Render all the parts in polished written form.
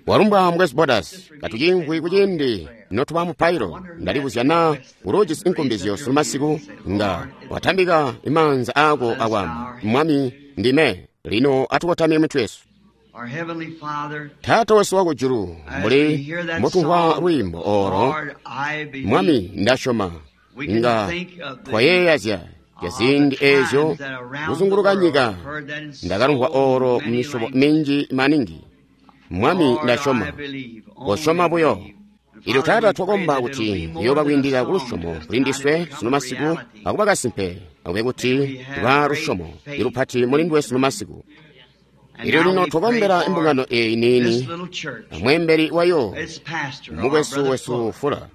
Walumbwa Mukwesu Borders, katuciimvwi kuciindi notuba mupailo. Ndalibuzya naa uluujisi inkumbizyo sunu masiku, nga watambika imaanza aako akwaamba, Mwami, ndime. Lino atukotamye mitwe yesu. Our Heavenly Father, Taata wesu wakujulu, as we mbuli hear that mbotumvwa song, lwiimbo olo, Lord, I believe, Mwami, ndasyoma, we can nga think of the, twayeeya zya ziindi the eezyo times that around the kuzunguluka world nyika heard that in ndakalumvwa so olo many misyobo languages. minji maningi. Mwami, Lord, I ndasyoma, believe, kosyoma only buyo. believe. And Ilyo Father, Taata we pray twakomba that it'll kuti be more yoba than a kwiindila ku song lusyomo to us kuli tonight, ndiswe it'll become sunu a masiku reality. akuba kasimpe, akube May we kuti have tuba great lusyomo faith ilupati muli in nduwe sunu tonight. masiku. And Ilyo now lino we pray twakombera for imbungano eyi this niini, little church, amweembeli wayo, its pastor, our mukwesu brother wesu Fuller, Fula,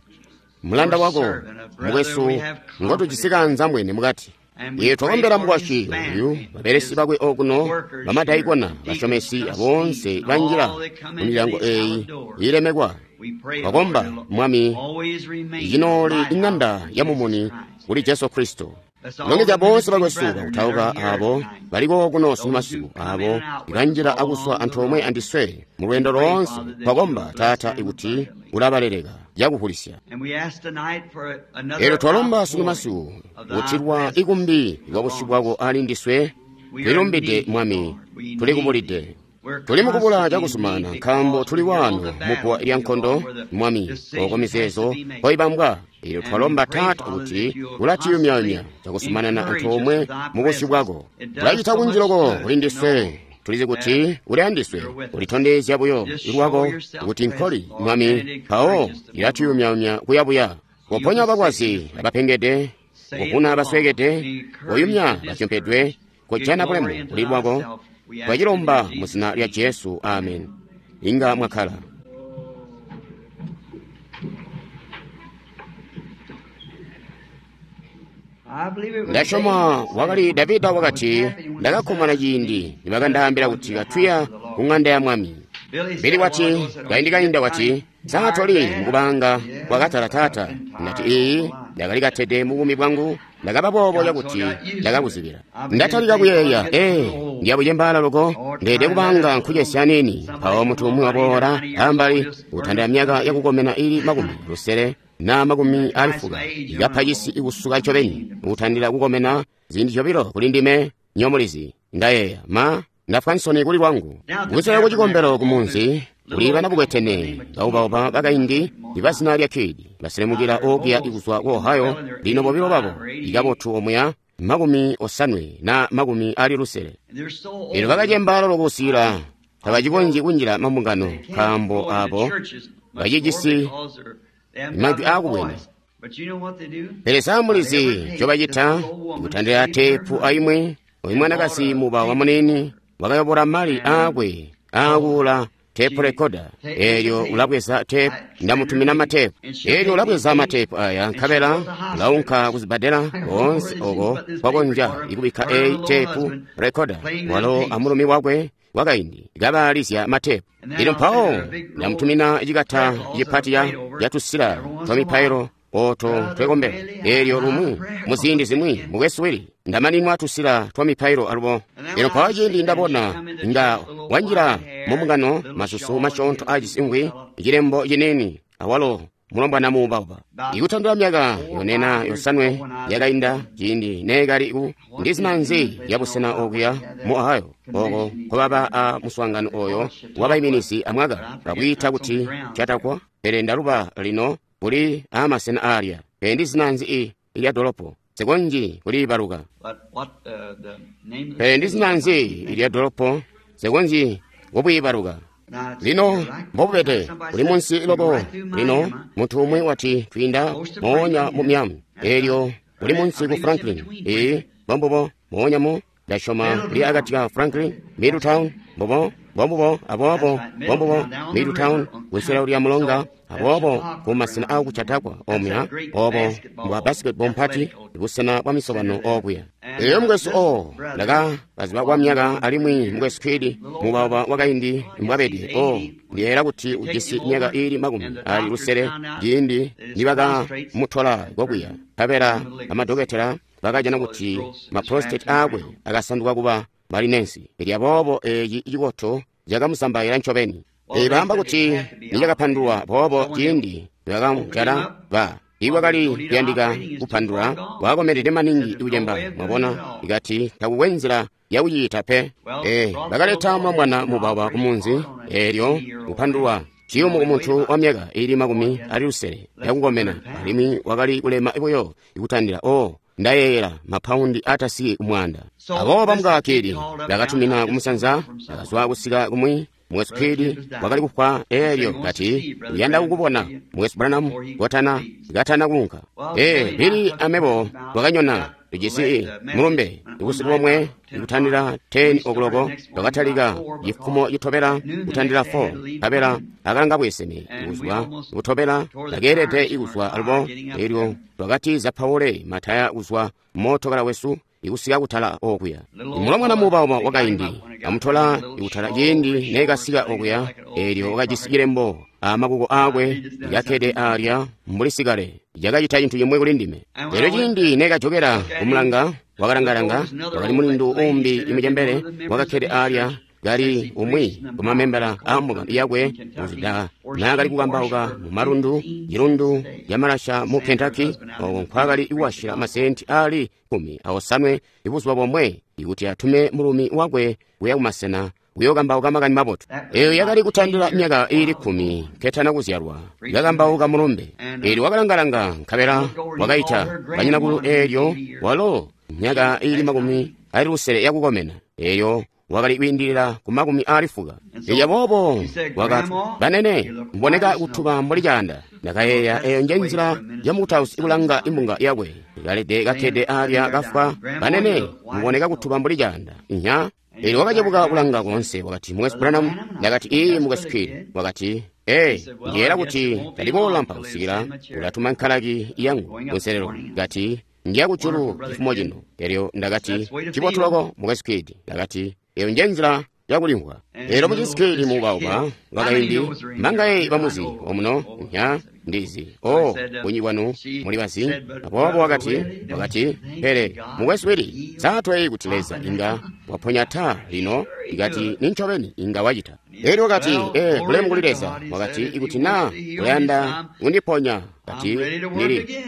mulanda your wako, servant, a brother mukwesu we have ngotujisi confidence in. kaanzambwene mukati. And we Iye pray twakombera for his mukwasyi oyu, family, babelesi his bakwe okuno, workers here, bamadaikona, deacons, bashomesi, aboonse trustees, and banjila all that come mu into milyango these eyi hallowed doors. iilemekwa. We pray, Lord, Twakomba, it'll Mwami, always remain the icinooli lighthouse iŋanda for ya Jesus mumuni Christ. kuli Jesu Kristo. Bless all Longezya the bonse ministering bakwesu brethren that bakutauka are here abo tonight, baliko kuno sunu those who masiku, come in abo and out with us ibanjila all akuswa along the antoomwe road. andiswe mu We lwendo pray, loonse. Father, that you'll Twakomba bless Taata them ikuti abundantly. ulabaleleka cakuvulisya. And we ask tonight for Elyo another twalomba sunu outpouring masiku of thy kutilwa presence ikumbi lwa busyu upon bwako us. ali ndiswe. We are in Tulilumbide need, Mwami, Lord. We need tulikubulide. thee. We're Tuli mukubula constantly in need cakusumana nkaambo because tuli we're here on wano the mu bbuwa lya battlefield nkondo, where the Mwami, oko decisions has to mizeezo be made. koibambwa. Elyo And we twalomba pray, Taata Father, kuti that you'll ulatiyumyayumya constantly cakusumanana encourage us antoomwe with thy mu busyu presence. bwako. It does Ulacita so kunji much loko good kuli to ndiswe. know Tulizi that kuti uli andiswe, you're with us. ulitondezya buyo Just lwako show yourself kuti nkoli, present, Lord, and Mwami, it mpawo encourages us to move on. ilatiyumyayumya kuyabuya. Heal Koponya the sick and balwazi afflicted. abapengede, Save kuvuna the lost. abasweekede, Encourage koyumya the batyompedwe, discouraged. Give kojana glory bulemu unto kuli lwako. thyself. We ask it in Twacilomba mu Jesus' zina lya name. Jesu, amen. Amen. Inga mwakhala. I believe it was Ndasyoma David that wakali said, Davida I was wakati, happy when they said ndakakkomana unto me, ciindi Let us nibakandaambila go into kuti the house katuya of the ku Lord. ŋanda ya Mwami. Billy Bili said a while wati, ago, said, Aren't you kaindi getting kainda kind wati, of saa tired, toli Dad? mukubanga Yeah, kwakatala but I've taata. been Ndati tired all iyi my life. ndakalikatede mu buumi bwangu, ndakaba boobo Got so I cakuti got used to it. ndakakuzibila. I began to Ndatalika think, well, I'm kuyeeya, getting a ee, little old. ndiyabucembaala loko, Or ndeede trying that kubanga little nkucesya niini. somebody Mpawo come munthu along umwe about 8 or waboola 90 years old, ambali just kutandira burning myaka up. yakukomena ili 60 na makumi ali Twice fuka, my age, ikapha I'm cisi old. ikusuka ncobeni, kutandira kukomena ziindi zyobilo kuli ndime nyomulizi. Ndayeeya, ma ndafwa nsoni kuli lwangu. Now at the Kukusela ku cikombelo tabernacle ku on the munzi little kuli old bana couple by the bukwetene name of Kidd baubauba bakaindi from iba Ohio. zina lya Kidd baselemukira Now they're okuya both ikuzwa ku doing Ohio. well in their Lino bobilo 85 babo or 88, ikabotu omuya 80. and they're so Elyo old bakacembaala lokusiila I'll tabacikonzyi tell kunjila mambungano they can't nkaambo go into abo churches much more bacijisi because they haven't got majwi no aakubwene. voice. But you know what they do? Pele samulizi On every tape, this ncobacita little old woman ikutandira saved her teepu money aimwi, oyu and bought mwanakazi a muba wa tape munini recorder. wakayobola mali And aakwe so aakuula teepu she rekoda. takes the Elyo tape. ulabweza teepu, I send her ndamutumina tape, mateepu. and she'll Elyo take these ulabweza tapes mateepu aya, and she'll go nkabela to the ulaunka hospitals. kuzibbadela I don't know where koonse this is, oko but this tape kwakonzya recorder, ikubikka her and her eyi little teepu husband rekoda, playing them walo tapes. amulumi wakwe wakaindi kabaalizya mateepu. And then Elyo I'll send mpawo her a big roll of ndamutumina cikata prayer cloths that I cipati ya prayed over yatusila every once twa in a while. mipailo oto Brother twekombela. Willie, Elyo I'm out lumwi of prayer mu ziindi cloth zimwi again. mukwesu Willie ndamaninwa tusila twa mipailo alubo. And then Elyo when I mpawo was ciindi sick, and she ndabona come into nga church, little wanjila white hair, mumbungano little masusu shawl, and masyoonto little aacisimbwi fellow, cilembo ciniini awalo mulombwana muubauba. about Ikutandira myaka 4 or yonena 5 years ago yosanwe when I was yakainda in ciindi neekali ku what ndi is zina the nzi name of the ya place in busena Ohio where okuya they had mu that Ohio oko convention each kwababa year? a muswaangano They call oyo it Chautauqua, wabayiminizi but amwaka I forget bakwiita now it's on the kuti grounds there. Chautauqua, pele ndaluba lino kuli amasena aalya. Pele ndi zina nzi ilya dolopo sikonzyi kuliibaluka. But what the name of the Pele ndi city zina is, I nzi can't think ilya of it. dolopo sikonzyi kubwiibaluka. Now it's Lino you're right. Now mbobubede somebody kuli said munsi you're loko. right through Lino Miami, munthu umwe wati twiinda close to moonya Franklin. mu Miami, That's right. elyo kuli Right. I munsi ku believe it's in Franklin. between Ee, Franklin. mbombubo moonya mu ndasyoma kuli akati Middletown. ka Franklin, That's Middletown, it. mbobo mbombubo That's aboobo right. mbombubo Middletown down the Middletown river on kunsela County. lya mulonga So that's aboobo Chautauqua ku masena ground. aku Chautauqua That's omuya that great obo bwa basketball basketball mpati athletical busena bwa misobano center there. okuya. And Elyo mukwesu this o brother ndaka kaziba kwa was myaka known for alimwi years. mukwesu Kidd Little old mubauba brother, wakaindi oh, I guess he's mbwabede o 80. When ndiyeera kuti they taken ujisi him myaka over, ili and makumi the ali doctors lusele found out ciindi that his prostrates nibakamutola had kokuya turned nkabela to malignancy. amadokotela bakajana So his kuti growths just maprostate wrapped him aakwe around. akasanduka kuba malinensi. Elyo aboobo eeci cikoto cakamusambaila ncobeni. Baamba kuti nicakapandulwa boobo ciindi bakamujala ba iwakali kuyandika kupandula wakomenede maningi kucemba, mwabona, ikati takukwe nzila yakuciita pe. Bakaleta mulombwana mubaba kumunzi, eelyo kupandulwa ciyumu kumuntu wa myaka ili 60 yakukomena, alimwi wakali kulema buyo ikutandila ndayeeyela mapaundi atasiki kumwanda. Aboobo bamukakili bakatumina kumusanza, bakazwa kusika kumwi. Mukwesu Kidd wakali kufwa, eelyo kati uyanda kukubona Mukwesu Branham kotana katana kuunka. Billy amebo twakanyona tujisi mulumbe busiku bomwe ikutandila 10 o'clock, twakatalika cifumo citobela kutandila 4, nkabela akalanga bweseme kuzwa kutobela takeelede ikuzwa alubo. Eelyo twakati zapaule mataya kuzwa mootokala wesu ikusika kutala okuya. Mulomwana muubauba wakaindi amutola ikutala ciindi neekasika okuya, eelyo wakajisi cilembo amakuko aakwe yakkede alya mbuli sikale. Cakacita cintu cimwe kuli ndime. Eelyo ciindi neekajokera kumulanga, wakalangalanga, wakali mulindu uumbi imucembele wakakkede alya kali umwi kumamembala a mbungano yakwe kuzida naakali kukambauka mu malundu cilundu camalasha mu Kentucky, oko nkwaakali kuwashila masenti ali 18 ibuzuba bomwe ikuti atume mulumi wakwe kuya kumasena kuyookambauka makani mabotu. Eyo yakali kutandila myaka ili 10 ketana kuzyalwa, yakambauka mulumbe. Eelyo wakalangalanga nkabela wakaita banyinakulu, eelyo walo myaka ili 60 yakukomena, eelyo wakali kwiindilila ku 80. Eya boobo wakati, banene mboneka kutuba mbuli caanda. Ndakayeeya eyo nje nzila ya mukutausi ikulanga imbunga yakwe ikalede kakkede alya kafwa. Banene mboneka kutuba mbuli caanda nya. Eelyo wakacebuka kulanga koonse, wakati, Mukwesu Branham. Ndakati, ii Mukwesu Kidd. Wakati, ndiyeera kuti taliboolampa kusikila ulatuma nkalaki yangu kunselelo. Kati, ndiya kujulu cifumo cino. Eelyo ndakati, cibotu loko Mukwesu Kidd. Ndakati, eyo nje nzila yakulimvwa. Eelyo Mukwesu Kidd muubauba wakaindi mangaye bamuzi omuno nya ndizi bunyi bwanu muli bazi. Aboobo wakati, pele Mukwesu Willy saatweyi kuti Leza inga waponya taa lino. Ikati nincobeni inga wacita. Eelyo wakati, bulemu kuli Leza. Wakati, ikuti naa ulayanda kundiponya, kati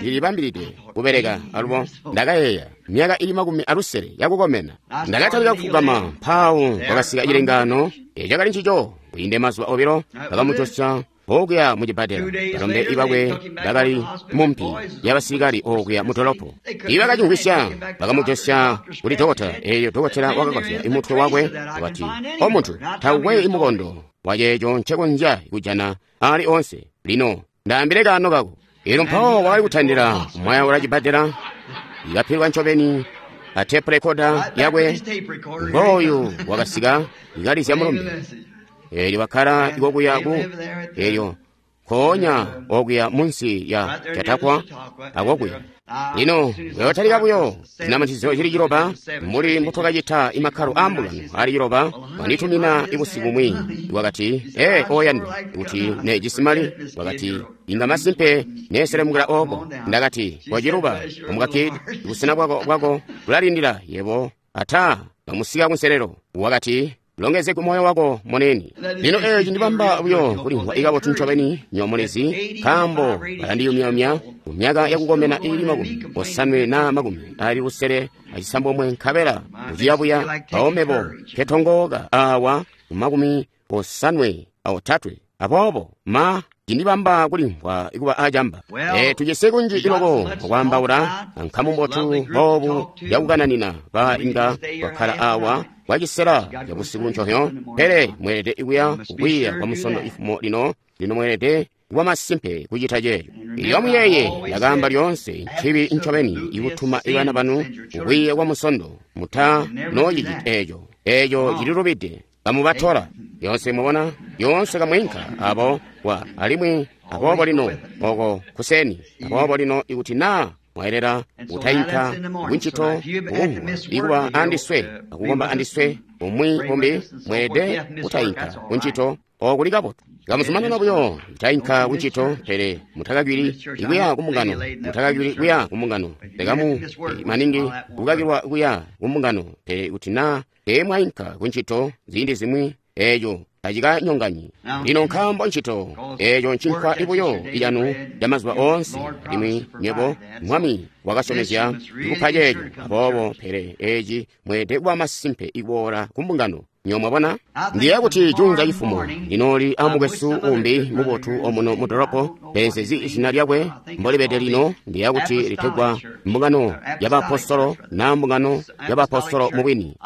ndilibambilide kubeleka alubo. Ndakayeeya myaka ili 60 yakukomena. Ndakatalika kufugama, mpawo kwakasika cilengano cakali ncico. Kwiinde mazuba 2 bakamujosya okuya mucibbadela. Balombe ibakwe bakali mumpi yabasilikali okuya mudolopo. Ibakacimvwisya bakamujosya kuli dokotela. Eelyo dokotela wakakozya imutwe wakwe wakati, o muntu, takukwe imukondo waceeco ncekonzya kujana ali onse. Lino ndaambile kaano kako. Eelyo mpawo wakali kutandila kumwayaula cibbadela, ikapilwa ncobeni a tape recorder yakwe. Ngooyu wakasika ikalizya mulumbe. Eelyo wakkala ikokuya ku eelyo nkoonya okuya munsi ya Chautauqua akokuya. Lino weyotalika buyo zinamatizyo cili 6 mbuli mbutwakacita imakkalo a mbungano ali 6. Wanditumina ibusiku bumwi wakati, oyandwa kuti nejisi mali. Wakati, inga masimpe neeselemukila oko. Ndakati, waciluba omukakidi, busena bwako bulalindila yebo ata bamusika kunselelo. Wakati, longeze ku moyo wako moneni. Lino eeci ndibamba buyo kulimvwa ikabotu ncobeni nyoomulezi, nkaambo balandiyumyayumya ku myaka yakukomena ili 80 na 69, nkabela kuciyabuya mpawo ketongooka awa ku 53. Aboobo ma cindibamba kulimvwa kuba acamba. Tujisi kunji iloko okwaambaula ankamu mbotu boobu yakukananina ba inga twakkala awa kwacisela cabusiku nconyo, pele mweelede kuya kukwiiya kwa musondo ifumo lino. Lino mweelede kuba masimpe kucita ceeco. Iyo muyeye yakaamba lyoonse ncibi ncobeni ikutuma ibana banu kukwiiya kwa musondo. Muta noocicita eeco. Eeco cililubide. Kamubatola yonse, mwabona, yonse kamwinka abo wa alimwi aboobo lino oko kuseni. Aboobo lino ikuti naa mwaelera kutainka kuncito kukumvwa ikuba andiswe akukomba andiswe umwi umbi, mweelede kutainka kuncito okuli kabotu. Kamuzumanana buyo kutainka kuncito, pele mutakakili kuya kumbungano, mutakakili kuya kumbungano. Lekamu maningi kukakilwa kuya kumbungano, pele kuti naa teemwainka kuncito ziindi zimwi eeco tacikanyonganyi. Lino nkaambo ncito eeco ncinkwa buyo icanu camazuba oonse, alimwi nywebo Mwami wakasyomezya kupa ceeco. Aboobo pele eeci mweelede kuba masimpe iboola ku mbungano. Nywebo mwabona? Ndiyeeya kuti juunza cifumo ndinooli amukwesu umbi mubotu omuno mu dolopo, penzezi izina lyakwe mbolibede lino. Ndiyeeya kuti litegwa mbungano y'abaapostolo na mbungano y'abaapostolo mubwini.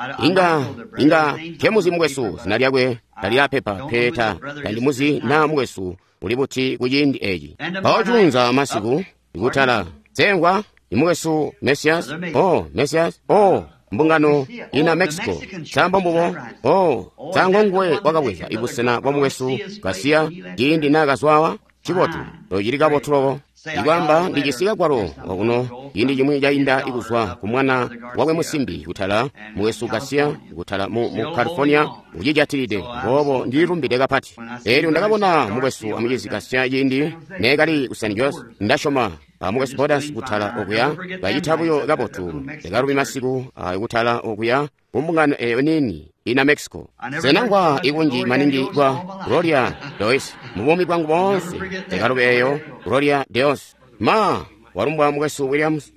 Inga nkemuzi mukwesu, zina lyakwe talyapepa pe, tandimuzi naa mukwesu uli buti ku ciindi eci. Mpawo juunza masiku ikutala sengwa imukwesu Mesias, oh Mesias, oh mbungano ina Mexico, sambo mbubo, oh sango nguwe wakabweza ibusena bwa mukwesu Garcia ciindi naakazwawa. Cibotu, tocili kabotu loko. Ikwamba ndijisi kagwalo okuno ciindi cimwi cainda ikuzwa ku mwana wakwe musimbi kutala mukwesu Garcia kutala mu California ucijatilide, boobo ndililumbide kapati. Eelyo ndakabona mukwesu amucizi Garcia ciindi neekali ku San Jose, ndasyoma mukwesu Borders kutala okuya bacita buyo kabotu. Ndakalubi masiku kutala okuya kumbungano eyo niini ina Mexico. Senangwa ikunji maningi kwa Gloria Deus mubuumi bwangu boonse. Ndakalubi eyo Gloria Deus. Ma walumbwa mukwesu Williams.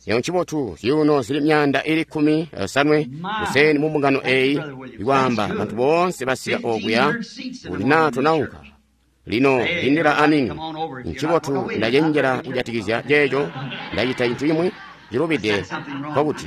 Eyo ncibotu zyuuno zili 115 kuseni mu mbungano eyi ikwaamba bantu boonse basika okuya kuti naa tonaunka. Lino lindila aningi. Ncibotu ndacenjela kujatikizya ceeco. Ndacita cintu cimwi cilubide nkokuti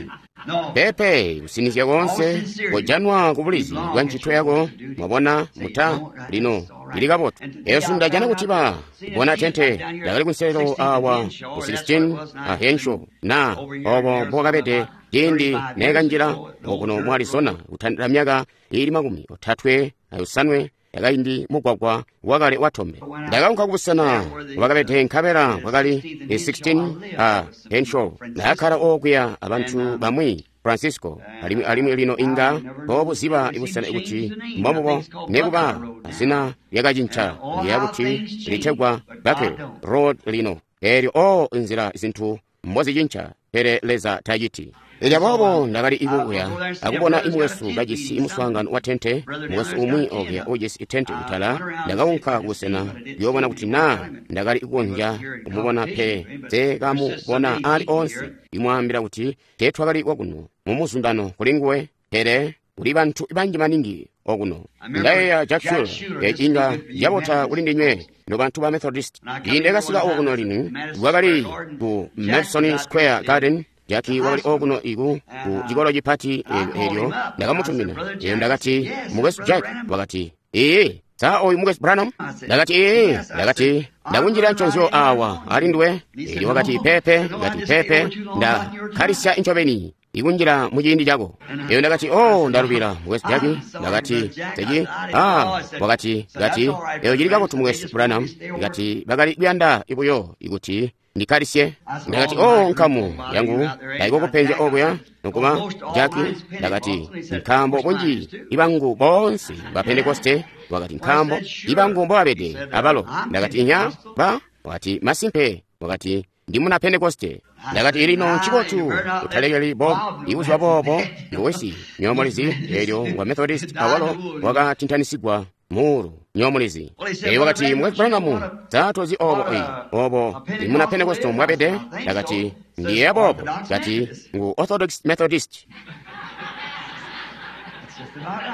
pepe kusinizya koonse kojanwa ku bulizi bwa ncito yako. Mwabona muta lino lili kabotu. Eyo sindajana kuti ba bona tente lyakali kunselelo awa ku 16 a Henshaw na obo mbokabede ciindi neekanjila okuno mu Arizona kutandila myaka iili 35 yakaindi mugwagwa wakale watombe. Ndakaunka kubusena bwakabede nkabela bwakali 16 a Henshaw. Ndakakkala okuya abantu bamwi Francisco, alimwi lino inga mbobuziba ibusena kuti mbombubo nekuba zina lyakacinca ndiyeeya kuti litegwa Buckle Road lino. Eelyo o nzila zintu mbozicinca, pele Leza taciti. Elyo aboobo ndakali ikukuya akubona imukwesu kajisi muswaangano wa tente, mukwesu umwi okuya ujisi tente kutala. Ndakaunka kubusena kuyoobona kuti naa ndakali kukonzya kumubona pe nsekamubona ali oonse. Imwaambila kuti teetwakali kwakuno mumuzundano kuli nguwe, pele kuli bantu banji maningi okuno. Ndayeeya Jack Shuler, eci inga cabota kuli ndinywe nobantu ba Methodist. Ciindi kasika okuno lino kwakali ku Madison Square Garden. Jackie wakali okuno iku ku cikolo cipati eelyo ndakamutumina. Eelyo ndakati, mukwesu Jack, wakati, ee, sa oyu mukwesu Branham? Ndakati, ee, ndakati, ndakunjila nconzyo awa ali nduwe. Eelyo wakati, pepe, ndakati, pepe, ndakkalisya incobeni ikunjila mu ciindi cako. Eelyo ndakati, oh, ndalubila mukwesu Jackie. Ndakati, seki, ah, wakati, kati, eyo cili kabotu mukwesu Branham. Ndakati, bakali kuyanda ibuyo ikuti ndikkalisye. Ndakati, oh, nkamu yangu taikokupenzya okuya nokuba Jackie. Ndakati, nkaambo bunji ibangu boonse ba Pentekoste. Wakati, nkaambo ibangu mbobabede abalo. Ndakati, inya ba. Wakati, masimpe. Wakati, ndi muna Pentekoste. Ndakati, lino ncibotu utalekeli Bob ibuzuba boobo ngowesi nyomulizi. Eelyo wa Methodist awalo wakatintanisigwa muulu nyomulizi. Eelyo wakati, mukwesu Branham, saatozi obo eyi obo imuna Pentekoste mwabede. Ndakati, ndiyeeya boobo. Kati, ngu Orthodox Methodist.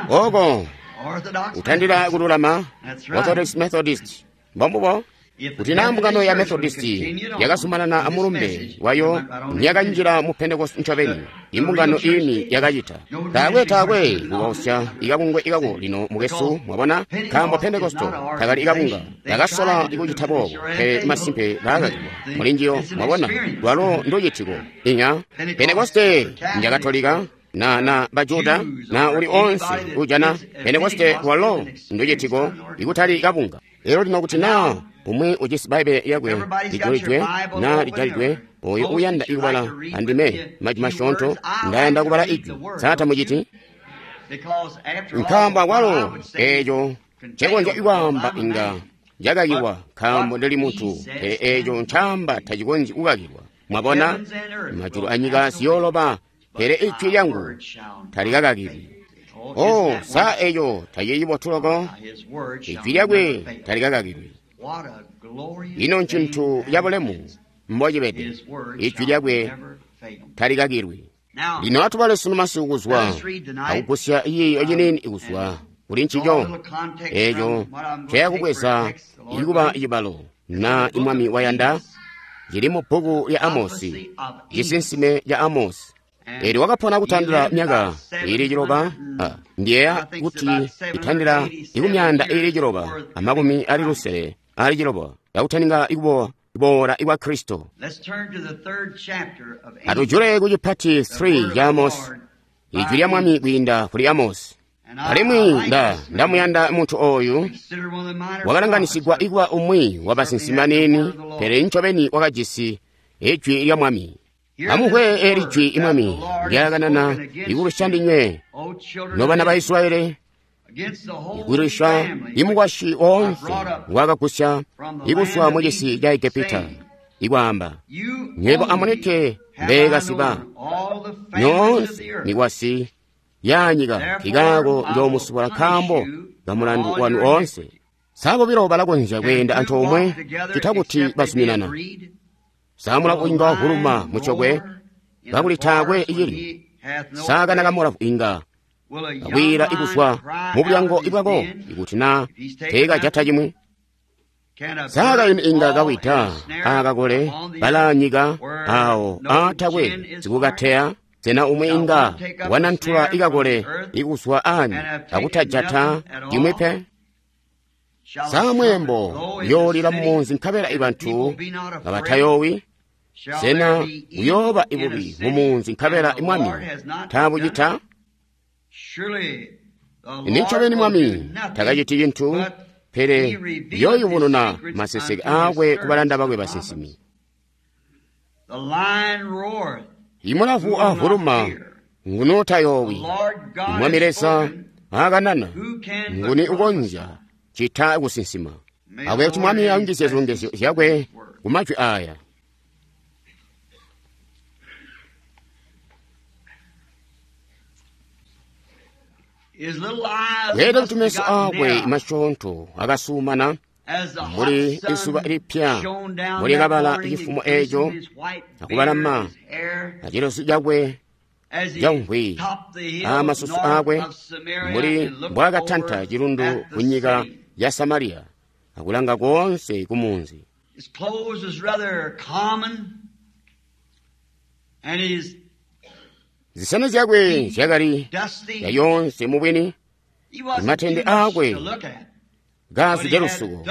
Oko kutandila kululama Orthodox Methodist mbombubo. Kuti naa mbungano ya Methodist yakazumanana amulumbe wayo nyakanjila mu Pentecost ncobeni, imbungano ini yakacita. Taakwe kukausya ikabungwe ikako lino mukwesu, mwabona, nkaambo Pentecost takali ikabunga. Bakasola kucita boobo, pele masimpe baakakilwa mulinjiyo, mwabona, lwalo nducitiko. Inya Pentecoste njakatolika na Bajuda na uli onse ujana Pentecoste lwalo nducitiko ikutali kabunga. Lero lino kuti naa umwi ujisi Bbaibele lyakwe lijulidwe na lijalidwe, oyo uyanda ikubala andime majwi masyoonto, ndayanda kubala ijwi. Sa muciti? Nkaambo akwalo eeco ncekonzya kwaamba inga cakakilwa, nkaambo ndili muntu, pele eeco ncaamba tacikonzyi kukakilwa. Mwabona, majulu anyika ziyooloba, pele ijwi lyangu talikakakilwi. O, sa eco tacili cibotu loko? Ijwi lyakwe talikakakilwi. Ino ncintu cabulemu mbocibede. Ijwi lyakwe talikakilwi. Lino atubale sunu masiku kuzwa akugusya ciiyo ciniini kuzwa kuli ncico eco cayakubweza ikuba cibalo na imwami wayanda cili mu bbuku lya Amosi, cisinsime ca Amosi. Eelyo wakapona kutandila myaka iili ciloba, ndiyeeya kuti itandila ikumyaanda iili ciloba amakumi ali lusele ali ciloba yakutaninga kuboola kwa Kristo. Atujule ku cipati 3 ca Amosi, ijwi lya Mwami kwiinda kuli Amosi. Alimwi ndamuyanda muntu ooyu wakalanganisigwa ikuba umwi wa basinsimi baniini, pele ncobeni wakajisi ijwi lya Mwami. Amumvwe eeli jwi Mwami ndyakanana ikulwisya ndinywe nobana ba Israyeli, ikulwisya imukwasyi woonse ngwaakagusya ikuzwa mucisi ca Egepita, ikwaamba, nywebo amunike mbeekasiba nyoonse mikwasyi yanyika nkikaako njoomusubula nkaambo kamulandu wanu oonse. Sa bobilo balakonzya kweenda antoomwe cita kuti bazuminana? Sa mulavu inga wavuluma mucokwe kakuli taakwe icilyo? Sa kana kamulavu inga kakwiila ikuzwa mubulyango bwako ikuti naa teekajata cimwi? Sa kayuni inga kawida aakakole balaanyika aawo aatakwe sikukateya? Sena umwi inga wanantula ikakole ikuzwa aani akutajata cimwi pe? Sa mweembo uyoolila mumunzi nkabela ibantu kabatayoowi? Sena uyooba ibubi mumunzi nkabela Mwami taabucita? Nincobeni Mwami takaciti cintu, pele uyooyubununa maseseke aakwe kubalanda bakwe basinsimi. Imulavu avuluma nguni utayoowi? Mwami Leza aakanana nguni ukonzya cita kusinsima? Akube kuti Mwami ayungizye zilongezyo zyakwe ku majwi aaya. Kweelede kuti meso aakwe masyoonto akasuumana mbuli izuba lipya mbuli kabala cifumo eeco akubalama acilozu cakwe camvwi aamasusu aakwe mbuli mbwaakatanta cilundu kunyika ya Samariya akulanga koonse kumunzi. Zisani zyakwe zyakali zyayoonse mubwini, matende aakwe kaazwide lusuko,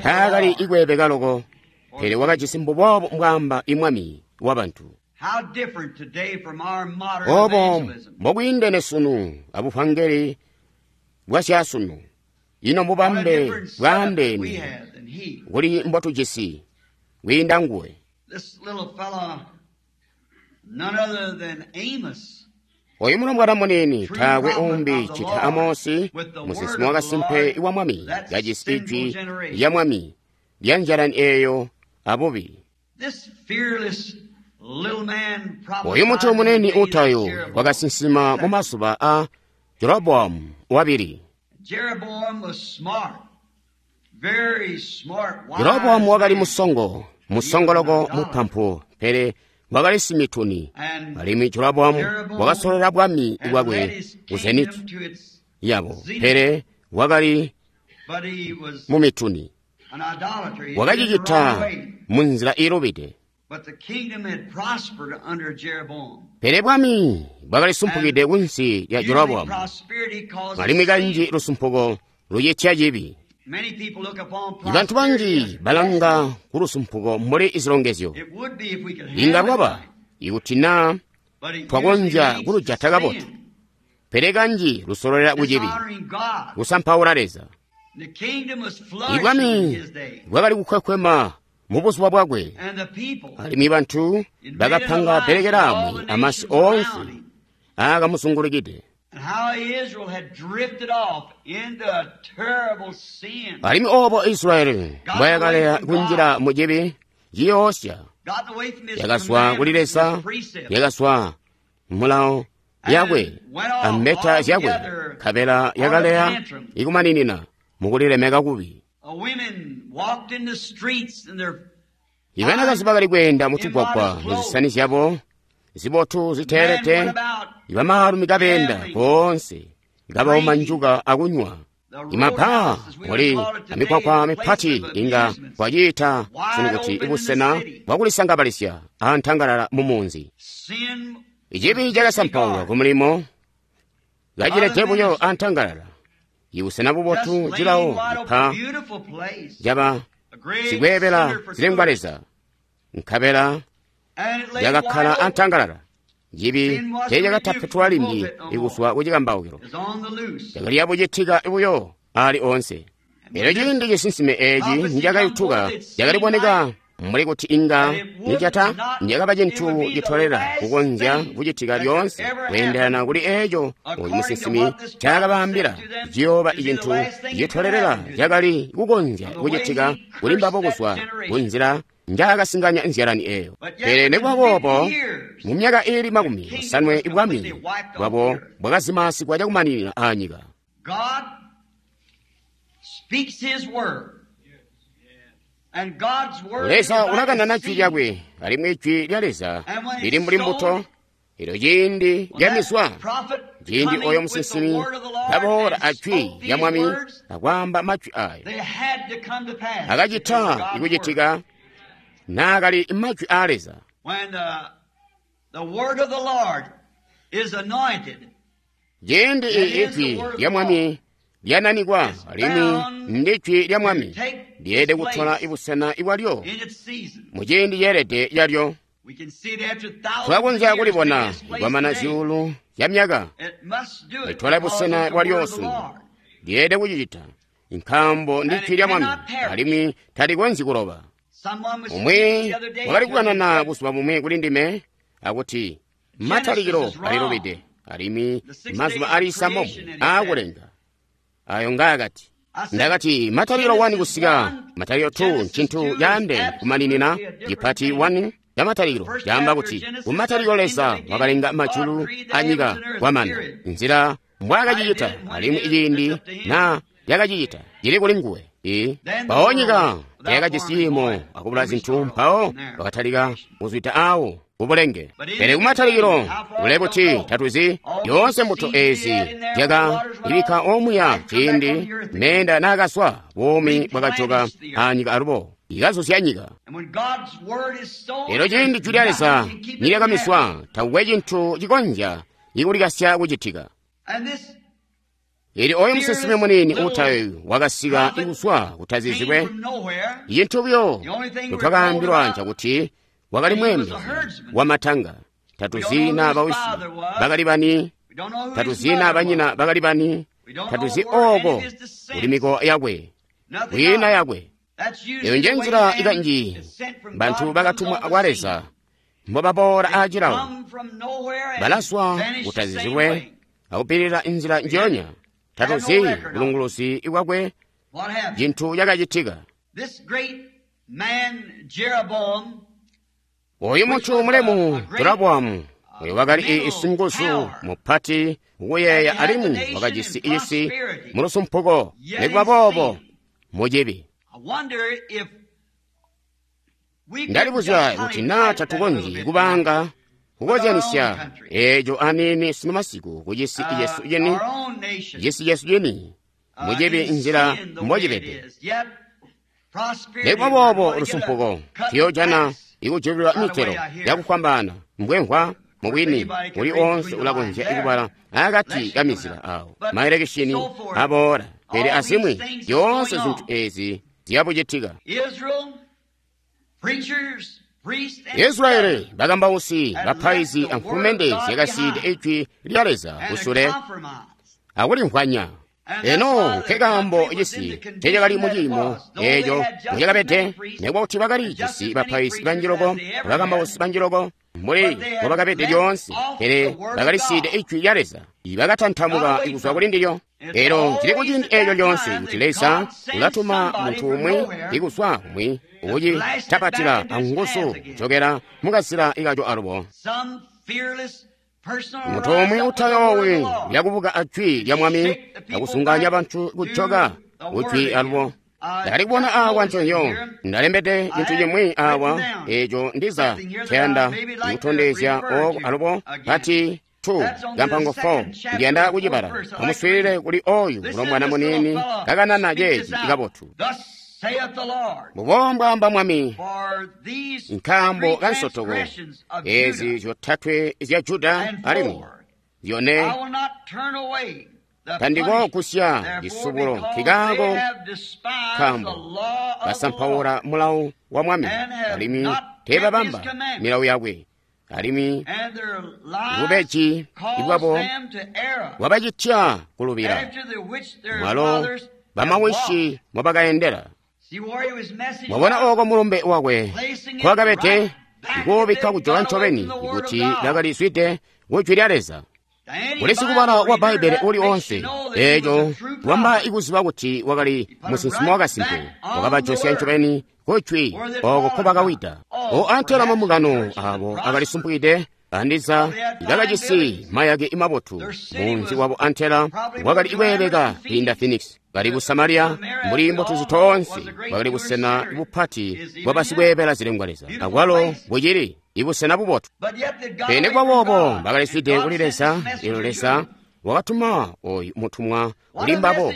taakali ikweebeka loko, pele wakajisi mbuboobo mbwaamba imwami wabantu. Obo mbokwiindene sunu abuvangeli bwasyasunu. Ino mbubambe bwaandeene kuli mbotujisi kwiinda nguwe. Oyu mulombwana muniini taakwe umbi cita Amosi, musinsimi wakasimpe wa Mwami, kajisi ijwi lya Mwami lya njalani eeyo abubi. Oyu muntu muniini utayo wakasinsima mu mazuba a Jeroboamu wabili. Jeroboamu wakali musongo, musongo loko mupampu, pele wakali simituni. Alimwi Jeroboamu wakasolola bwami bwakwe ku Zeniti yabo, pele wakali mumituni. Wakacicita munzila iilubide. Pele bwami bwakali sumpukide kunsi lya Jeroboamu, alimwi kanji lusumpuko lucitya cibi. Ibantu banji balanga kulusumpuko mbuli izilongezyo. Inga lwaba ikuti naa twakonzya kulujata kabotu, pele kanji lusololela kucibi, kusampaula Leza. Ibwami bwakali kukhwekhwema mubuzuba bwakwe, alimwi bantu bakapanga bbelekelaamwi amasi oonse aakamuzungulukide. Alimwi obo Israyeli mbwayakaleya kunjila mucibi ciyoosya, yakazwa kuli Leza, yakazwa mulawo yakwe ambeta zyakwe, nkabela yakaleya ikumaninina mukulilemeka kubi. Ibanakazi bakali kweenda mutugwagwa muzisani zyabo zibotu ziteelete, ibamaalumi kabeenda koonse kabauma njuka akunywa. Imabaa muli amikwakwa mipati inga kwaciita sunu kuti ibusena bwakulisangabalisya antangalala mumunzi. Ichibi cakasampaulwa kumulimo kacilede buyo antangalala. Ibusena bubotu cilawo cipa caba sikweebela zilengwa leza, nkabela yakakkala antangalala. Cibi teecakatapetwa limbi ikuzwa kucikambaukilo, cakali yabucitika buyo ali onse. Elyo ciindi cisinsime eeci nicakayutuka, cakaliboneka mbuli kuti inga nicata nicakaba cintu citolela kukonzya kucitika lyoonse kweendelana kuli eeco oyu musinsimi ncaakabaambila ciyooba icintu citolelela cakali kukonzya kucitika kuli mbabo kuzwa kunzila njaakasinganya nzyalani eeyo. Pele nikuba boobo, mu myaka iili 70 ibwami bwabo bwakazimasigwa cakumaninina aanyika. Leza ulakanana jwi lyakwe, alimwi jwi lya Leza lili mbuli mbuto. Elyo ciindi lyamizwa, ciindi oyo musinsimi kaboola ajwi lya Mwami akwaamba majwi ayo, akacita ikucitika naakali majwi aa Leza. Ciindi ijwi lya Mwami lyananikwa, alimwi ndi jwi lya Mwami, lyeelede kutola ibusena ibwalyo mu ciindi ceelede lyalyo. Tulakonzya kulibona kwamana zyuulu zya myaka litola busena bwalyo sunu. Lyeelede kucicita nkaambo ndi jwi lya Mwami, alimwi talikonzyi kuloba. Umwi wakali kukanana buzuba bumwi kuli ndime akuti matalikilo alilubide, alimwi mazuba ali 6 aakulenga ayo ngaakati. Ndakati matalikilo 1 kusika matalikilo 2 ncintu caandeene kumaninina. Cipati 1 ca matalikilo caamba kuti kumatalikilo Leza wakalenga majulu anyika kwamana nzila mbwaakacicita, alimwi iciindi na yakacicita cili kuli nguwe. Mpawo nyika teyakajisi ciimo akubula zintu, mpawo wakatalika kuzwida awo kubulenge. Pele kumatalikilo kule kuti tatuzi yoonse mbuto eezi zyaka ibikka omuya ciindi meenda naakaswa, buumi bwakajoka anyika alubo ikazuzya nyika. Elyo ciindi jwi lya Leza nilyakamiswa, takukwe cintu cikonzya ikulikasya kucitika. Elyo oyo musinsimi muniini uutayoyu wakasika ikuzwa kutazizilwe. Cintu buyo ncotwakaambilwa ncakuti wakali mweembezi wamatanga. Tatuzi naa bawisi bakali bani, tatuzi naa banyina bakali bani, tatuzi ooko kuli mikowa yakwe, kwiina yakwe. Eyo nje nzila ikanji bantu bakatumwa kwa Leza mbobaboola aacilawo, balaswa kutazizilwe akupilila inzila njiyonya. Tatuzi bulunguluzi bwakwe, cintu cakacitika. Oyu muntu mulemu Jeroboamu, oyo wakali isinguzu mupati ukuyeeya, alimwi wakajisi isi mulusumpuko, nikuba boobo mucibi. Ndalibuzya kuti naa tatukonzyi kubanga kukozyanisya eeco aniini sunu masiku kucisi cesu cini, cisi cesu cini mucibi nzila mbocibede. Nikuba boobo lusumpuko tuyoojana ikujulilwa mitelo yakufwambaana mbwemvwa mubwini uli oonse ulakonzya ikubala akati kamizila awo maelekishini aboola. Pele azimwi zyoonse zintu ezi ziyabucitika. Israeli, bakambausi, bapaizi amfulumende zyakasiide ijwi lya Leza kusule akulimvwanya. Eno nkekaambo cisi ncecakali muciimo eeco mucakabede, nikuba kuti bakali jisi bapaizi banjiloko abakambausi banjiloko mbuli mbobakabede lyoonse, pele bakalisiide ijwi lya Leza, ibakatantamuka kuzwa kuli ndilyo. Elo cili kuciindi eeco lyoonse kuti Leza ulatuma muntu umwi ikuzwa kumwi ukucitapatila anguzu kucokera mukazila ikaco alubo. Muntu umwi utayoowi uyakubuka ajwi lya Mwami akusunganya bantu kujoka kujwi alubo. Ndakali kubona awa nconzyo, ndalembede cintu cimwi awa eco ndiza nceyanda kutondezya oko alubo pati 2 kampango 4 ndiyanda kucibala. Amuswiilile kuli oyu mulombwana muniini kakanana ceeci kabotu. Mbubo mbwaamba Mwami, nkaambo ka nsotoko ezi zyotatwe zya Juda alimwi zyone tandikoogusya cisubulo nkikaako nkaambo basampaula mulawu wa Mwami alimwi teebabamba milawu yakwe alimwi bubeji bwabo bwabacitya kulubila mwalo bamawishi mobakaendela. Mwabona oko mulumbe wakwe nkwakabede ikuubikka kujoka ncobeni kuti lakalizwide kujwi lya Leza. Kuli sikubala wa Bbaibbele uli onse eeco wamba ikuziba kuti wakali musinsimi wakasimpe, wakabajosya ncobeni kujwi oko nkobakawida. O antela mambungano abo akalisumpukide andiza bakajisi mayake mabotu. Munzi wabo antela wakali kweeleka kwiinda Phoenix. Bali ku Samaria mbuli mbotuzi toonse bakali busena bupati bwabasikweebela zilengwa Leza, akwalo bucili ibusena bubotu. Pele kwaboobo bakaliswide kuli Leza. Elyo Leza wakatuma oyu mutumwa kuli mbabo.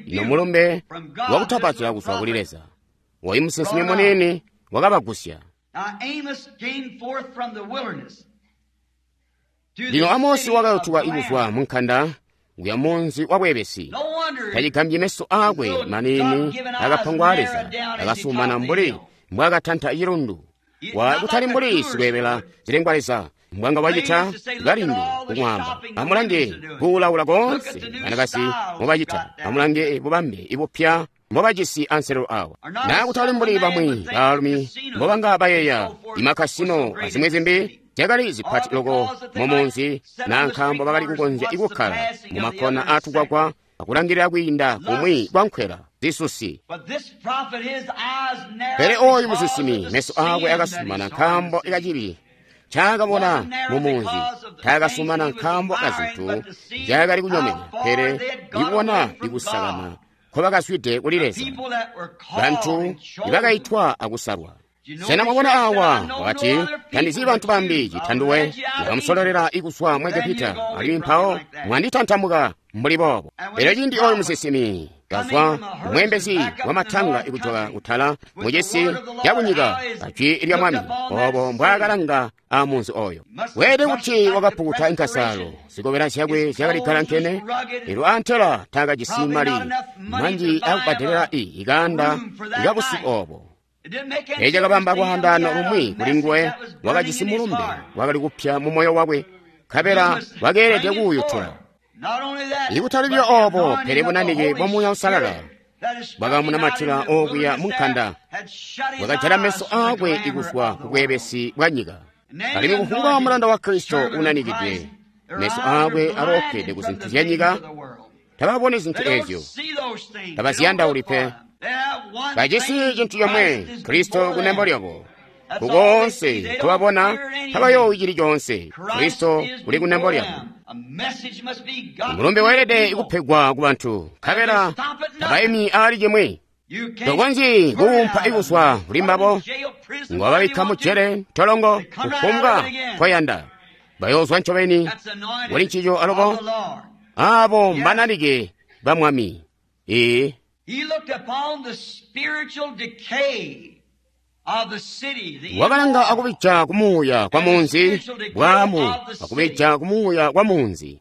Ino mulumbe wakutapatila kuzwa kuli Leza. Oyu musinsimi muniini wakabagusya. Lino Amosi wakayutuka ikuzwa munkanda kuya munzi wa bwebesi. Tacigambyi meso aakwe maniini akapangwa a Leza akasumana mbuli mbwaakatanta cilundu. Kutali mbuli sikweebela zilengwa Leza mbwanga wacita kalindu kumwaamba. Amulange kuulaula koonse banakazi mobacita. Amulange bubambe ibupya mbobajisi anselelo awa. Naa kutali mbuli bamwi baalumi mbobanga bayeeya imakasino azimwi zimbi zyakali zipati loko mumunzi, naa nkaambo bakali kukonzya ikukkala mumakkona aatukwakwa akulangilila kwiinda kumwi kwa nkwela zisusi. Pele oyu musinsimi meso aakwe akasumana nkaambo kacibi ncaakabona mumunzi. Taakasumana nkaambo kazintu nzyaakali kunyomena, pele ikubona ikusakana nkobakazwide kuli Leza, bantu ibakaitwa akusalwa. Sena mwabona awa wakati, tandizyi bantu bambi citanduwe wakamusololela ikuzwa mu Egepita, alimwi mpawo mwanditantamuka mbuli boobo. Elyo ciindi oyu musinsimi kazwa mweembezi wamatanga ikujoka kutala mucisi cakunyika ajwi lya Mwami, obo mbwaakalanga amunzi oyo. Weelede kuti wakapukuta inkasalo, zikobela zyakwe zyakali galankene, elyo antela taakajisi mali manji akubbadelela ikanda ikabusiku obo. Eco cakabamba lwaandaano lumwi kuli nguwe. Wakajisi mulumbe wakali kupya mu moyo wakwe, nkabela wakeelede kuuyutula. Ikutali buyo obo, pele bunanike bwa Muuya Uusalala bwakamunamatila okuya munkanda, bwakajala meso aakwe ikuzwa ku bweebesi bwa nyika. Alimwi kufumbwa mulanda wa Kristo unanikidwe, meso aakwe aloofwede ku zintu zya nyika. Tababoni zintu ezyo, tabaziyandauli pe. Bajisi cintu comwe, Kristo kunembo lyabo. Kukoonse tubabona tabayoowi cili coonse. Kristo uli kunembo lyabo. Mulumbe weelede kupegwa ku bantu, nkabela tabaimi aali cimwi. Tokonzyi kuumpa ikuzwa kuli mbabo. Ngwababikka mu jele, ntolongo, kufumbwa nkoyanda. Bayoozwa ncobeni kuli ncico alubo. Aabo mbananike ba Mwami. Ee. Wakalanga akubija kumuuya kwa munzi, bwaamu akubija kumuuya kwa munzi.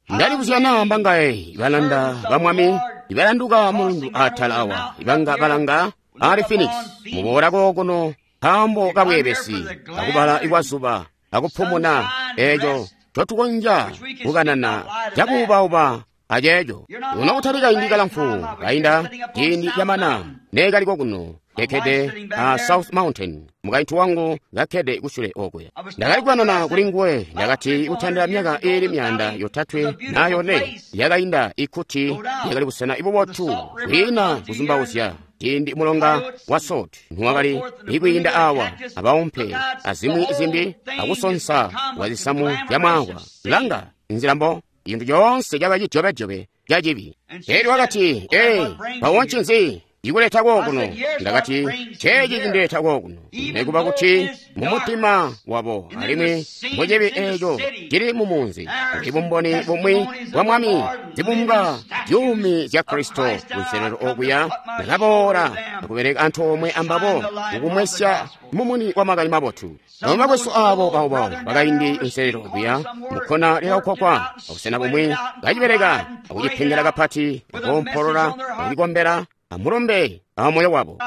Ndalibuzya naa mbangaye ibalanda ba Mwami ibalanduka mulundu atala awa, ibanga balanga ali Phoenix muboola kokuno nkaambo kabweebesi akubala ikwazuba akupumuna eeco ncotukonzya kukanana cakuubauba aceeco. Uno kutali kaindi kalamfu kainda ciindi camana neekaliko kuno Kekkede a South Mountain, mukaintu wangu kakkede kusule okuya. Ndakali kukanana kuli nguwe, ndakati kutandila myaka iili 300 na 4 yakainda ikuti yakali busena ibubotu kwiina kuzumbauzya. Ciindi mulonga wa Salt nuwakali ikwiinda awa abaumpe azimwi zimbi akusonsa kwa zisamu zya mwaangwa. Langa nzila mbo cintu coonse caba cidyobejobe ca cibi. Elyo wakati, ee, mpawo ncinzi cikuleta kookuno? Ndakati, ceeci cindileta kookuno, nekuba kuti mumutima wabo alimwi mucibi eeco cili mumunzi kuli bumboni bumwi bwa Mwami, zibumbwa zyuumi zya Kristo kunselelo okuya. Ndakaboola akubeleka antoomwe ambabo mukumwesya mumuni wa makani mabotu. Bamwi bakwesu aabo baubau bakaindi nselelo okuya mukkona lyakakwakwa abusena bumwi kacibeleka akucipengela kapati, akoompolola, akucikombela amulombe amoyo wabo.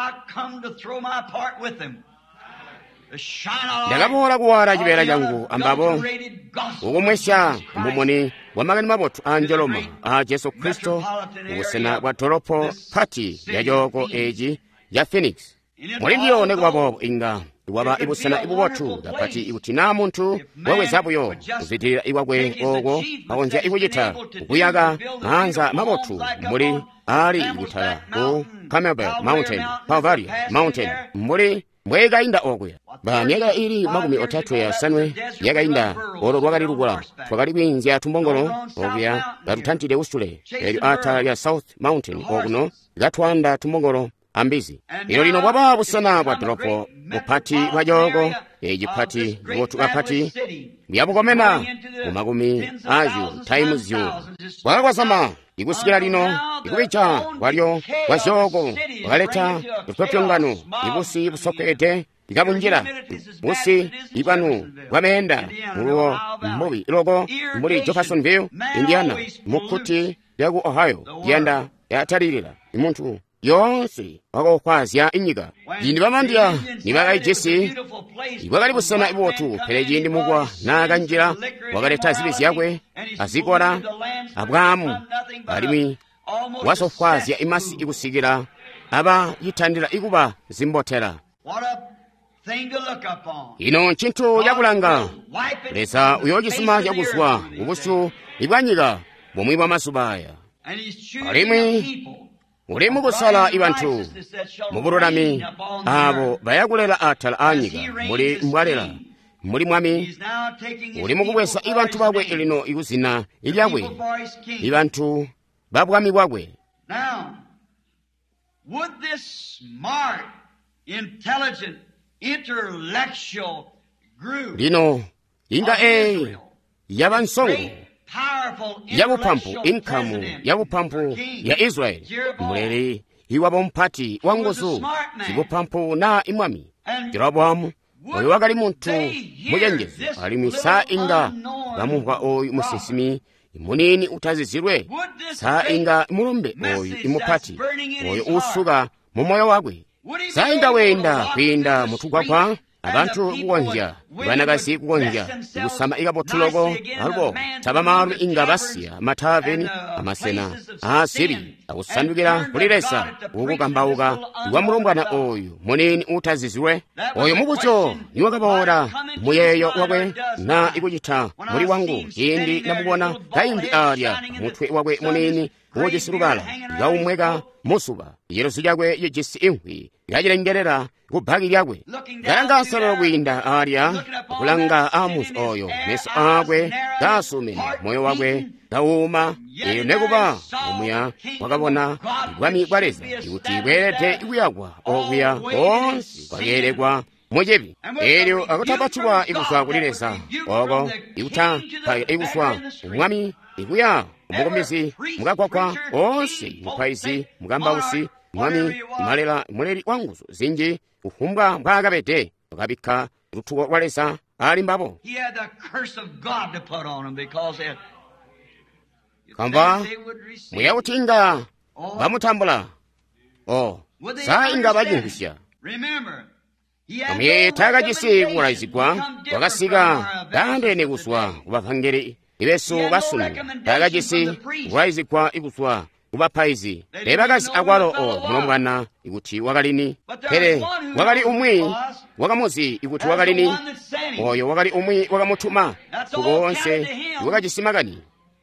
Ndakaboola kuwala cibeela cangu ambabo kukumwesya mumuni wa makani mabotu a njoloma a Jesu Kristo kubusena bwa dolopo pati lya cooko eeci ca Phoenix. Muli ndiyo nekuba boobo inga waba ibusena ibubotu kapati ikuti naa muntu waweza buyo kuzwidilila ikwakwe ooko akonzya ikucita kuyaka maanza mabotu mbuli ali kutala ku Camelback Mountain, Calvary Mountain, mbuli mbwekainda okuya. Ba myaka ili 35 yakainda olo lwakali lukula, twakali kwiinzya tumbongolo okuya katutantide kusule, elyo atala lya South Mountain okuno katwanda tumbongolo ambizi. Elyo lino bwaba busena bwa dolopo bupati bwa cooko ecipati bubotu kapati byabukomena mu makumi azyu taimu zyu. Bwakakwasama ikusikila lino ikubija kwalyo kwa zyooko bwakaleta lupyopyongano, ibusi busokweede ikabunjila busi ibwanu bwameenda muluwo mbubi loko mbuli Jeffersonville, Indiana, mukkuti lyaku Ohio liyanda yatalilila imuntu yoonse wakokwazya inyika. Ciindi bamandiya nibakaijisi bwakali busena ibubotu, pele ciindi mukwa naakanjila wakaleta zibi zyakwe azikola abwaamu, alimwi wasofwazya imasi ikusikila aba citandila ikuba zimbotela. Ino ncintu cakulanga. Leza uyoocisuma cakuzwa kubusyu bwa nyika bumwi bwa mazuba aya. Alimwi uli mukusala ibantu mubululami aabo bayakulela atala aanyika mbuli mbwalela mbuli Mwami. Uli mukubweza ibantu bakwe lino ikuzina lyakwe, ibantu ba bwami bwakwe. Lino inga eeyi yaba nsongo yabupampu, inkamu yabupampu ya Israeli, muleli iwabo mpati wa nguzu zibupampu naa imwami Jeroboamu. Oyu wakali muntu mucenjezu, alimwi saa inga bamumvwa oyu musinsimi munini utazizilwe, saa inga mulumbe oyu imupati oyu usuka mu moyo wakwe, saa inga weenda kwiinda mutugwagwa abantu kukonzya, banakazi kukonzya kusama ikabotu loko, alubo tabamaalumi inga basiya mataveni amasena aasibi akusandukila kuli Leza kukukambauka kwa mulombwana oyu munini utazizilwe. Oyo mubuzyo niwakaboola muyeeyo wakwe na ikucita muli wangu ciindi namubona kaimbi alya mutwe wakwe munini uujisi lubala kaumweka musuba, ciluzi cakwe cijisi imvwi kacilengelela kubbaki lyakwe, kalanga nselelo kwiinda alya, kulanga amuzi oyo, meso aakwe kaasumene, moyo wakwe kawuma. Elyo nekuba omuya wakabona bwami bwa Leza kuti bweelede kuyakwa okuya koonse kwakeelekwa mucibi. Elyo akutapatulwa ikuzwa kuli Leza oko ikutapaila ikuzwa kumwami ikuya umukumbizi mukagwagwa oonse, mupaizi, mukambausi, mwami, malela, muleli wa nguzu zinji, kufumbwa mbwaakabede, wakabikka lutuko lwa Leza ali mbabo. Kamva muya kuti inga bamutambula, o saa inga bacimvwisya. Amuyeeye taakajisi kukulaizigwa, wakasika kaandeene kuzwa kubavangeli besu basunu. Taakajisi kukulaizigwa kuzwa kubapaizi. Teebakazi akwalo o mulombwana ikuti wakalini, pele wakali umwi wakamuzi ikuti wakalini. Oyo wakali umwi wakamutuma kukoonse wakajisi makani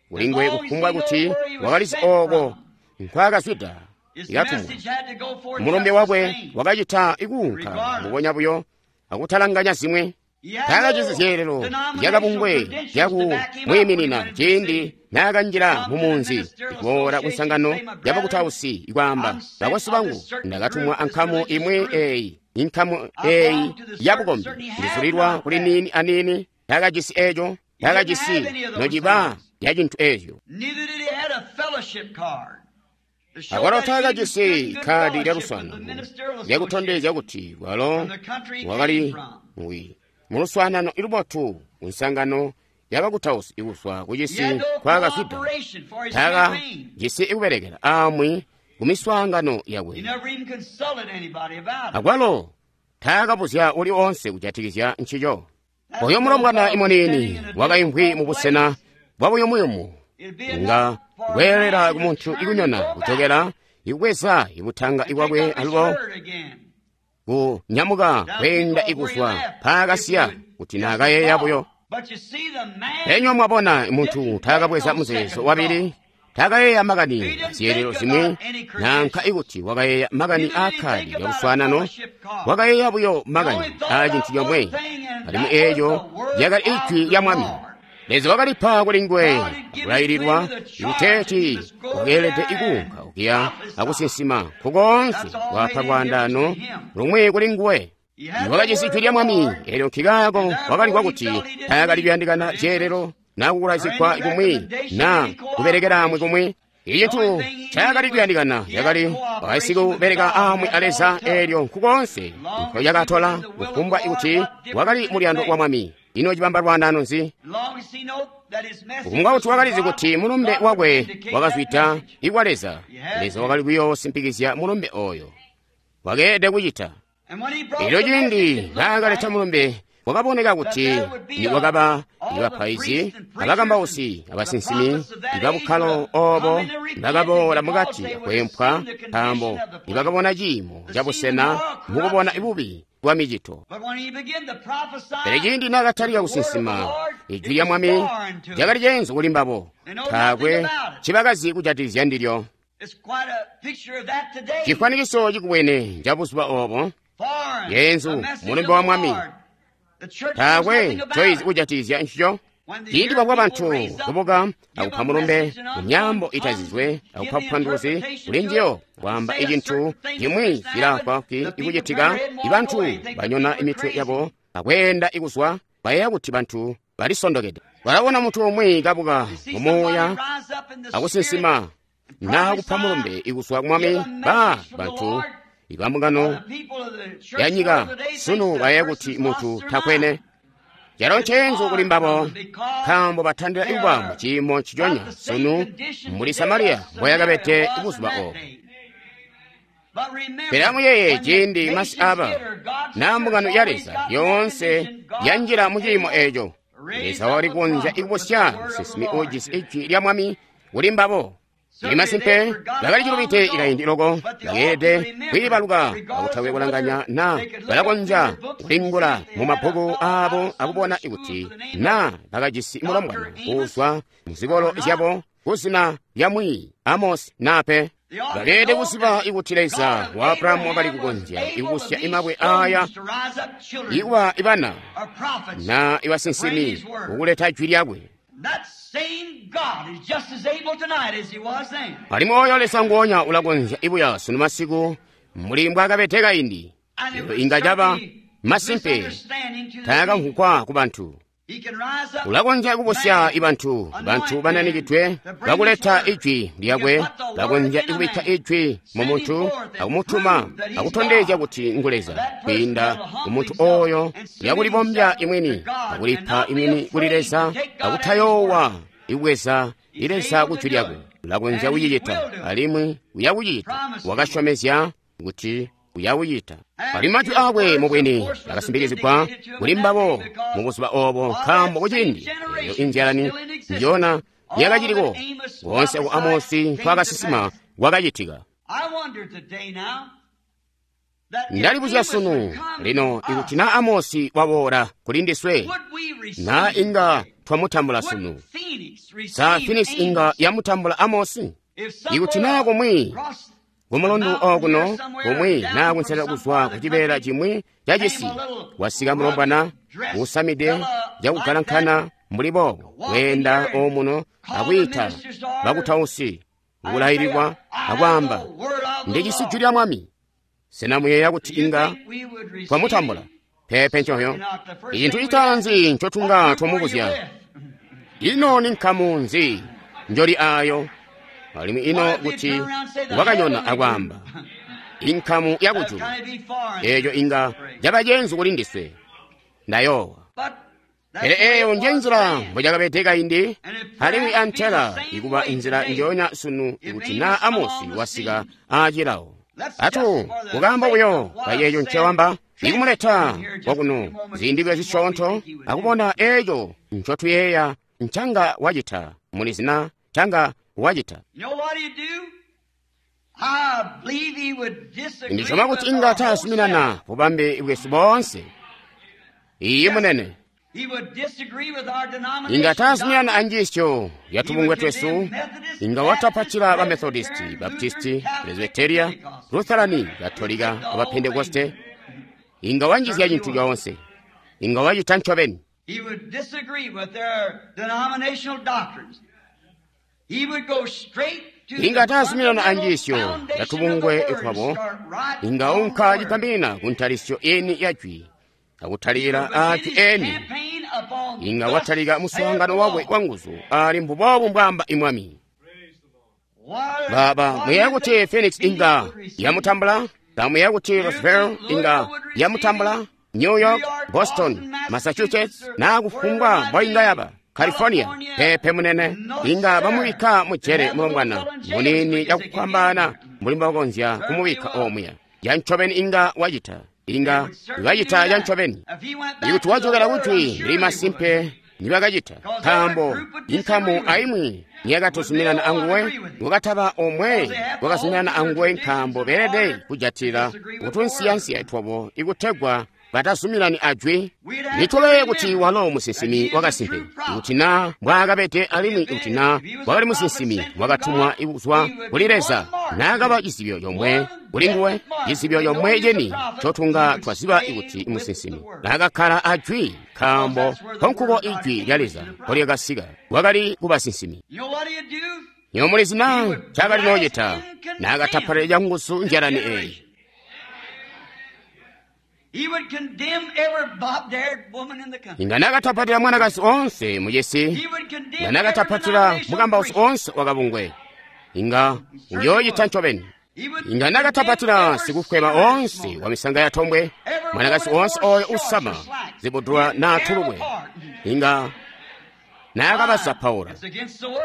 kulingwe kufumbwa kuti wakalizi oko nkwaakazwida ikatumwa. Mulumbe wakwe wakacita ikuunka mbubonya buyo akutalanganya zimwe. Taakajisi zyeelelo zyakabungwe zyakumwiiminina ciindi naakanjila mumunzi kuboola kunsangano yabakutausi ikwaamba, bakwesu bangu, ndakatumwa ankamu imwi eeyi, inkamu eeyi yabukombi, ndizulilwa kuli niini aniini. Taakajisi eeco, taakajisi nociba ya cintu eeco. Akwalo taakajisi kkaadi lyaluswaanano lyakutondezya kuti walo wakali muluswaanano ilubotu kunsangano yabakutausi ikuzwa kucisi nkwaakazwida. Taakajisi ikubelekela aamwi kumiswaangano yakwe. Akwalo taakabuzya uli oonse kujatikizya ncico. Oyo mulombwana imuniini wakaimvwi mubusena bwabuyumuyumu nga kweelela kumuntu ikunyona kujokela ikubweza ibutanga ibwakwe alubo kunyamuka kweenda ikuzwa mpaakasiya kuti naakayeeya buyo. Enywa mwabona muntu taakabweza muzeezo wabili, taakayeeya makani azyeelelo zimwi, nanka ikuti wakayeeya makani aakkaadi lyaluswaanano, wakayeeya buyo makani aa cintu comwe, alimwi eeco lyakali ijwi lya Mwami. Leza wakalipa kuli nguwe akulaililwa ikuteeti wakeelede ikuunka okuya akusinsima nkukoonse kwapa lwaandaano lumwi kuli nguwe. Wakajisi ijwi lya Mwami, eelyo nkikaako wakalimvwa kuti taakali kuyandikana zyeelelo naa kukulazigwa kumwi naa kubelekelaamwi kumwi. Icintu ncaakali kuyandikana cakali wasikubeleka aamwi a Leza, eelyo nkukoonse nkolyakatola kufumbwa kuti wakali muluyando wa Mwami. Ino cibamba lwaandaano nzi? Kufumbwa kuti wakalizi kuti mulumbe wakwe wakazwida ikwa Leza, Leza wakali kuyoosimpikizya mulumbe oyo. Wakeelede kucita. Elyo ciindi naakaleta mulumbe, wakaboneka kuti nikwakaba ibapaizi, abakambausi, abasinsimi ibabukkalo obo bakaboola mukati akweempwa, nkaambo nibakabona ciimo cabusena mukubona bubi bwa micito. Pele ciindi naakatalika kusinsima ijwi lya Mwami lyakali ceenzu kuli mbabo, taakwe ncibakazi kujatikizya ndilyo. Cifwanikiso cikubwene cabuzuba obo, yeenzu mulumbe wa Mwami, taakwe ncoizi kujatikizya ncico. Ciindi babwa bantu kubuka akupa mulumbe mu myaambo itazizwe akupa bupanduluzi kuli njiyo, kwaamba icintu cimwi cilaafwaafwi ikucitika, ibantu banyona imitwe yabo akweenda ikuzwa, bayeeya kuti bantu balisondokede. Balabona muntu umwi kabuka mumuuya akusinsima naa kupa mulumbe ikuzwa ku Mwami, ba bantu ibambungano ya nyika sunu bayeeya kuti muntu takwene. Calo nceenzu kuli mbabo, nkaambo batandila ikuba mu ciimo nciconya sunu mbuli Samariya mboyakabede buzuba obo. Pele amuyeeye ciindi masi aba naa mbungano ya Leza yoonse yanjila mu ciimo eeco, Leza wakali kukonzya ikubusya musinsimi uujisi ijwi lya Mwami kuli mbabo. Masimpe bakali cilubide ikaindi loko, bakeelede kwiibaluka akutakwe kulanganya naa balakonzya kulingula mumabbuku aabo akubona kuti naa bakajisi mulombwana uuzwa muzikolo zyabo kuzina lya Mwiiyi Amosi naa pe. Bakeelede kuziba ikuti Leza wa Abrahamu wakali kukonzya ikubusya imabwe aaya ikuba ibana naa ibasinsimi kukuleta jwi lyakwe. Alimwi oyo Leza nguonya ulakonzya ibuya sunu masiku mbuli mbwaakabede kaindi. Lelo inga caba masimpe taakamvwugwa ku bantu. Ulakonzya kubusya ibantu, bantu bananikidwe bakuleta ijwi lyakwe. Ulakonzya ikubikka ijwi mu muntu akumutuma akutondezya kuti ngu Leza kwiinda ku muntu oyo lyakulibombya imwini akulipa imwini kuli Leza akutayoowa ikubweza Leza ku jwi lyakwe. Ulakonzya kucicita alimwi uyakucita. Wakasyomezya kuti uyakucita. Alimwi majwi aakwe mubwini akasimpikizigwa kuli mbabo mubuzuba obo, nkaambo kuciindi eyo inzyalani njona yakaciliko koonse ku Amosi nkwaakasinsima kwakacitika. Ndalibuzya sunu lino, ikuti na Amosi waboola kuli ndiswe, na inga twamutambula sunu. Sa Phoenix inga yamutambula Amosi? Ikuti na kumwi kumulundu okuno, kumwi naa kunselera kuzwa ku cibeela cimwi ca cisi, wasika mulombwana usamide cakugalankana mbuli boobo, kweenda omuno akwiita bakutausi kulaililwa akwaamba, ndijisi jwi lya Mwami. Sena muyeeya kuti inga twamutambula? Peepe ncoyo. Icintu citaanzi ncotunga twamubuzya, ino ni nkamu nzi njoli ayo? Alimwi ino kuti wakanyona akwaamba, inkamu ya kujulu, eeco inga caba ceenzu kuli ndiswe. Ndayoowa. Pele eeyo nje nzila mbocakabede kaindi, alimwi antela ikuba inzila njoonya sunu ikuti naa Amosi wasika aacilawo. Atu kukaamba buyo kayeeyo ncewamba, ikumuleta kwakuno ziindi bwe zisyoonto akubona eeco ncotuyeeya ncanga wacita mulizina ncanga wacita. Ndisyoma kuti inga taazuminana bubambe bwesu boonse. Iiyi munene. Inga taazuminana anjiisyo ya tubungwe twesu. Inga watapatila ba Methodisti, Baptisti, Presbyteria, Lutherani, Katolika, aba Pentekoste. Inga wanjizya cintu coonse. Inga wacita ncobeni. Inga taazuminana anjiisyo ya tubungwe twabo. Inga unka cipambina ku ntalisyo eni ya jwi, akutalika ajwi eni. Inga watalika muswaangano wakwe wanguzu ali mbuboobu mbwaamba imwami. Baba muyeeya kuti Phoenix inga yamutambula? Kamuyeeya kuti Roseville inga yamutambula? New York, Boston, Massachusetts, naa kufumbwa mboinga yaba California. Peepe munene, inga bamubikka mujere mulombwana muniini cakukwambana mbuli mbobakonzya kumubikka omuya. Yancobeni inga wacita. Inga bacita cancobeni. Ikuti wajokela kujwi ndili masimpe nibakacita, nkaambo inkamu aimwi niyakatuzuminana anguwe, wakataba omwe wakazuminana anguwe, nkaambo beelede kujatila kutunsiyansiya twabo ikutegwa batazuminani ajwi. Nituleye kuti walo musinsimi wakasimpe, ikuti naa mbwaakabede alimwi ikuti naa wakali musinsimi wakatumwa kuzwa kuli Leza, naakaba cizibyo comwe kuli nguwe, cizibyo comwe ceni ncotunga twaziba ikuti musinsimi naakakkala ajwi, nkaambo nkonkuko ijwi lya Leza mpolyakasika, wakali kubasinsimi. Nywebo mulizi naa ncaakali noocita naakatapalila canguzu njalani eeyi. Inga naakatapatila mwanakazi oonse mucisi, inga naakatapatila mukambausi oonse wakabungwe, inga uyoocita ncobeni. Inga naakatapatila sikufweba oonse wa misanga ya tombwe, mwanakazi oonse ooyo usama zibudula naa tulukwe, inga naakabazapaula.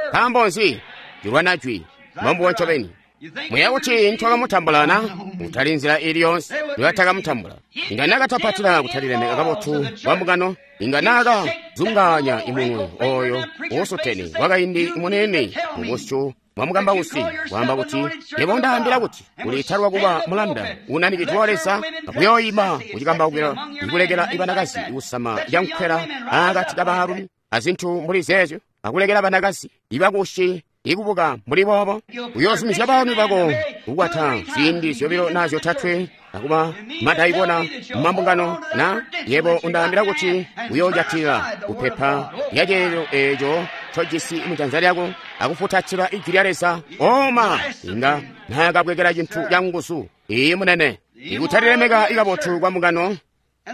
Nkaambo nzi? Cilwana jwi, mbombubo ncobeni. Muyeeya kuti ntwakamutambula na? Kutali nzila ili yoonse nibatakamutambula. Inga naakatapatila kutalilemeka kabotu kwa mbungano, inga naakazungaanya imunwe oyo uusutene wakaindi munene mubusyu bwa mukambausi, kwaamba kuti, yebo undaambila kuti uliitalwa kuba mulanda unanikidwe wa Leza, akuyooyima kucikambaukilo ikulekela ibanakazi kusama cankwela akati kabaalumi azintu mbuli zeezyo, akulekela banakazi ibakushi ikubuka mbuli boobo. Uyoozumizya baalumi bako kukwata ziindi zyobilo naa zyotatwe akuba madaikona mumambungano na yebo undaambila kuti uyoojatila kupepa lyaceelelo eeco ncojisi mujanza lyako akufutatila ijwi lya Leza. Oma inga naakabwekela cintu canguzu. Iiyi munene. Ikutalilemeka ikabotu kwa mbungano,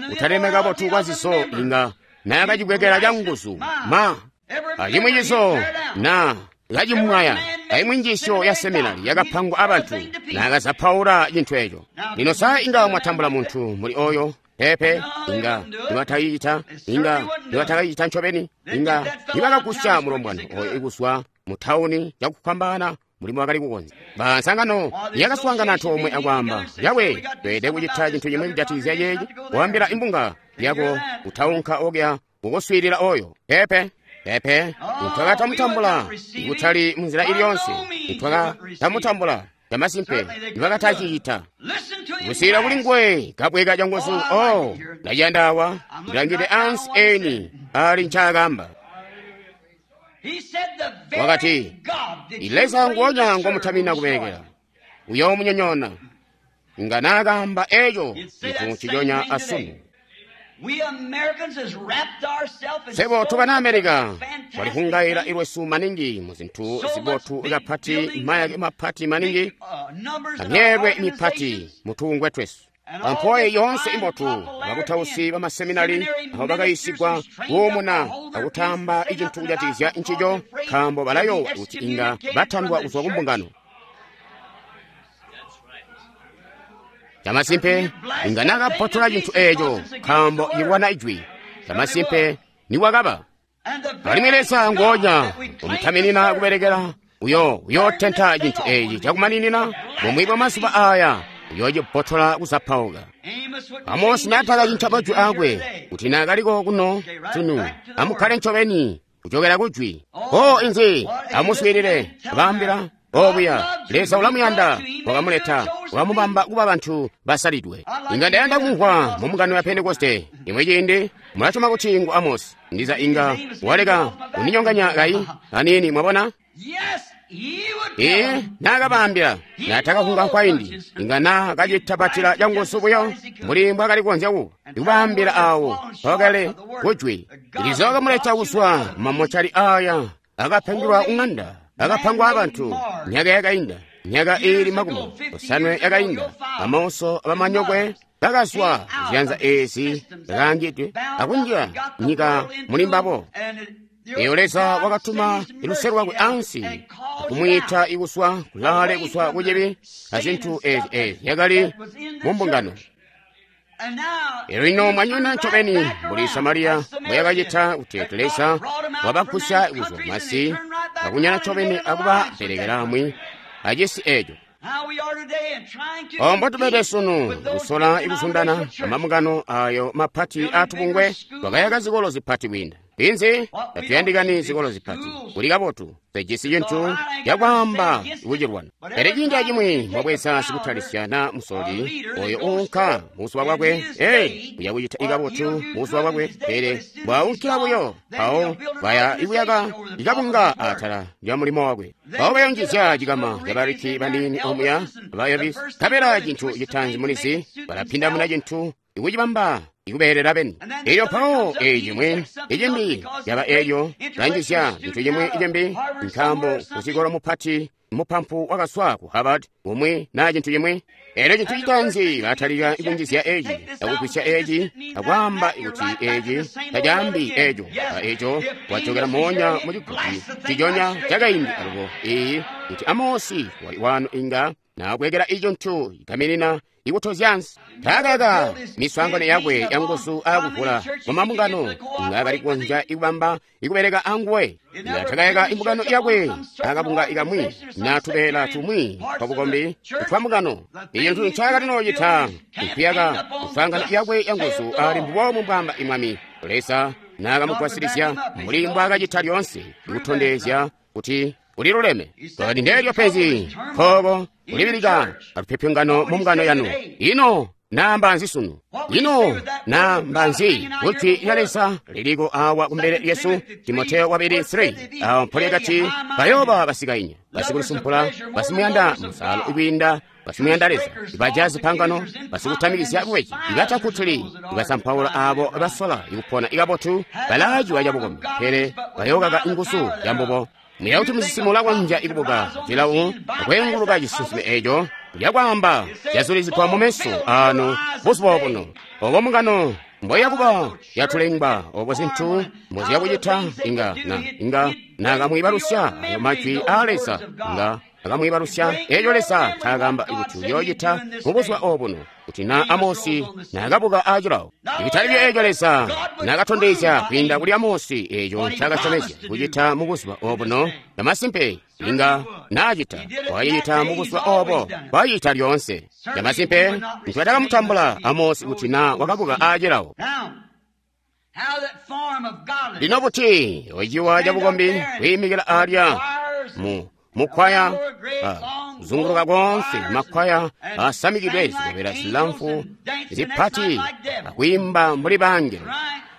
kutalilemeka kabotu kwa zizo, inga naakacibwekela canguzu ma acimwi cizo na kacimwaya aimwi njiisyo ya seminari yakapangwa abantu, naakazapaula cintu eco. Lino sa inga mwatambula muntu muli oyo? Peepe, inga nibatayicita, inga nibatakayicita ncobeni, inga nibakagusya mulombwana oyo ikuzwa mu tawuni cakukwambana mulimo wakali kukonzya. Bansangano yakaswaangana antoomwe akwaamba, yawe tweelede kucita cintu cimwi kujatikizya ceeci, kuambila imbunga yako kutaunka okuya kukuswiilila oyo. Peepe. Pepe, twakatamutambula kutali munzila iliyonse. Twakatamutambula camasimpe nibakatacicita. Kusiyila kuli nguwe kabweka canguzu. Oh, ndaciyanda awa, ndilangide ansi eni ali ncaakamba. Wakati, Leza nguonya ngomutamina kubelekela uyoomunyonyoona. Nga naakamba eco cintu nciconya asunu. Swebo tubana Amerika twalihungaila ilwesu maningi mu zintu zibotu kapati, mayake mapati maningi, amyeelwe mipati mutungwe twesu. Pampoye yoonse imbotu, bakutausi bamaseminari abo bakayisigwa kuumuna akutamba icintu kujatikizya ncico, nkaambo balayowa kuti inga batandwa kuzwa kumbungano. Camasimpe inga nakabbotola cintu eeco, nkaambo cilwana ijwi. Camasimpe niwakaba. Alimwi Leza nguonya umutaminina kubelekela uyo uyootenta cintu eeci cakumaninina bumwi bwa mazuba aya, uyoocibbotola kuzapauka. Amosi naatakacinca majwi akwe kuti naakaliko kuno sunu, amukkale ncobeni kucokera kujwi. O inzi, amuswiilile, abaambila obuya Leza ulamuyanda, wakamuleta, wakamubamba kuba bantu basalidwe. Inga ndayanda kumvwa mu mbungano ya Pentekoste imwe ciindi mulasyoma kuti ngu Amosi, ndiza inga waleka kundinyonganya kayi aniini, mwabona? Ee, naakabaambila naatakakunga nkwaindi, inga naakacitapatila canguzu buyo mbuli mbwaakali kukonzya kuba, ndikubaambila awo mpakale kujwi. Leza wakamuleta kuzwa mumamocali aya akapangilwa kung'anda, akapangwa abantu myaka yakainda, myaka iili 70 yakainda. Amauso abamanyokwe bakazwa ziyanza ezi zakaangidwe akunjila nyika muli mbabo. Eyo Leza wakatuma luse lwakwe ansi akumwiita ikuswa kulaale kuswa kucibi azintu ezi ezi yakali mu mbungano. Elyo lino mwanyona ncobeni mbuli Samariya mbweyakacita kuti Leza wabagusya kuzwa masi akunyana ncobeni akubaperekelamwi acisi eco. Ombo tubede sunu kusola ikuzundana amambungano ayo mapati atubungwe, twakayaka zikolo zipati kwiinda. Inzi tatuyandikani zikolo zipati, kuli kabotu tejisi cintu cakwaamba kucilwana. Pele ciindi acimwi mwabweza sikutalisya na musoli oyo uunka mubuzuba bwakwe, ee, uya kucita ikabotu mubuzuba bwakwe, pele bwaunkila buyo mpawo baya ikuyaka ikabunga atala lya mulimo wakwe. Mpawo bayonjizya cikama cabariki baniini omuya bayabi, kabela cintu citanzi mulizi balapindamuna cintu ikucibamba ikubeelela beni. Elyo mpawo eeci cimwi icimbi yaba elyo lanjizya cintu cimwi icimbi, nkaambo kusikolo mupati mupampu wakaswa ku Harvard umwi naa cintu cimwi. Elyo cintu citanzi batalika ikunjizya eeci akugwisya eeci akwaamba kuti eeci tacaambi eeco, a eeco wajokela moonya mu ciguti ciconya cakaindi alubo. Iyi kuti Amosi wali wano inga naabwekela icintu ikaminina ikutozyansi. Taakaka miswaangano yakwe yanguzu akuvula mu mambungano, inga akali kukonzya ikubamba ikubeleka anguwe. Inga takayaka imbungano yakwe akabunga ikamwi na tubeela tumwi twabukombi twambungano. Icintu ncaakali noocita nkuyaka miswaangano yakwe yanguzu ali mbubomu mbwaamba imwami Leza naakamugwasilisya mbuli mbwaakacita lyoonse ikutondezya kuti uliluleme. Kati ndeelyo penzi nkooko kulibilika alupyopyongano mu mbungano yanu. Ino naamba nzi sunu? Ino naamba nzi kujwi lya Leza liliko awa kumbele lyesu? Timoteyo wabili 3 awo mpoli yakati bayooba basikainya, basikulisumpula, basimuyanda musalo ikwiinda basimuyanda Leza, ibaja zipangano, basikutamikizya bubeji, ibatakutuli, ibasampaula abo basola ikupona ikabotu, balaaciwa cabukombi, pele bayookaka inguzu yambubo. Muya kuti musinsimi ulakonzya ikubuka cilawu akweenguluka cisinsime eeco lyakwaamba cyazulizigwa mumeso aanu buzuba obuno. Obo mbungano mboyakuba yatulengwa, obo zintu mboziyakucita, inga na inga naakamwiibalusya ayo majwi aa Leza, inga akamwiibalusya eeco Leza ncaakaamba kuti uyoocita mubuzuba obuno, kuti na Amosi naakabuka aacilawo. Ibitali eeco Leza naakatondezya kwiinda kuli Amosi eeco ncaakasyomezya kucita mubuzuba obuno, camasimpe inga naacita, wakacicita mubuzuba obo, wacicita lyoonse. Camasimpe ncibatakamutambula Amosi kuti na wakabuka aacilawo. Lino buti ociwa cabukombi kwiimikila alya mu mukwaya kuzunguluka konse makwaya asamikidwe zikobela zilamfu zipati akwiimba mbuli bangelo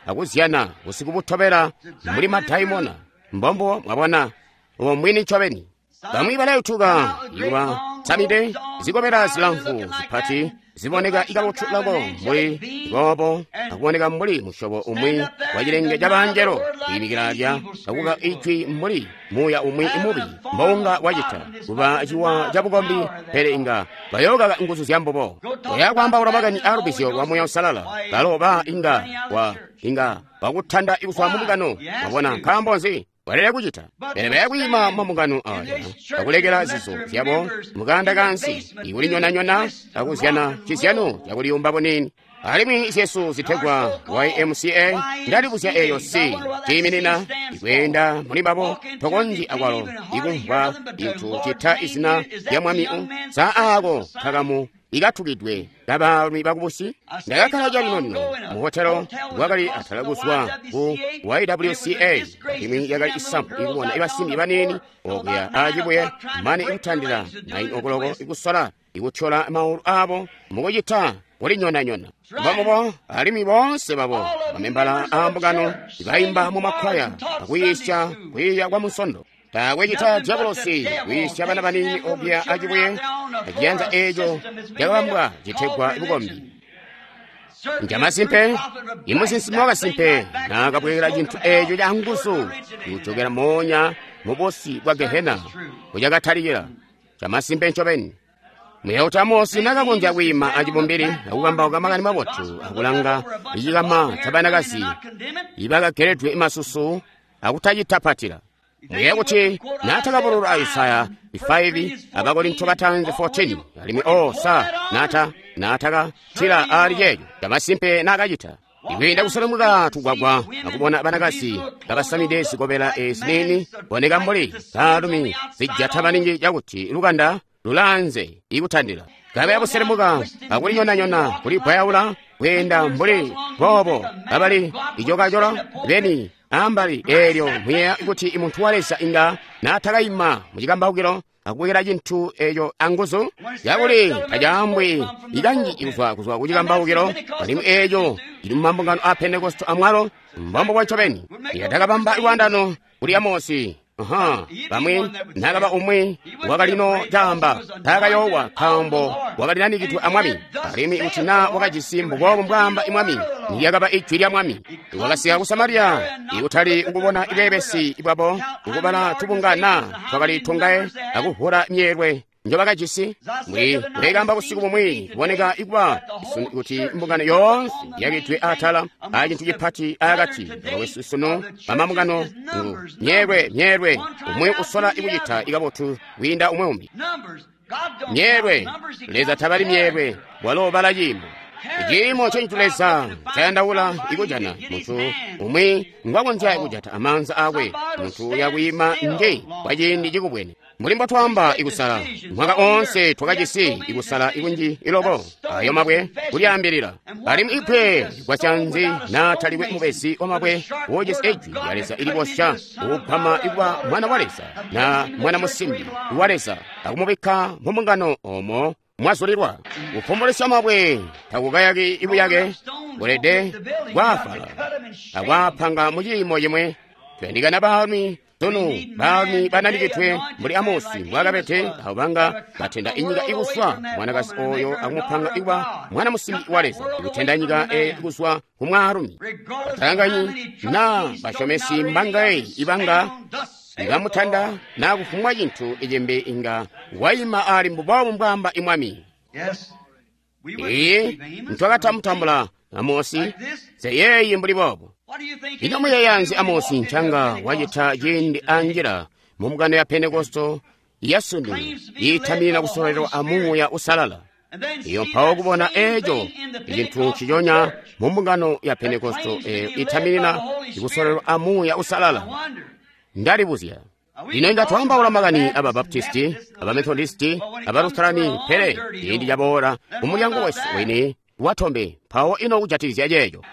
akuzyana busiku butobela mbuli madaimona. Mbombo mwabona ubo mwini ncobeni. Bamwi balayutuka ikuba samide zikobela zilamfu zipati ziboneka ikabotu loko mbuli boobo akuboneka mbuli musyobo umwi wa cilenge ca bangelo kwiimikila alya akuka ijwi mbuli muuya umwi mubi mbounga wacita kuba ciwa cabukombi, pele inga bayookaka nguzu zya mbubo. Oya kwaambaula makani aalubizyo lwa Muuya Uusalala, balo ba inga wa inga bakutanda kuzwa mu mbungano. Mwabona, nkaambo nzi? Balele kucita. Pele baya kwiima mu mbungano aya akulekela zizo zyabo mukanda kansi ikulinyonanyona akuzyana cizyano cakuliyumba bunini. Alimwi zyesu zitegwa YMCA ndalibuzya eyo C ciiminina ikweenda muli babo tokonzyi akwalo ikumvwa cintu cita izina lya Mwami sa aako kakamu ikatukidwe kabaalumi bakubusi. Ndakakkala calino-lino mu hotelo kwakali atala kuzwa ku YWCA, alimwi yakali isampu ikubona ibasimbi baniini okuya acibuye mane ikutandila 9 okuloko ikusola ikutyola maulu abo mukucita kulinyonanyona. Mbamubo alimwi boonse babo bamembala aambungano bayimba mu makwaya akuyiisya kwiiya kwa Munsondo. Taakwe cita diabolosi kwiisya bana baniini okuya acibuye aciyanza eeco cakabambwa citegwa bukombi. Njamasimpe, imusinsimi wakasimpe naakabwekela cintu eeco ca nguzu kujokela moonya mu busi bwa Gehena kucakatalikila. Chamasimpe ncobeni. Muyauta Amosi nakakonzya kwiima acibumbili akukambauka makani mabotu akulanga icikama cabanakazi ibakageledwe masusu akutacitapatila. Muyeeya kuti naatakabulula Isaya 5 Abakorinto batanzi 14 alimwi o sa naatakatila ali ceeco chamasimpe naakacita. Ikwiinda kuselemuka tugwagwa akubona banakazi kabasamide zikobela ezi nini boneka mbuli baalumi zijata maningi cakuti lukanda lulanze ikutandila. Kabe akuselemuka akulinyonanyona kulibwayaula kweenda mbuli boobo kabali icokacola beni ambali eelyo muyeeya kuti muntu wa Leza inga naatakayima mu cikambaukilo akubwekela cintu eeco anguzu yakuli tacaambwi ikanji kuzwa ku cikambaukilo alimwi eeco cili mumambungano a Pentekoste amwalo mbombo bwa ncobeni. Yatakabamba lwandano kuli Amosi. Bamwi nakaba umwi wakalino caamba taakayoowa nkaambo wakalinanikidwe a Mwami, alimwi kuti naa wakajisi mbuboobo mbwaamba Mwami niyakaba ijwi lya Mwami. Wakasika ku Samariya ikutali ukubona ibebesi bwabo ukubala tubunga naa twakali tungaye akuvula myeelwe njobakajisi. Mbuli mbekamba busiku bumwi kuboneka ikuba kuti mbungano yoonse yakidwe atala acintu cipati akati bakwesu sunu bamambungano ngu myeelwe myeelwe umwi usola ikucita ikabotu kwiinda umwi umbi. Myeelwe Leza tabali myeelwe, walo bala ciimo. Iciimo ncecintu Leza ncayandaula ikujana muntu umwi ngwakonzya kujata amaanza akwe, muntu uyakwiima nje kwa ciindi cikubwene. Mbuli mbotwaamba ikusala mwaka oonse twakajisi ikusala ikunji iloko ayo mabwe kulyaambilila. Alimwi ibwe ligwasya nzi naatalikwe mubezi wamabwe wojisi ijwi lya Leza ilibosya ukugwama ikuba mwana wa Leza na mwana musimbi wa Leza akumubikka mu mbungano omo mwazulilwa. Kufumbulisa mabwe takukayaki ibuyake bulede bwafala akwapanga mu ciimo cimwe. Tuyandikana baalumi sunu, baalumi bananikidwe mbuli Amosi mbwaakabede, abo banga batenda inyika ikuswa mwanakazi oyo akumupanga ikuba mwana musimbi wa Leza, ikutenda nyika eyo ikuswa ku mwaalumi. Batalanganyi naa basyomesi mbangaye ibanga ikamutanda naa kufumwa cintu icimbi inga wayima ali mbuboobo mbwaamba Mwami. Iye ntwakatamutambula Amosi zeyeeyi mbuli boobo. Ino muyeeya nzi Amosi ncanga wacita ciindi anjila mu mbungano ya Pentekosto yasunu iitaminina kusololelwa a Muuya Uusalala? Iyo mpawo kubona eeco icintu nciconya mu mbungano ya Pentekosto eyo iitaminina kusololelwa a Muuya Uusalala. Ndalibuzya. Lino inga twaambaula makani aba Baptisti, aba Methodisti, aba Lutherani, pele ciindi caboola mu mulyango wesu wini watombe mpawo ino kujatikizya ceeco.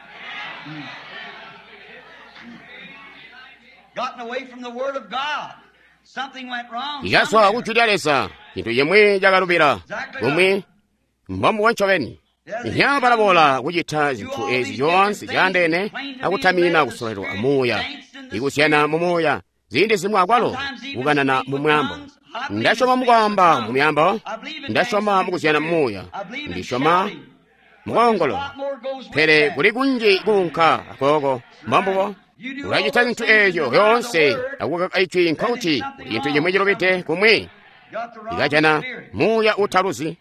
Ikazwa ku Jwi lya Leza, cintu cimwi cakalubila kumwi mbombubo ncobeni. Inya balaboola kucita zintu ezi zyoonse zyaandeene akutamina kusololelwa amuuya, ikuzyana mumuuya, ziindi zimwi akwalo kukanana mu mwaambo. Ndasyoma mukwaamba mu myaambo, ndasyoma mukuzyana mumuuya, ndisyoma mukoongolola, pele kuli kunji kuunka akooko. Mbombubo. Ulacita zintu eezyo zyoonse akukaka ijwi, nkokuti kuli cintu cimwi cilubide kumwi, ikajana muuya utaluzi.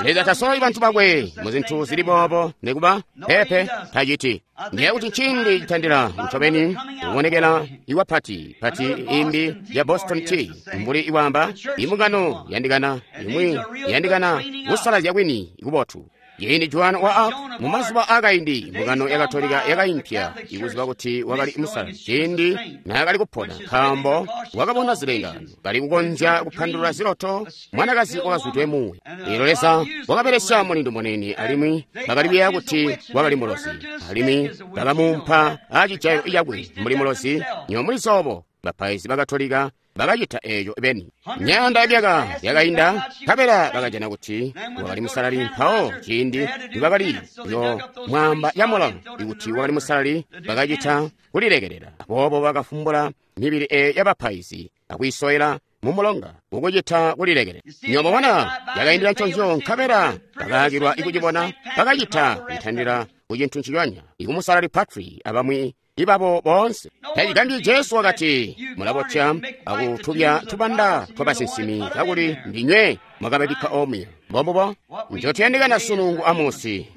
Leza tasololi bantu bakwe mu zintu zili boobo, nikuba peepe taciti. Ndiye kuti nciindi citandila ncobeni kubonekela iwa pati pati imbi ya Boston Tea, mbuli iwaamba imbungano yandikana imwi yandikana kusalazya kwini kubotu. Ciindi Joan wa Arc mu mazuba aakaindi, mbungano ya Katolika yakaimpya ikuziba kuti wakali musalali ciindi naakali kupona, nkaambo wakabona zilengaano, kali kukonzya kupandulula ziloto, mwanakazi wakazwidwe muuya. Eelyo Leza wakabelesya mulindu muniini, alimwi bakali kuyeeya kuti wakali mulozi, alimwi bakamuumpa acijayo cakwe mbuli mulozi. Nywebo mulizi obo bapaizi ba Katolika bakacita eeco beni. Myaanda yamyaka yakainda, nkabela bakajana kuti wakali musalali. Mpawo ciindi nibakali yo mwaamba camulawo ikuti wakali musalali, bakacita kulilekelela. Aboobo bakafumbula mibili eeyo yabapaizi akwiisowela mumulonga kukucita kulilekelela. Nywebo mwabona, yakaindila nconzyo, nkabela bakaakilwa ikucibona, bakacita kutandila ku cintu nciconya, ikumusalali Patri abamwi ibabo boonse. Tacigambyi Jesu wakati, mulabotya akutubya tubanda twabasinsimi kakuli ndinywe mwakababikka omuya. Mbombubo ncotuyandikana sunu ngu Amosi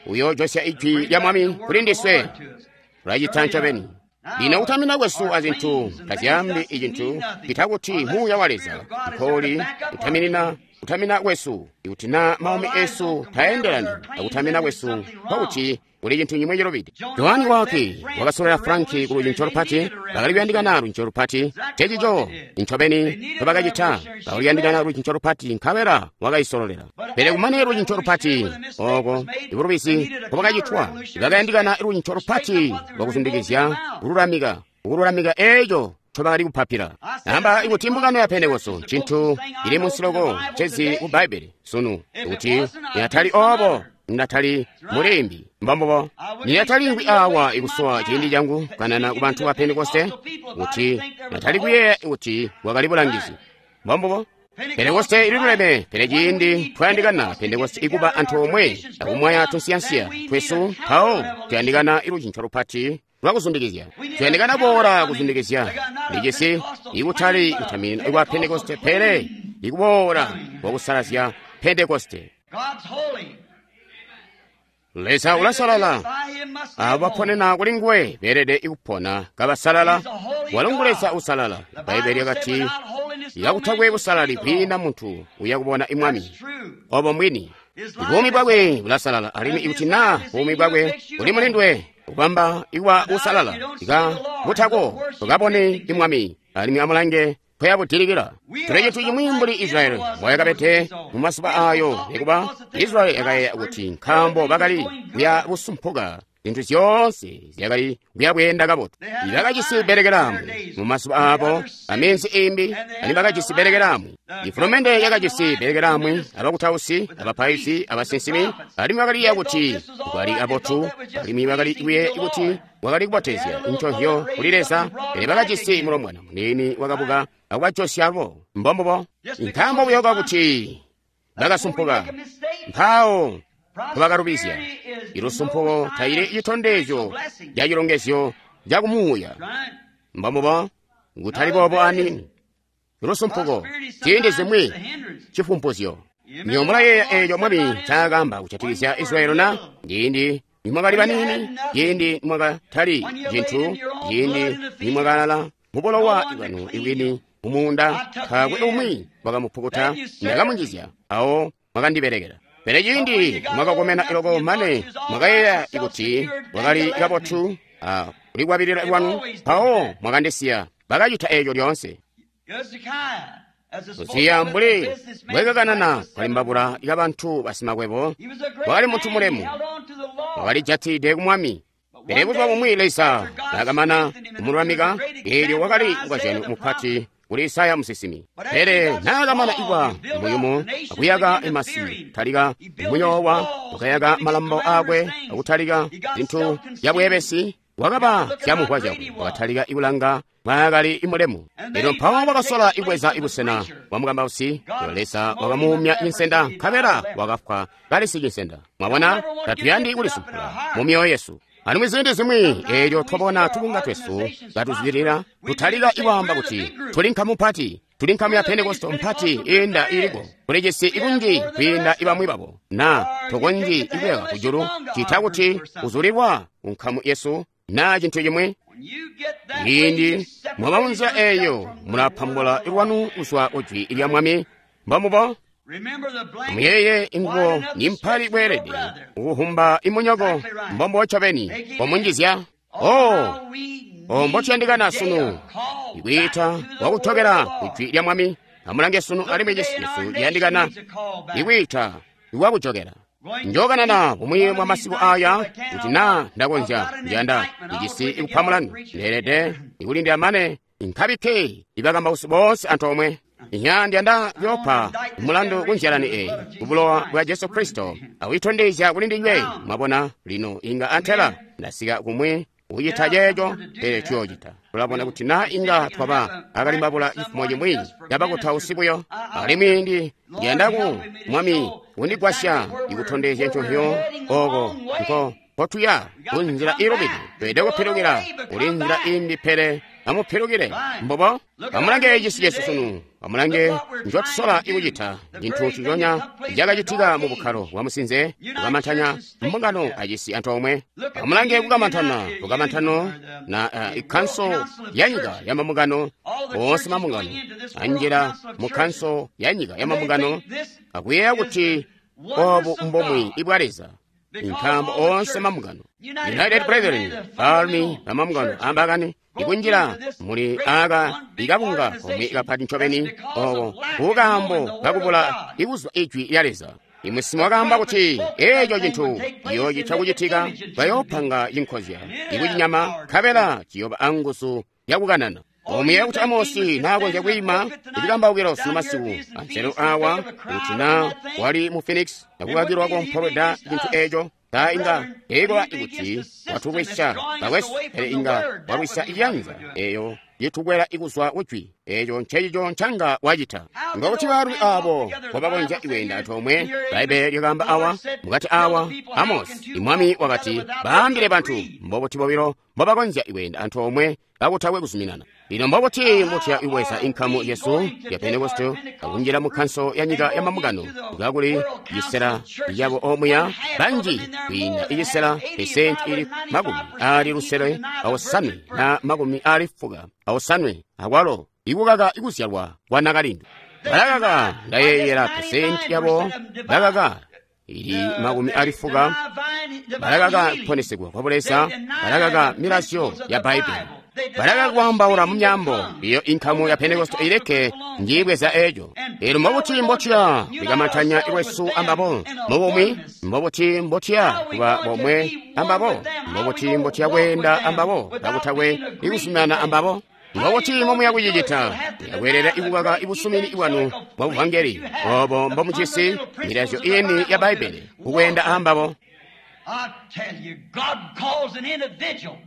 uyoojosya ijwi lya Mwami kuli ndiswe. Tulacita ncobeni. Lino kutamina kwesu azintu tazyaambi icintu cita kuti muuya wa Leza nkouli kutaminina kutamina kwesu. Ikuti naa maumi esu taendelani akutamina kwesu, nkokuti kuli cintu cimwi cilubide. Johani wake wakasololela Franki ku lucinco lupati, bakali kuyandikana lucinco lupati. Ncecico ncobeni ncobakacita, bakali kuyandikana lucinco lupati, nkabela wakaisololela. Pele kumane lucinco lupati ooko ibulubizi nkobakacitwa, bakayandikana lucinco lupati lwakuzundikizya kululamika, kululamika eeco ncobakali kupapila. Amba ikuti mbungano ya Pentekoste ncintu cili munsi loko ncezi ku Bbaibbele sunu, ikuti niyatali oobo ndatali mulimbi. Mbombubo. Niyatali ngwi awa ikusowa ciindi cangu kanana ku bantu ba Pentekoste, kuti natali kuyeeya kuti wakali bulangizi. Mbombubo. Pentekoste ililuleme, pele ciindi twayandikana Pentekoste ikuba antoomwe akumwaya tunsiyansiya twesu, mpawo tuyandikana ilucinco lupati lwakuzundikizya. Tuyandikana boola kuzundikizya licisi, ikutali kutaminina kwa Pentekoste, pele ikuboola kwakusalazya Pentekoste. Leza ulasalala, abo baponena kuli nguwe beelede kupona kabasalala. Walo ngu Leza usalala. Bbaibbele lyakati, kakutakwe busalali kwiina muntu uya kubona Mwami. Obo mbwini. Buumi bwakwe bulasalala, alimwi ikuti naa buumi bwakwe buli mulindwe kubamba ikuba usalala, ika butako tukabone Mwami, alimwi amulange nkoyabudilikila. Tuli cintu cimwi mbuli Israyeli mboyakabede mu mazuba aayo, nikuba Israyeli yakayeeya kuti nkaambo bakali kuya busumpuka, zintu zyoonse zyakali kuya bweenda kabotu. Bakajisi bbelekelaamwi mu mazuba aabo, aminzi imbi, alimwi bakajisi bbelekelaamwi. Ifulumende yakajisi bbelekelaamwi abakutausi, abapaizi, abasinsimi, alimwi bakaliyeeya kuti kwali kabotu, alimwi bakali kuyeeya kuti wakali kubotezya nconzyo kuli Leza, pele bakajisi mulombwana muniini wakabuka akubajosya bo. Mbombubo. Nkaambo buyo kakuti bakasumpuka, mpawo nkobakalubizya. Ilusumpuko taili citondezyo ca cilongezyo ca kumuuya. Mbombubo, kutali boobo aniini. Lusumpuko ciindi zimwi cifumpuzyo. Nywebo mulayeeya eeco Mwami ncaakaamba kujatikizya Israyeli na? Ciindi nimwakali baniini, ciindi nimwakatali cintu, ciindi nimwakalala mubulowa bwanu ibwini mumuunda, taakwe umwi wakamupukuta, ndakamunjizya, awo mwakandibelekela. Pele ciindi mwakakomena loko mane mwakayeeya kuti mwakali kabotu a kulikwabilila lwanu, mpawo mwakandisiya. Bakacita eeco lyoonse. Uziya mbuli mbwekakanana kalimbabula kabantu basimakwebo, wakali muntu mulemu, wakalijatide ku Mwami. Pele buzuba bumwi Leza naakamana kumululamika, eelyo wakali mukozyano mupati kuli Isaya musinsimi. Pele naakamana kuba muyumu akuyaka masi, talika muyoowa, wakayaka malambo aakwe akutalika zintu zyabweebesi, wakaba zyamuvwa zyakwe, wakatalika kulanga mwaakali mulemu. Elyo mpawo wakasola ibweza ibusena bwa mukambausi, Leza wakamuumya cinsenda, nkabela wakafwa kali sicinsenda. Mwabona, tatuyandi kulisumpula mu myoyo yesu. Alimwi ziindi zimwi eelyo twabona tubunga twesu katuzwidilila, tutalika ikwaamba kuti tuli nkamu mpati, tuli nkamu ya Pentekoste mpati iinda iliko, kuli cisi ikunji kwiinda ibamwi babo, na tokonzyi ikuyaka kujulu cita kuti uzulilwa ku nkamu yesu na cintu cimwi. Ciindi mwaba munzila eeyo, mulapambula lwanu kuzwa ku jwi lya Mwami. Mbomubo. Muyeye ingubo nimpali bweelede kukuhumba imunyoko, mbombo ncobeni pomunjizya. Oh, mbotuyandikana sunu ikwiita kwakutobela ku jwi lya Mwami. Amulange sunu alimwi cisi cesu ciyandikana ikwiita kwakujokela. Njokanana bumwi bwa masiku aya kuti naa ndakonzya njanda ijisi ikupa mulandu ndeelede ikulindila mane nkabikke ibakambausi boonse antoomwe. Inya ndiyanda kuyopa mulandu kunzyalani eyi kubulowa bwa Jesu Kristo akuyitondezya kuli ndinywe. Mwabona lino inga antela ndasika kumwi kucita ceeco, pele tuyoocita. Tulabona kuti naa inga twaba akalimbabula cifumo cimwi cabakutausi buyo. Alimwi ndiyanda ku Mwami kundigwasya ikutondezya nconzyo oko nko mpotuya kunzila iilubide. Tweelede kupilukila kuli nzila imbi, pele amupilukile. Mbobo, amulange cisi cesu sunu. Amulange ncotusola ikucita. Cintu nciconya cakacitika mu bukkalo bwa musinze, kukamantanya mbungano acisi antoomwe. Amulange kukamantana, lukamantano na ikanso ya nyika ya mambungano, oonse mambungano anjila mu kanso ya nyika ya mambungano akuyeeya kuti obu mbomwi ibwa Leza. Nkaambo oonse mambungano, United Brethren, baalumi bamambungano ambakani ikunjila muli aka ikabunga komwe kapati ncobeni oko kukaambo kakubula ikuzwa ijwi lya Leza. Imusimo wakaamba kuti eeco cintu ciyoocita kucitika, bayoopanga cinkozya ikucinyama, nkabela ciyooba anguzu yakukanana. Omuyeeya kuti Amosi naakonzya kwiima icikambaukilo sunu masiku anzelo awa kuti naa wali mu Phoenix akukakilwa kompolweda cintu eeco, ta inga eikola ikuti watulwisya bakwesu, pele inga walwisya iyanza eeyo yitukwela ikuzwa kujwi. Eeco ncecico ncanga wacita. Ngokuti baalumi aabo mbobakonzya ikweenda antoomwe. Bbaibbele lyakaamba awa mukati awa Amosi imwami wakati baambile bantu mbobuti bobilo mbobakonzya ikweenda antoomwe kakutakwe kuzuminana. Lino mbobuti mutya ibweza inkamu yesu ya Pentekoste akunjila mu kanso ya nyika ya mambungano kakuli cisela yabo omuya banji kwiinda icisela pesenti ili 65 akwalo ikukaka ikuzyalwa kwa nakalindu. Balakaka ndayeeyela pesenti yabo bakaka ili 40 balakaka kuponesegwa kwa Buleza, balakaka milazyo ya Bbaibbele, balakaka kwaambaula mu myambo. Iyo inkamu ya Pentekoste ileke njibweza eeco. Elyo mbobuti mbotuya kulikamantanya lwesu ambabo mubumwi? Mbobuti mbotuya kuba bomwe ambabo? Mbobuti mbotuya kweenda ambabo kakutakwe ikuzuminana ambabo? Mbobuti mbomuya kucicita? Yakweelela ikukaka ibusumini bwanu bwa buvangeli obo mbomujisi milazyo ini ya Bbaibbele kukweenda ambabo.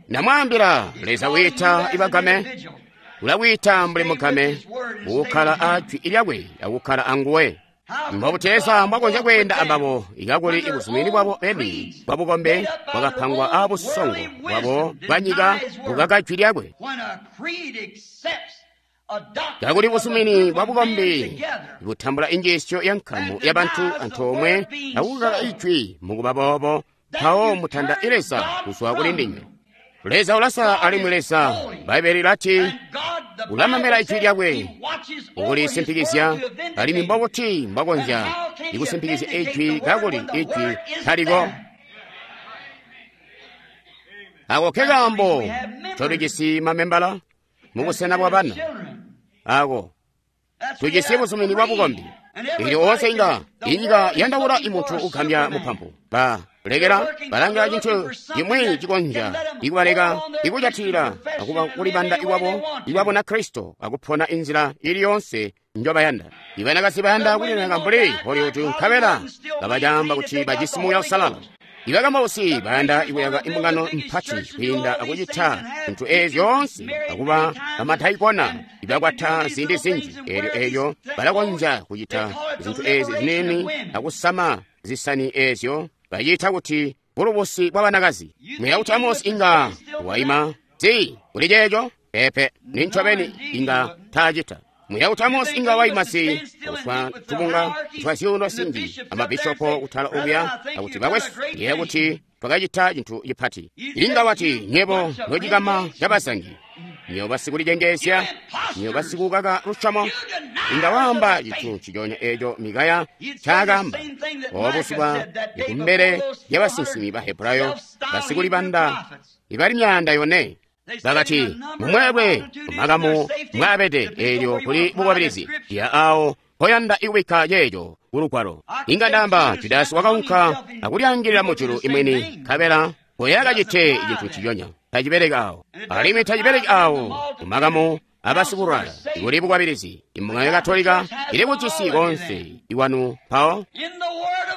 Namwaambila, Leza wiita ibagame, ulawita mbuli mugame, kukkala ajwi lyakwe akukkala anguwe. Mbobuti Leza mbwakonzya kweenda ambabo ikakuli ibuzumini bwabo beni bwa bukombe bwakapangwa abusongo bwabo bwa nyika bukaka jwi lyakwe. Kakuli busumini bwa bukombi butambula injiisyo ya nkamu ya bantu antoomwe akukaka ijwi mukuba boobo, mpawo mutanda Leza kuzwa kuli ndinywe. Leza ulasala alimwi Leza, Bbaibbele lilati ulamamela ijwi lyakwe ukulisimpikizya, alimwi mbobuti mbwakonzya ikusimpikizya ijwi kakuli ijwi taliko? Ako ke kaambo tolijisi mamembala mubusena bwa bana ako. Tujisi buzumini bwa bukombi. Elyo oonse inga inyika yandaula imuntu ugambya mupampu. Ba lekela balanga cintu cimwi cikonzya ikubaleka ikujatilila akuba kulibanda iwabo iwabona Kristo akupona inzila ili yonse njobayanda. Ibanakazi bayanda kulilemeka mbuli Hollywood nkabela kabacamba kuti bajisi Muuya Uusalala. Ibakambausi bayanda ikuyaka imbungano mpati kwiinda akucita zintu eezi zyoonse akuba bamadaikona ibakwata ziindi zinji. Eelyo balakonzya kucita zintu eezi ziniini akusama zisani eezyo baciita kuti bulubusi bwa banakazi. Muya kuti Amosi inga waima zi kuli ceeco? Peepe, nincobeni inga taacita. Muya kuti Amosi inga waima zi kuswa tubunga twa zyuuno zinji amabishopo kutala okuya akuti bakwesu ndiye kuti twakacita cintu cipati. Inga wati nyebo nocikama cabazangi, nyo basikulicengeezya, nyo basikukaka lusyomo. Inga waamba cintu nciconya eeco Mikaya ncaakaamba obuzuba kumbele lyabasinsimi ba Hebrayo basikulibanda ibali 400. Bakati mumweelwe mumakamu mwaabede eelyo kuli bukwabilizi ya awo mpoyanda ikubikka ceeco kulugwalo. Inga ndaamba Judasi wakaunka akulyaangilila mujulu imwini nkabela mpoyakacite cintu nciconya. Tacibeleki awo, alimwi tacibeleki awo mumakamu abasikulwala kuli bukwabilizi. Imbungano ya Katolika ili kucisi konse iwanu mpawo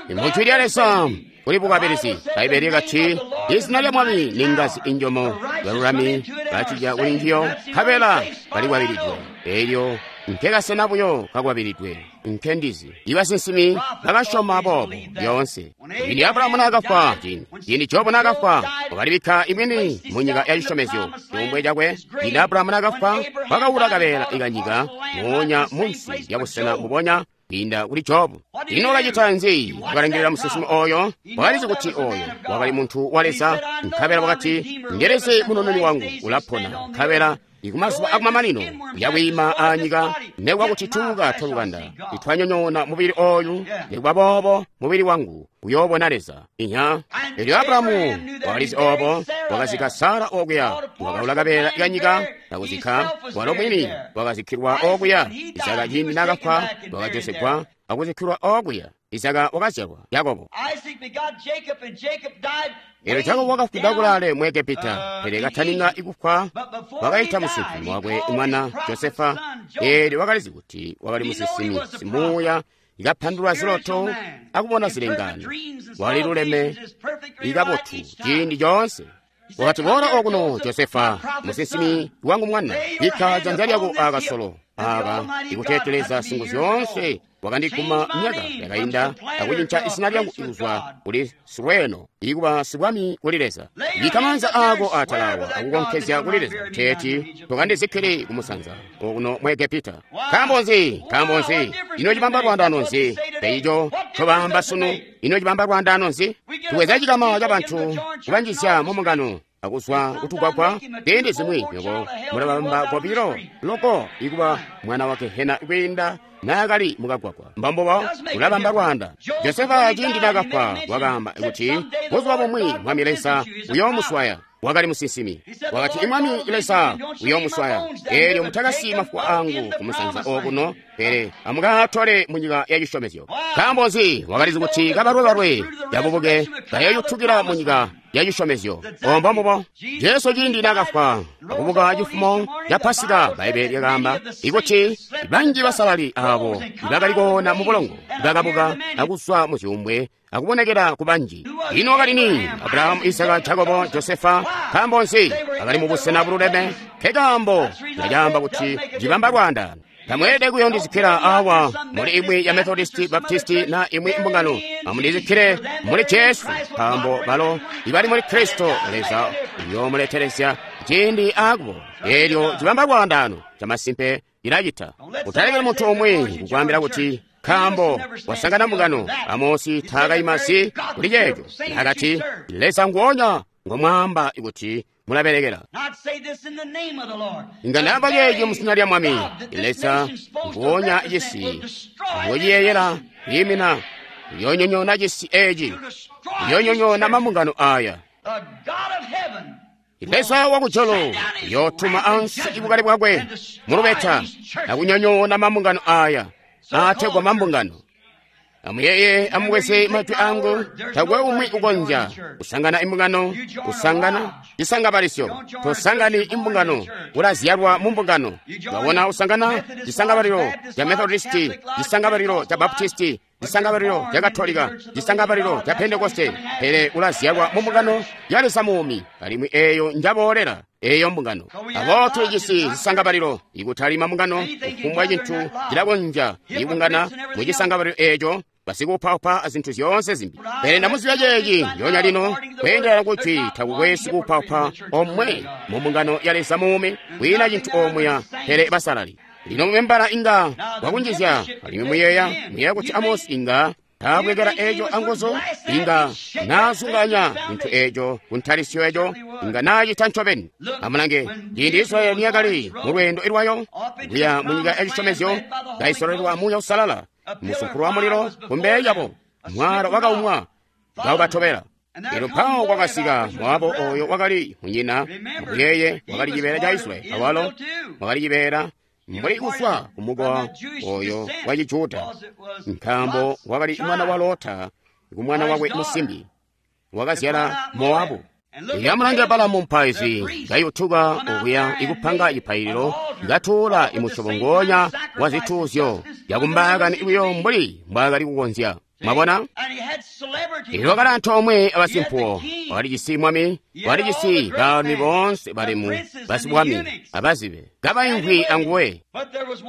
mujwi lya Leza kuli bukwabilizi. Bbaibele lyakati izina lya Mwami ni ngazi injomo, balulami bacija kuli njiyo nkabela balikwabilidwe. Eelyo nkekasena buyo kakwabilidwe nkendizi. Ibasinsimi bakasyoma boobo lyoonse. Ciindi Abulahamu naakafwa, ciindi Jobu naakafwa, wakalibikka imwini munyika ya cisyomezyo cuumbwe cakwe. Ciindi Abulahamu naakafwa, wakaula kabeela ikanyika moonya munsi lya busena mbubonya kwiinda kuli Jobu. Ino wakacita nzi? Wakalangilila musinsimi oyo. Wakalizi kuti oyo wakali muntu wa Leza, nkabela wakati, ndeleze munununi wangu ulapona, nkabela ikumazuba akumamanino uyakwiima anyika nekuba kuti tuuka twalukanda itwanyonyoona mubili oyu, nekuba boobo mubili wangu uyoobona Leza. Inya. Elyo Abulahamu wakalizi oobo, wakazikka Sara okuya, wakaula kabeela kanyika akuzikka, walo mwini wakazikkilwa okuya. Izaka ciindi naakafwa wakajosegwa akuzikkilwa okuya. Izaka wakazyalwa Yakobo. Elyo Jakobo wakafwida kulaale mu Egepita, pele katanina ikufwa wakaita musinsimi wakwe mwana Josefa. Eelyo wakalizi kuti wakali musinsimi simuuya, ikapandulula ziloto akubona zilengaano. Waliluleme ikabotu ciindi coonse. Wakati, boola okuno Josefa, musinsimi wangu mwana, bikka janza lyako akasolo aka ikuteeteleza singu zyoonse wakandikuma myaka yakainda akucinca izina lyangu ikuzwa kuli Sirweno ikuba sibwami kuli Leza. Bikka maanza ako atalawa akukonkezya kuli Leza teeti tokandizikkili kumusanza okuno mu Egepita. Nkaambo nzi? Nkaambo nzi? Ino cibamba lwaandaano nzi? Peico ncobamba sunu, ino cibamba lwaandaano nzi? Tubweza cikama cabantu kubanjizya mumbungano akuzwa kutugwagwa ziindi zimwi nyobo mulabamba kobilo loko ikuba mwana wa Gehena kwiinda naakali mukagwagwa. Mbambubo ulabamba lwaanda. Josefa ciindi naakafwa wakaamba kuti buzuba bumwi Mwami Leza uyoomuswaya. Wakali musinsimi. Wakati imwami Leza uyoomuswaya. Eelyo mutakasiyi mafuwa angu kumusanza okuno, pele amukaatole munyika ya cisyomezyo. Nkaambo nzi? Wakalizi kuti kabalwebalwe yabubuke kayoyutukila munyika ya cisyomezyo. Ombo mbubo Jesu ciindi naakafwa akubuka cifumo ca Pasika, Bbaibele lyakaamba ikuti banji basalali aabo ibakali koona mubulongo bakabuka akuzwa muzyuumbwe akubonekera ku banji. Ino wakali ni? Abulahamu, Isaka, Jakobo, Josefa. Nkaambo nzi? Bakali mu busena bululeme. Nkekaambo ndacaamba kuti cibamba lwaandaano. Tamweelede kuyondizikkila awa muli imwi ya Methodisti, Baptisti na imwi mbungano. Amundizikkile muli Jesu, nkaambo balo ibali muli Kristo Leza uyoomuletelezya ciindi akubo. Eelyo cibamba lwaandaano camasimpe cilacita. Utalekeli muntu umwi kukwaambila kuti nkaambo wasangana mbungano. Amosi taakaima si kuli ceeco. Naakati Leza nguonya ngomwaamba kuti mulabelekela. Inga ndaamba ceeco muzina lya Mwami. Leza nguonya cisi ngociyeeyela kwiimina uyoonyonyoona cisi eeci, uyoonyonyoona mambungano aaya. Leza wakujulu yootuma ansi ibukali bwakwe mulubeta akunyonyoona mambungano aya aategwa mambungano. Amuyeye, amubweze majwi angu, takwe umwi ukonzya kusangana imbungano, kusangana cisangabalisyo. Tosangani imbungano, ulazyalwa mu mbungano. Wabona usangana cisangabalilo ca Methodisti, cisangabalilo ca Baptisti, cisangabalilo ca Katolika, cisangabalilo ca Pentekoste, pele ulazyalwa mu mbungano ya Leza muumi, alimwi eeyo njaboolera eeyo mbungano. Abo tulijisi zisangabalilo, ikutali mambungano, kufumbwa cintu cilakonzya ibungana mu cisangabalilo eeco, basikuupaupa azintu zyoonse zimbi. Pele ndamuzibya ceeci njoonya lino, kweendelana kuti takukwe sikuupaupa omwe mu mbungano ya Leza muumi, kwiina cintu omuya pele basalali. Lino mumembala inga wakunjizya, alimwi muyeeya kuti Amosi inga taabwekela eeco anguzu, inga naazunganya cintu eeco kuntalisyo eeco, inga naacita ncobeni. Amulange, ciindi Israyeli niyakali mu lweendo lwayo kuya mu nyika yacisyomezyo, kaisololelwa Muuya Uusalala, musumpulu wa mulilo kumbele lyabo, mwaala wakaumwa kaubatobela. Elyo mpawo kwakasika Moabu oyo wakali munyina, muyeye wakali cibeela ca Israyeli, awalo wakali cibeela mbuli kufwa kumukowa oyo wa Cijuda, nkaambo wakali mwana wa Lota kumwana wakwe musimbi wakazyala Moabu. Amulange Balamu mupaizi kayutuka okuya ikupanga cipaililo, katuula imusyobo ngoonya wa zituuzyo yakumbaakani buyo mbuli mbwaakali kukonzya. Mwabona? Elyo wakali antoomwe abasimpuwo, wakalijisi mwami, wakalijisi baalumi boonse balemu, basibwami, abazibe, kabaimvwi anguwe.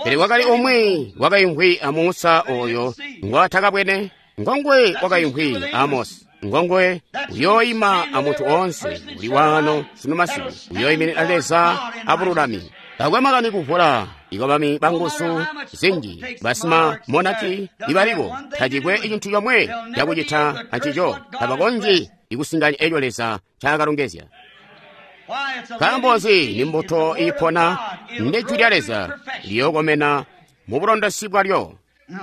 Pele wakali umwi wakaimvwi a Musa oyo ngwaatakabwene, ngonguwe wakaimvwi a Amosi, ngonguwe uyooima a muntu oonse uli waano sunu masiku, uyooiminina Leza abululami. Takwe makani kuvula ikobami banguzu zinji basima monaki ibaliko, tacikwe cintu comwe cakucita ancico, tabakonzyi ikusinganya eco Leza ncakalongezya. Nkaambo nzi? Ni mbuto iipona, ndi jwi lya Leza liyookomena mu bulondosi bwalyo.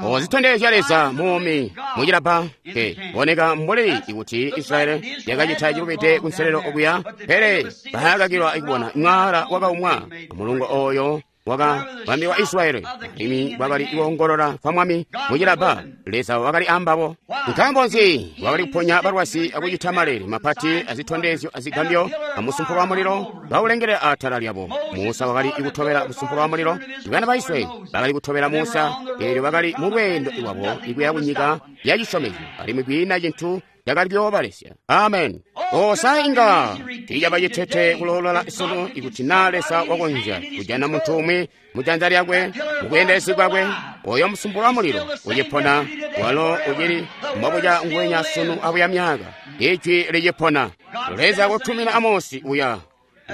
Ozitondezya Leza muumi mucilabba ke boneka mbuli ikuti Israyeli yakacita cilubide kunselelo okuya, pele baakakilwa kubona mwaala wakaumwa mulungo oyo wakabambilwa Israyeli, alimwi bwakali kuongolola kwa mwami mucilabba. Leza wakali ambabo. Nkaambo nzi? Wakali kuponya balwazi akucita maleele mapati azitondezyo azigambyo amusumpulo wa mulilo baulengelela atala lyabo. Musa wakali kutobela musumpulo wa mulilo. Bana ba Israyeli bakali kutobela Musa, eelyo bakali mu lweendo lwabo ikuya kunyika ya cisyomezyo, alimwi kwiina cintu cakali kuyoobalesya. Amen. Osa inga tiicaba citete kuloolola sunu ikuti naa Leza wakonzya kujana muntu umwi mu janza lyakwe, mu bweendelezi bwakwe, oyo musumpulo wa mulilo ucipona, walo ucili mbobuca nguwenya sunu abuya myaka. Ijwi licipona. Leza kutumina Amosi uya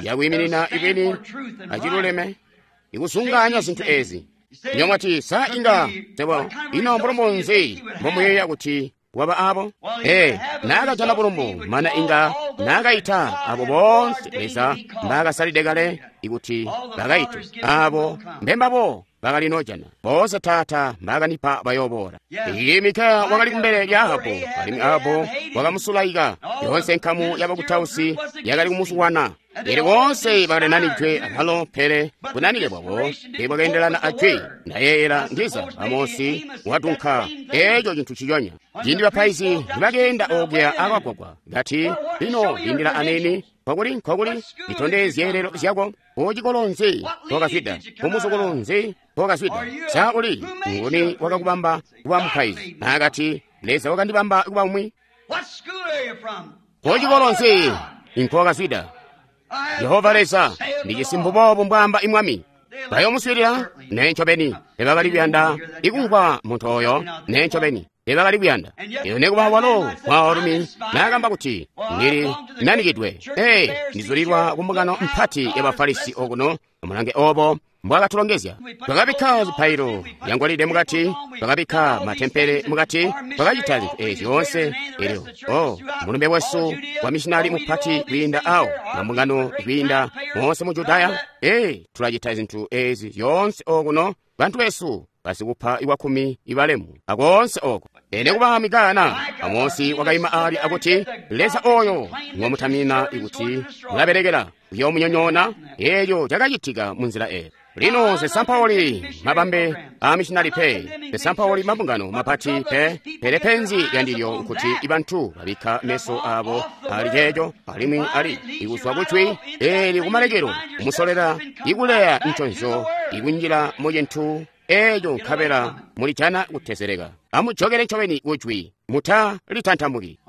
yakwiiminina ibwini aciluleme, ikusunganya zintu ezi. Nyomwati sa inga tebo ino mbulumbu nzi mbomuyeeya kuti waba abo? Naakajana bulumbu mana inga naakaita abo boonse Leza mbaakasalide kale ikuti bakaite, abo mbembabo bakali nojana boonse Taata mbaakanipa bayooboola. Iyi Mikaya wakali kumbele lya Ahabu, alimwi Ahabu wakamusulaika. Yoonse nkamu yabakutausi yakali kumusulwana. Elyo boonse bakalinanidwe abalo, pele bunanike bwabo teebwakeendelana ajwi. Ndayeeyela ndiza Amosi wadunka eeco cintu ciconya. Ciindi bapaizi nibakeenda okuya akagwagwa, kati, lino lindila anini, nkokuli nkokuli litondezye zyeelelo zyako. Kucikolo nzi nkokazwida? Kumuzukulu nzi nkokazwida? Sa uli nguni wakakubamba kuba mupaizi? Naakati, Leza wakandibamba kuba umwi. Kucikolo nzi nkokazwida? Jehova Leza, ndijisi mbuboobu mbwaamba imwami. Bayomuswiilila? Nee ncobeni. Tebakali kuyanda ikumvwa muntu oyo. Nee ncobeni. Tebakali kuyanda. Elyo nekuba walo mwaalumi naakamba kuti ndili nanikidwe, ndizulilwa kumbungano mpati ya Bafarisi okuno. Amulange obo mbwakatulongezya. Twakabikka zipaililo zyangolide mukati, twakabikka matempele mukati, twakacita zintu ezi zyoonse. Elyo mulumbe wesu wa mishinali mupati kwiinda awo, mambungano kwiinda moonse mu Judaya. Tulacita zintu ezi zyoonse okuno, bantu besu basikupa iwakkumi ibalemu akoonse oko. Ene kuba Mikaya na Amosi wakaima ali akuti Leza oyo ngomutamina kuti mulabelekela uyomunyonyoona. Eeyo cakacitika munzila eyo. Lino zisampauli mabambe a missionary pe, zisampauli mabungano mapati pe, pele penzi lyandilyo nkuti ibantu babikka meso abo ali ceeco alimwi ali ikuzwa kujwi eli kumalekelo kumusolera ikuleya nconzyo ikunjila mu cintu eeco nkabela mulijana kutezeleka. Amujokele ncobeni kujwi, muta litantamuki.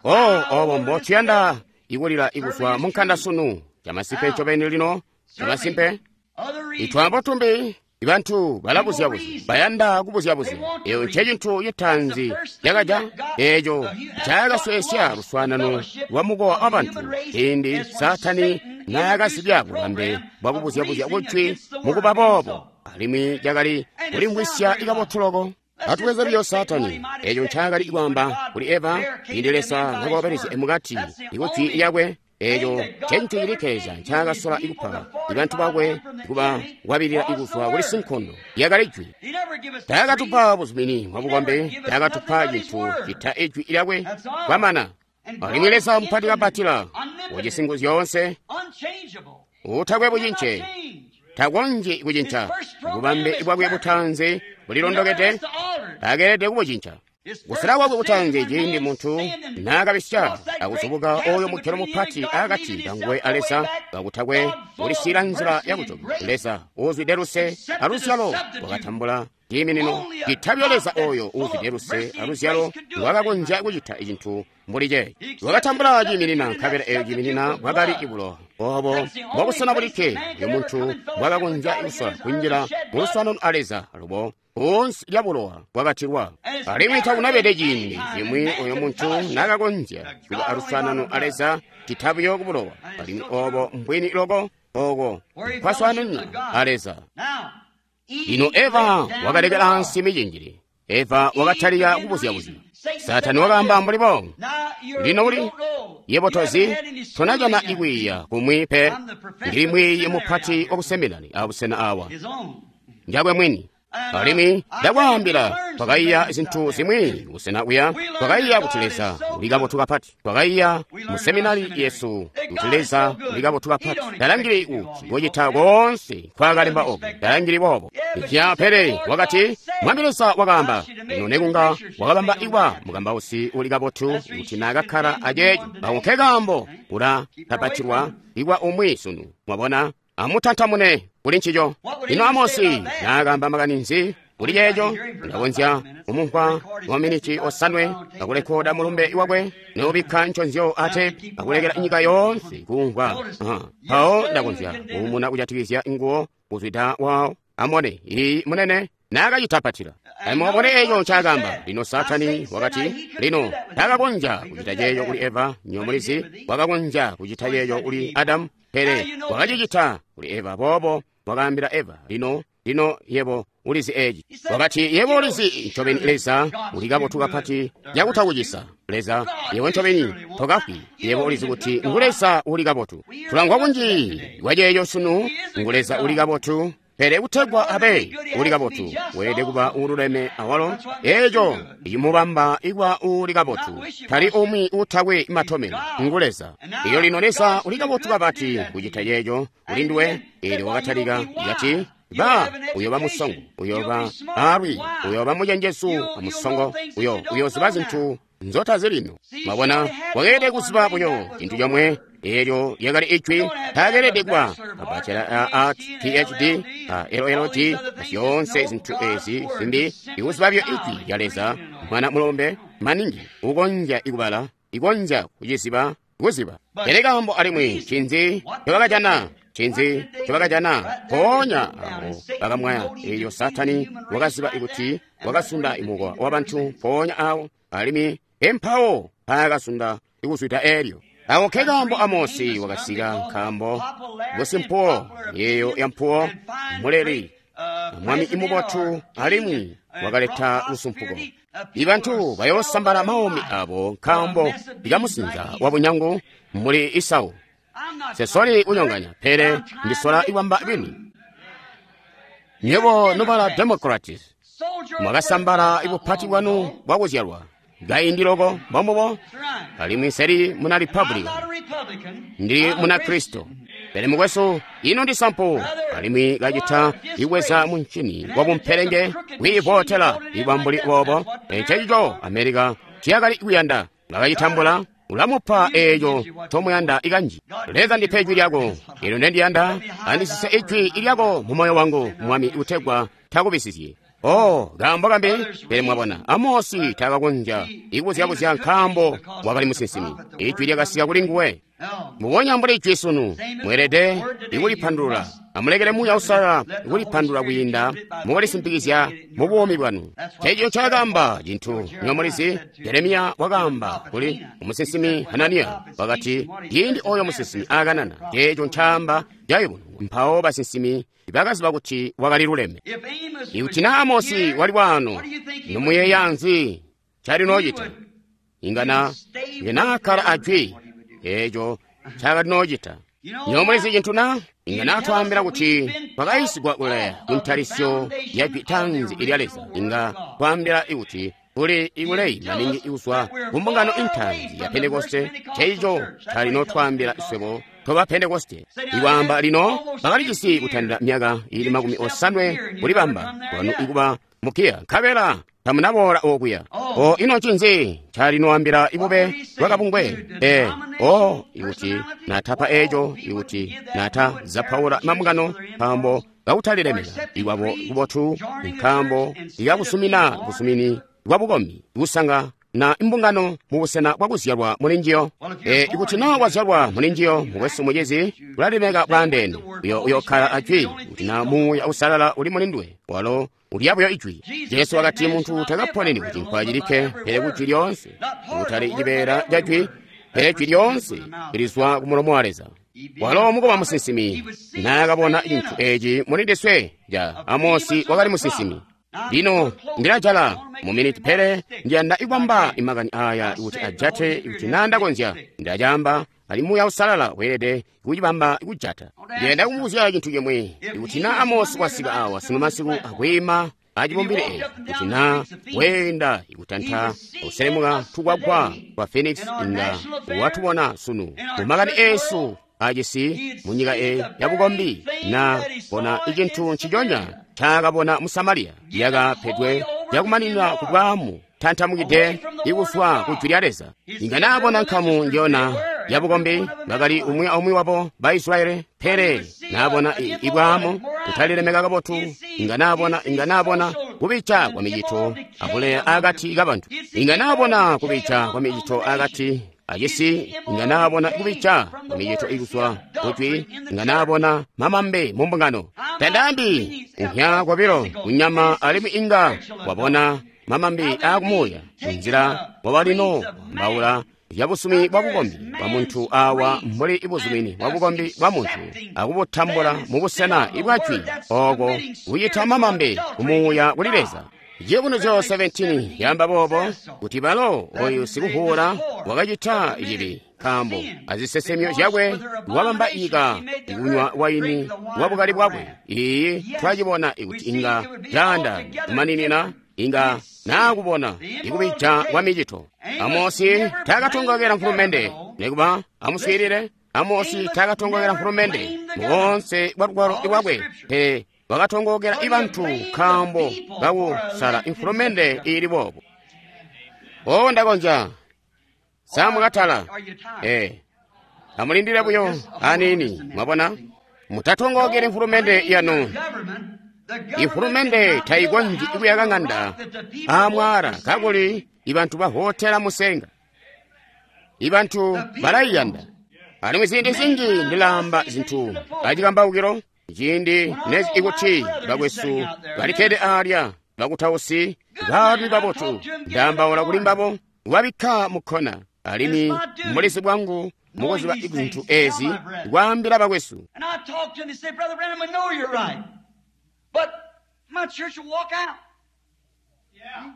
Oh, obo mbo tuyanda ikulila ikuzwa munkanda sunu. Chamasimpe ncobeni lino, chamasimpe. Itwaambo tumbi ibantu balabuzya-buzya, bayanda kubuzya-buzya. Eyo nce cintu citaanzi cakaja, eeco cakasweesya luswaanano lwa mukowa wa bantu ciindi Saatani naakazibya bubambe bwakubuzya-buzya kujwi mukuba boobo, alimwi cakali kulimvwisya ikabotu loko. Atubweze biyo Saatani, eeco ncaakali kwaamba kuli Eva ciindi Leza nakaobelezya mukati ikujwi lyakwe. Eeco ncentu cilikke Leza ncaakasola ikupa ibantu bakwe kuba kwabilila ikuzwa kuli sinkondo lyakali jwi. Taakatupa buzumini bwa bukombe, taakatupa cintu cita ijwi lyakwe kwamana. Alimwi Leza mupati kapatila, ujisi nguzu zyoonse, utakwe bucince, takonzyi kucinca. Bubambe bwakwe butaanzi bulilondokede, takeelede kubucinca. Kusala kwakwe kutaanzi ciindi muntu naakabisya akuzubuka oyo mugelo mupati akati kanguwe a Leza kakutakwe kulisiila nzila yakujoka. Leza uuzwide luse aluzyalo wakatambula ciiminino citabyo. Leza oyo uuzwide luse aluzyalo wakakonzya kucita cintu mbuli ceeci. Wakatambula ciiminina, nkabela eyo ciiminina bwakali ibulowa. Obo mbobusena bulikke uyo muntu bwakakonzya kusola kunjila muluswaanano a Leza alubo kunsi lya bulowa bwakatilwa. Alimwi takunabede ciindi cimwi oyo muntu naakakonzya kuba aluswaanano a Leza citabuyo ku bulowa. Alimwi obo mbwini loko oko nkwaswaananina a Leza. Lino Eva wakalekela ansi micinjili. Eva wakatalika kubuzya-buzya. Saatani wakaamba mbuli boobo, lino uli yebo tozi, tonajana ikwiiya kumwi pe. Ndili mwiiyi mupati wakuseminari abusena awa njakwe mwini. Alimwi ndakwaambila, twakaiya zintu zimwi kusena kuya. Twakaiya kuti Leza uli kabotu kapati. Twakaiya mu seminari yesu kuti Leza uli kabotu kapati. Talangili kuti kucita koonse nkwaakalemba oku, talangili boobo. Ipya pele wakati, Mwami Leza wakaamba, lino nekunga wakabamba ikwa mukambausi uli kabotu kuti naakakkala aceeco. Ako nke kaambo kula tapatilwa ikwa umwi sunu. Mwabona? Amutantamune kuli ncico. Lino Amosi naakaamba makani nzi kuli ceeco? Ndakonzya kumumvwa maminiti osanwe akulekoda mulumbe wakwe noobikka nconzyo ate akulekela nyika yoonse kumvwa. Mpawo ndakonzya kuumuna kujatikizya nguwo kuzwida wawo. Amone iyi munene naakacitapatila. Amubone eeco ncaakaamba. Lino Saatani wakati, lino taakakonzya kucita ceeco kuli Eva, nyo mulizi, wakakonzya kucita ceeco kuli Adamu, pele wakacicita kuli Eva. Boobo wakaambila Eva, lino, lino yebo ulizi eeci. Wakati, yebo ulizi ncobeni Leza uli kabotu kapati cakutakucisa. Leza, yebo ncobeni tokafwi. Yebo ulizi kuti ngu Leza uli kabotu. Tulangwa kunji kwa ceeco sunu, ngu Leza uli kabotu. Pele kutegwa abe uli kabotu, weelede kuba uululeme awalo. Eeco icimubamba ikuba uuli kabotu, tali umwi uutakwe matomeno, ngu Leza. Iyo lino Leza uli kabotu kapati kucita ceeco kuli nduwe. Eelyo wakatalika kati, ba uyoba musongo, uyoba alwi, uyoba mucenjezu amusongo, uyoziba zintu nzotazi lino. Mwabona, wakeelede kuziba buyo cintu comwe. Eelyo lyakali ijwi. Taakeelede kuba abacela a PhD, a LLD, zyoonse zintu ezi zimbi. Ikuziba buyo ijwi lya Leza, mwana mulombe maningi ukonzya ikubala, ikonzya kuciziba, kuziba. Pele kaambo alimwi ncinzi ncobakajana? Ncinzi ncobakajana? Mpoonya awo bakamwaya. Eelyo Saatani wakaziba kuti wakasunda imukowa wabantu mpoonya awo, alimwi empawo paakasunda ikuzwida eelyo. Ako nke kaambo Amosi wakasika, nkaambo busimpuwo, yeeyo yampuwo, muleli, mwami imubotu, alimwi wakaleta lusumpuko. Ibantu bayoosambala maumi abo nkaambo ikamusinza wabunyangu mbuli Isau. Sesoli kunyonganya, pele ndisola ikwamba bini. Nywebo nobala Democrats, Mwakasambala ibupati bwanu bwakuzyalwa kaindi loko, mbombubo. Alimwi nseli muna Republican, ndili muna Kristo. Pele mukwesu, ino ndi sampu, alimwi kacita ikweza muncini wabumpelenge kwiivotela ibwambuli boobo. Ncecico America ciyakali kuyanda, bakacitambula. Ulamupa eeco ncomuyanda ikanji. Leza, ndipe ijwi lyako, eelyo ndendiyanda, andisise ijwi lyako mu moyo wangu, Mwami, kutegwa takubisizye. Oh, kaambo kambi. Pele mwabona, Amosi takakonzya ikuzyabuzya nkaambo wakali musinsimi. Ijwi lyakasika kuli nguwe. Mubonya mbuli ijwi sunu, mweelede ikulipandulula. Amulekele Muuya Uusalala kulipandulula kwiinda mukulisimpikizya mu buumi bwanu. Eco ncaakaamba cintu nyomulizi. Jeremiya wakaamba kuli musinsimi Hananiya, wakati, ciindi oyo musinsimi aakanana, ceeco ncaamba cayubununwa. Mpawo basinsimi bakaziba kuti wakali luleme. Ikuti na Amosi wali waano, nomuyeeya nzi ncalinoocita? Inga nakkala ajwi eeco ncakalinoocita. Nyomulizi cintu na? Inga natwaambila kuti twakayisigwa kule kuntalisyo ya jwi tanzi ilya Leza. Inga twaambila kuti kuli ikuleyi maningi ikuzwa ku mbungano intanzi ya Pentekoste. Ceico calinotwaambila iswebo toba Pentekoste. Iwaamba lino bakalijisi kutandila myaka ili 80 kulibamba kwanu ikuba mukiya, nkabela tamunaboola okuya. O, ino ncinzi calinoambila ibube bwakabungwe? O, ikuti natapa eco, ikuti nata zapaula mambungano nkaambo kakutalilemeka ikwabo kubotu, nkaambo ikakusumina busumini bwabukombi kusanga na imbungano mubusena bwakuzyalwa mulinjiyo. Ikuti na wazyalwa mulinjiyo, mukwesu mucizi, ulalemeka bwaandeene. Uyokkala ajwi kuti na Muuya Uusalala uli mulinduwe, walo ulya buyo ijwi. Jesu wakati muntu takaponeni ku cinkwa cilikke, pele ku jwi lyoonse, kutali cibeela ca jwi, pele jwi lyoonse lizwa ku mulomo wa Leza. Walo mukuba musinsimi, naakabona cintu eci mulindiswe ja Amosi wakali musinsimi. Lino ndilajala mu miniti, pele ndiyanda ikwamba imakani aya kuti ajate, kuti nandakonzya ndacamba, ali Muuya Uusalala weelede kucibamba kujata. Ndiyanda kumubuzya cintu cimwi. Ikuti na Amosi wasika awa sunu masiku akwiima acibumbili eeci, kuti na weenda ikutanta kuselemuka tukwagwa twa Phoenix, inga watubona sunu mumakani eesu acisi munyika eyi yabukombi, na bona icintu nciconya ncaakabona mu Samariya yakapedwe yakumaninwa ku bwaamu tantamukide ikuzwa ku jwi lya Leza. Inga naabona nkamu njona yabukombi, bakali umwi aumwi wabo ba Israyeli, pele naabona ibwaamu kutalilemeka kabotu, inga naabona kubica kwa micito abuleya akati kabantu, inga naabona kubica kwa micito akati acisi, inga naabona kubica kwa micito ikuzwa kujwi, inga naabona mamambe mu mbungano. Tandaambi kunya kwabilo kunyama, alimwi inga wabona mamambi akumuuya nzila wabalino mbaula yabusumi bwa bukombi bwa muntu awa mbuli ibuzumini bwa bukombi bwa muntu akubutambula mu busena ibwajwi oko kuyita mamambe kumuuya kuli Leza. Ciyubunuzyo 17 yamba boobo kuti balo oyu sikuvuula wakacita cibi nkaambo azisesemyo zyakwe wabamba nyika ikunywa waini wabukali bwakwe. Iyi twacibona ikuti inga caanda kumaninina, inga naakubona ikubija kwa micito. Amosi taakatongokela mfulumende, nikuba amuswiilile. Amosi taakatongokela mfulumende muonse bwa lugwalo lwakwe, pele wakatongokela ibantu nkaambo kakusala imfulumende iili boobo. O, ndakonzya samukatala. Amulindile buyo aniini, mwabona. Mutatongokele mfulumende yanu. Ifulumende taikonzyi kuyaka ng'anda aamwaala kakuli ibantu bavotela musenga. Ibantu balaiyanda. Alimwi ziindi zinji ndilaamba zintu acikambaukilo ciindi nezi ikuti bakwesu balikkede aalya bakutausi baalumi babotu, ndaambaula kuli mbabo wabikka mukkona. Alimwi mulizi bwangu mukuziba zintu ezi kwaambila bakwesu. But my church will walk out. Yeah.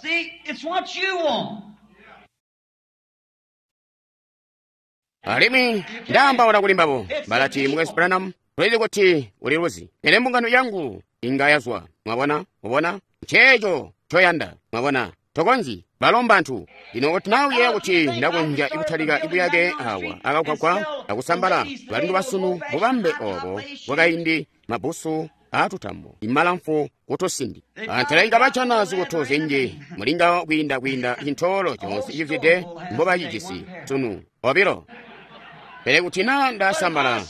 See, it's what you want. Alimwi ndaambaula kuli mbabo balati, Mukwesu Branham, tulizi kuti uli luzi, pele mbungano yangu inga yazwa. Mwabona? Mwabona? Nceeco ncoyanda. Mwabona? Tokonzyi. Balo mbantu. Lino kuti naa uyeeya kuti ndakonzya kutalika buyake awa akagwagwa akusambala balindu basunu bubambe obo bwakaindi mabbusu aatutambo imalamfu kutusindi. Antela bajana zikutu zinji mulingawo kwiinda cintoolo coonse cizwide mbobacijisi sunu obilo. Pele kuti naa ndasambala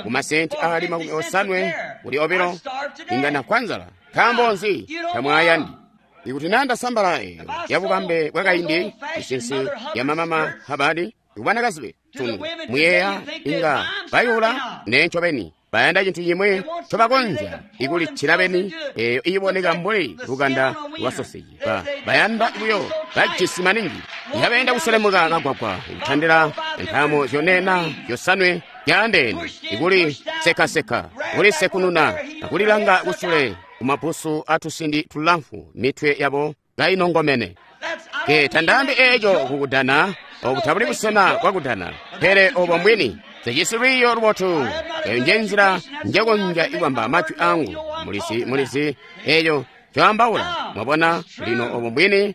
ku masenti aali 50 kuli obilo, inga ndafwa nzala. Nkaambo nzi tamwaayandi? Ikuti naa ndasambala eyo yabubambe bwakaindi isinsi ya mamama habadi kubanakazi sunu muyeeya inga bayula ne ncobeni bayanda cintu cimwi ncobakonzya ikulicila beni eyo iiboneka mbuli lukanda lwa soseji. Bayanda buyo bajisi maningi yabayenda kuselemuka kagwagwa ikutandila ntaamo zyonena zyosanwe zyaandeene ikuli sekaseka kulisekununa akulilanga kusule kumabbusu atusindi tulamfu mitwe yabo kainongomene. Ke tandaambi eeco kukudana obu tabuli busena bwakudana, pele obo mbwini. Sijisi lwiiyo lubotu. Eyo nje nzila njekonzya ikwamba majwi angu. Mulizi eyo ncoambaula. Mwabona lino obo mbwini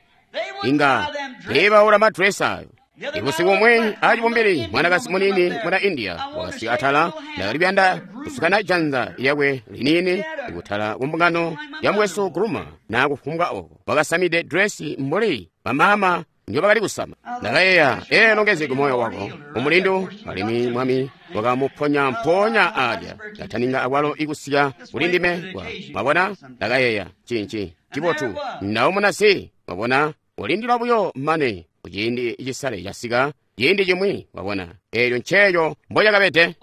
inga tiibaula madresi ayo. Ibusiku bumwi acibumbili mwanakazi munini muna India wakasika atala ndakali kuyanda kusukana janza lyakwe liniini ikutala kumbungano ya mukwesu Groomer nakufumbwa oko. Wakasamide dresi mbuli bamaama njobakali kusama. Ndakayeeya, ee longezeke moyo wako umulindu alimwi mwami wakamuponya mponya alya ndataninga akwalo ikusika kuli ndime. Mwabona, ndakayeeya cinci cibotu ndaumuna si. Mwabona, ulindila buyo mane kuciindi cisale casika ciindi cimwi. Wabona, eelyo nceeco mbocakabede.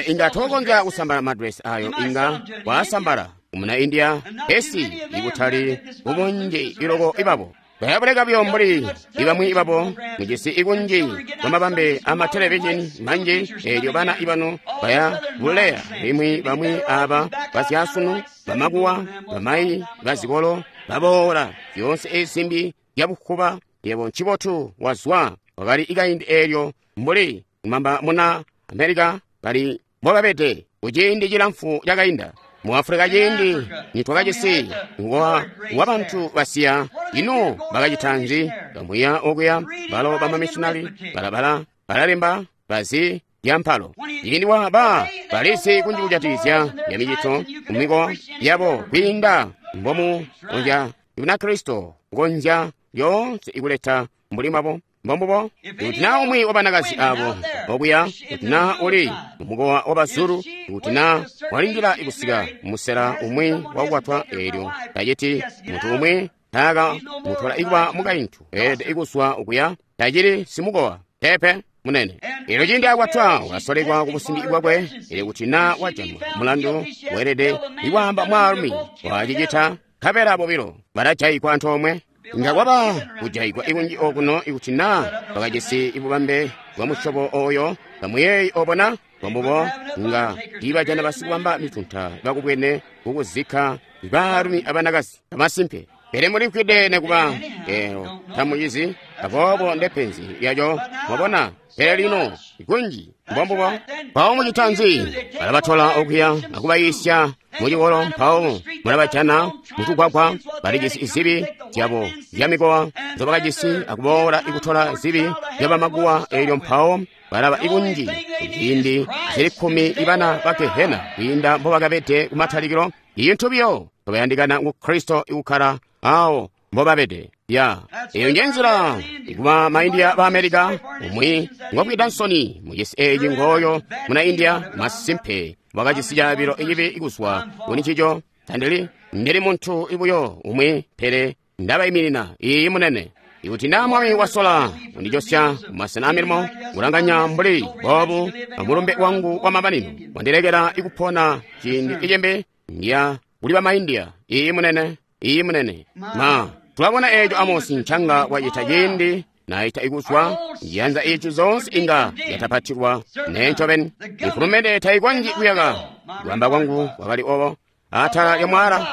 Inga tokonzya kusambala madresi ayo, inga waasambala umuna India pesi ikutali kubunji iloko ibabo bayabuleka buyo mbuli ibamwi ibabo mujisi ikunji kwamabambe amatelevishini manji. Eelyo bana ibanu baya buleya limwi bamwi aba basyasunu bamakuwa bamayi bazikolo baboola zyoonse ezimbi zyabukuba. Yebo ncibotu wazwa wakali ikaindi eelyo mbuli kumamba muna Amerika bali mbobabede kuciindi cilamfu cakainda. Mu Afrika ciindi nitwakajisi wa bantu basiya, ino bakacita nzi? Bamwiya okuya balo bamamishinali balabala balalemba bazi lyampalo. Ciindi wa ba balisi kunji kujatikizya ya micito kumiko yabo kwiinda mbomu konzya Bunakristo kukonzya lyoonse ikuleta mbuli mwabo. Mbombubo kuti naa umwi wa banakazi abo okuya, kuti naa uli mumukowa wa Bazulu, kuti naa walindila ikusika musela umwi wakukwatwa, eelyo taciti muntu umwi taaka mutola ikuba mukaintu weelede ikuswa okuya, tacili simukowa pepe munene. Eelyo ciindi akwatwa ulasolekwa kubusimbi bwakwe. Eelyo kuti naa wajanwa mulandu weelede ikwaamba mwaalumi wacicita, nkabela bobilo balajaigwa antoomwe. Inga kwaba kujaigwa ikunji okuno ikuti naa bakajisi ibubambe bwa musyobo oyo. Bamuyeeyi obona bambubo nga tiibajana basikubamba mitunta bakubwene kukuzikka baalumi abanakazi bamasimpe. Pele mulimvwide nekuba elo tamucizi, aboobo ndepenzi lyaco. Mwabona? Pele lino ikunji mbombubo. Mpawo mucita nzi? Balabatola okuya akubayiisya mucikolo, mpawo mulabajana mutugwagwa balijisi izibi zyabo zyamikowa nzobakajisi akuboola ikutola zibi zyabamakuwa. Eelyo mpawo balaba ikunji kuciindi zili 10 ibana ba Gehena kwiinda mbobakabede kumatalikilo. Iintu biyo tobayandikana ngu Kristo ikukkala awo mbobabede. Ya eyo nje nzila ikuba maindia ba Amerika. Umwi ngobwida nsoni mucisi eeci ngooyo muna India masimpe wakajisi caabilo icibi ikuzwa kuli ncico. Tandili ndili muntu ibuyo umwi, pele ndabayiminina. Iyi munene. Ikuti naa mwami wasola kundijosya kumasena amilimo kulanganya mbuli boobu amulumbe wangu wa mamanino wandilekela ikupona ciindi icimbi ndiya kuli bamaindia. Iyi munene. Iyi munene. Ma tulabona eeco Amosi ncanga wacita ciindi naita ikuzwa njiyanza ici zonse inga yatapatilwa nencobeni. Ifulumende taikonzyi kuyaka. Kuamba kwangu kwakali obo atala lya mwala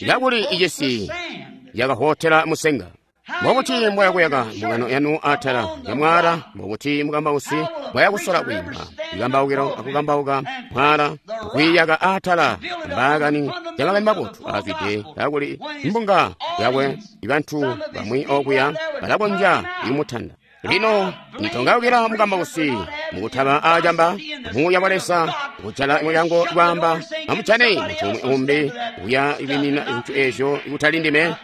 kakuli icisi yakahotela musenga. Mbobuti mbwaya kuyaka mbungano yanu atala lya mwaala? Mbobuti mukambausi mbwaya kusola kwiimba ikambaukilo akukambauka mwaala akwiiyaka atala mbaakani ya makani mabotu aazwide kakuli mbunga yakwe ibantu bamwi okuya balakonzya ikumutanda. Lino nitongaukila mukambausi mukutaba aacamba muuya wa Leza kujala mulyango kwaamba amujane muntu umwi umbi uya ibimina zintu ezyo ikutali ndime.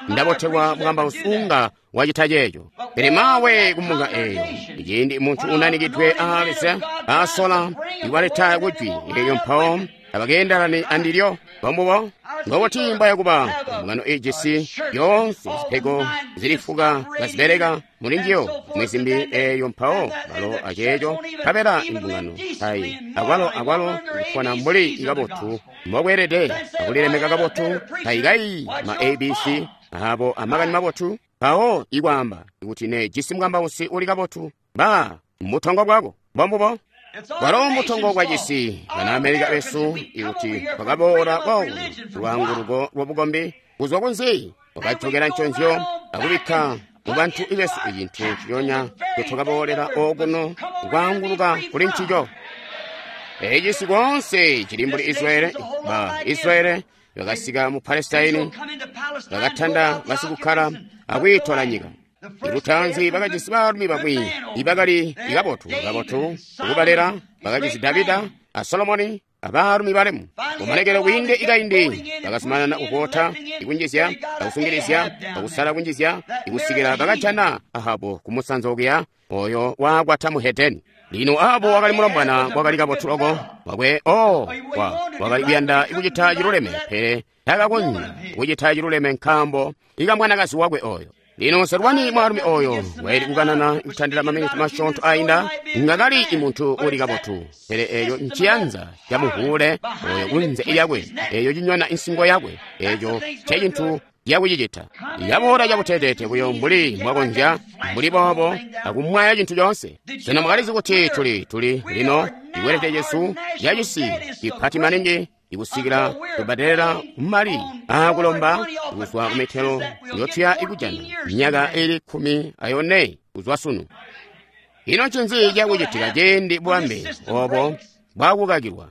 Ndabotelwa mukambausi unga wacita ceeco. Pele mawe kumbunga eyo iciindi muntu unanikidwe aa Leza asola ikwaleta kujwi eyo mpawo abakeendelani andilyo. Bombubo ngobuti mbwaya kuba mbungano ijisi yoonse zipego zilifuka kazibeleka mulinjiyo mwizimbi eyo mpawo balo aceeco nkabela imbungano tayi akwalo kupona mbuli ikabotu mbokweelede akulilemeka kabotu tayikayi ma abc abo amakani mabotu. Mpawo ikwaamba kuti ne jisi mukambausi uli kabotu ba mutongo bwako. Bombubo bwalo mutongo bwa cisi bana Amerika besu ikuti twakaboola kwawo lwaanguluko lwa bukombi kuzwa kunzi twakajokera nconzyo akubikka mu bantu besu icintu nciconya twakaboolera okuno kwaanguluka kuli ncico. Ecisi koonse cili mbuli Israeli. Ba Israeli bakasika mu Palestine, bakatanda basikukkala akwiitola nyika. Ilutanzi bakajisi baalumi bamwi ibakali kabotu kabotu ukubalera. Bakajisi Davida a Solomoni abaalumi balemu. Kumalekelo kwiinde ikaindi bakazumanana kukota ikunjizya akusungilizya akusala kunjizya ikusikila bakajana Ahabu kumusanza okuya oyo waakwata mu Hedeni. Lino Ahabu wakali mulombwana wakali kabotu loko wakwe wakali kuyanda kucita ciluleme, pele takakonzya kucita ciluleme nkaambo ikamwanakazi wakwe oyo. Lino Serwani mwaalumi oyo waili kukanana kutandila maminiti masyoonto ainda ngakali imuntu uli kabotu, pele eyo nciyanza camuvuule oyo kunze lyakwe, eyo cinyona insingo yakwe, eco ncecintu yakucicita. Yaboola cabuteteete buyo mbuli mwakonzya mbuli boobo akumwaya cintu coonse. Sena mwakalizi kuti tuli lino ikwelete cesu cacisi cipati maningi ikusikila kubadelela mali aakulomba kuzwa kumitelo yotuya ikujana myaka ili 14 kuzwa sunu. Ino ncinzi cakucitika ciindi bwambe obo bwakukakilwa?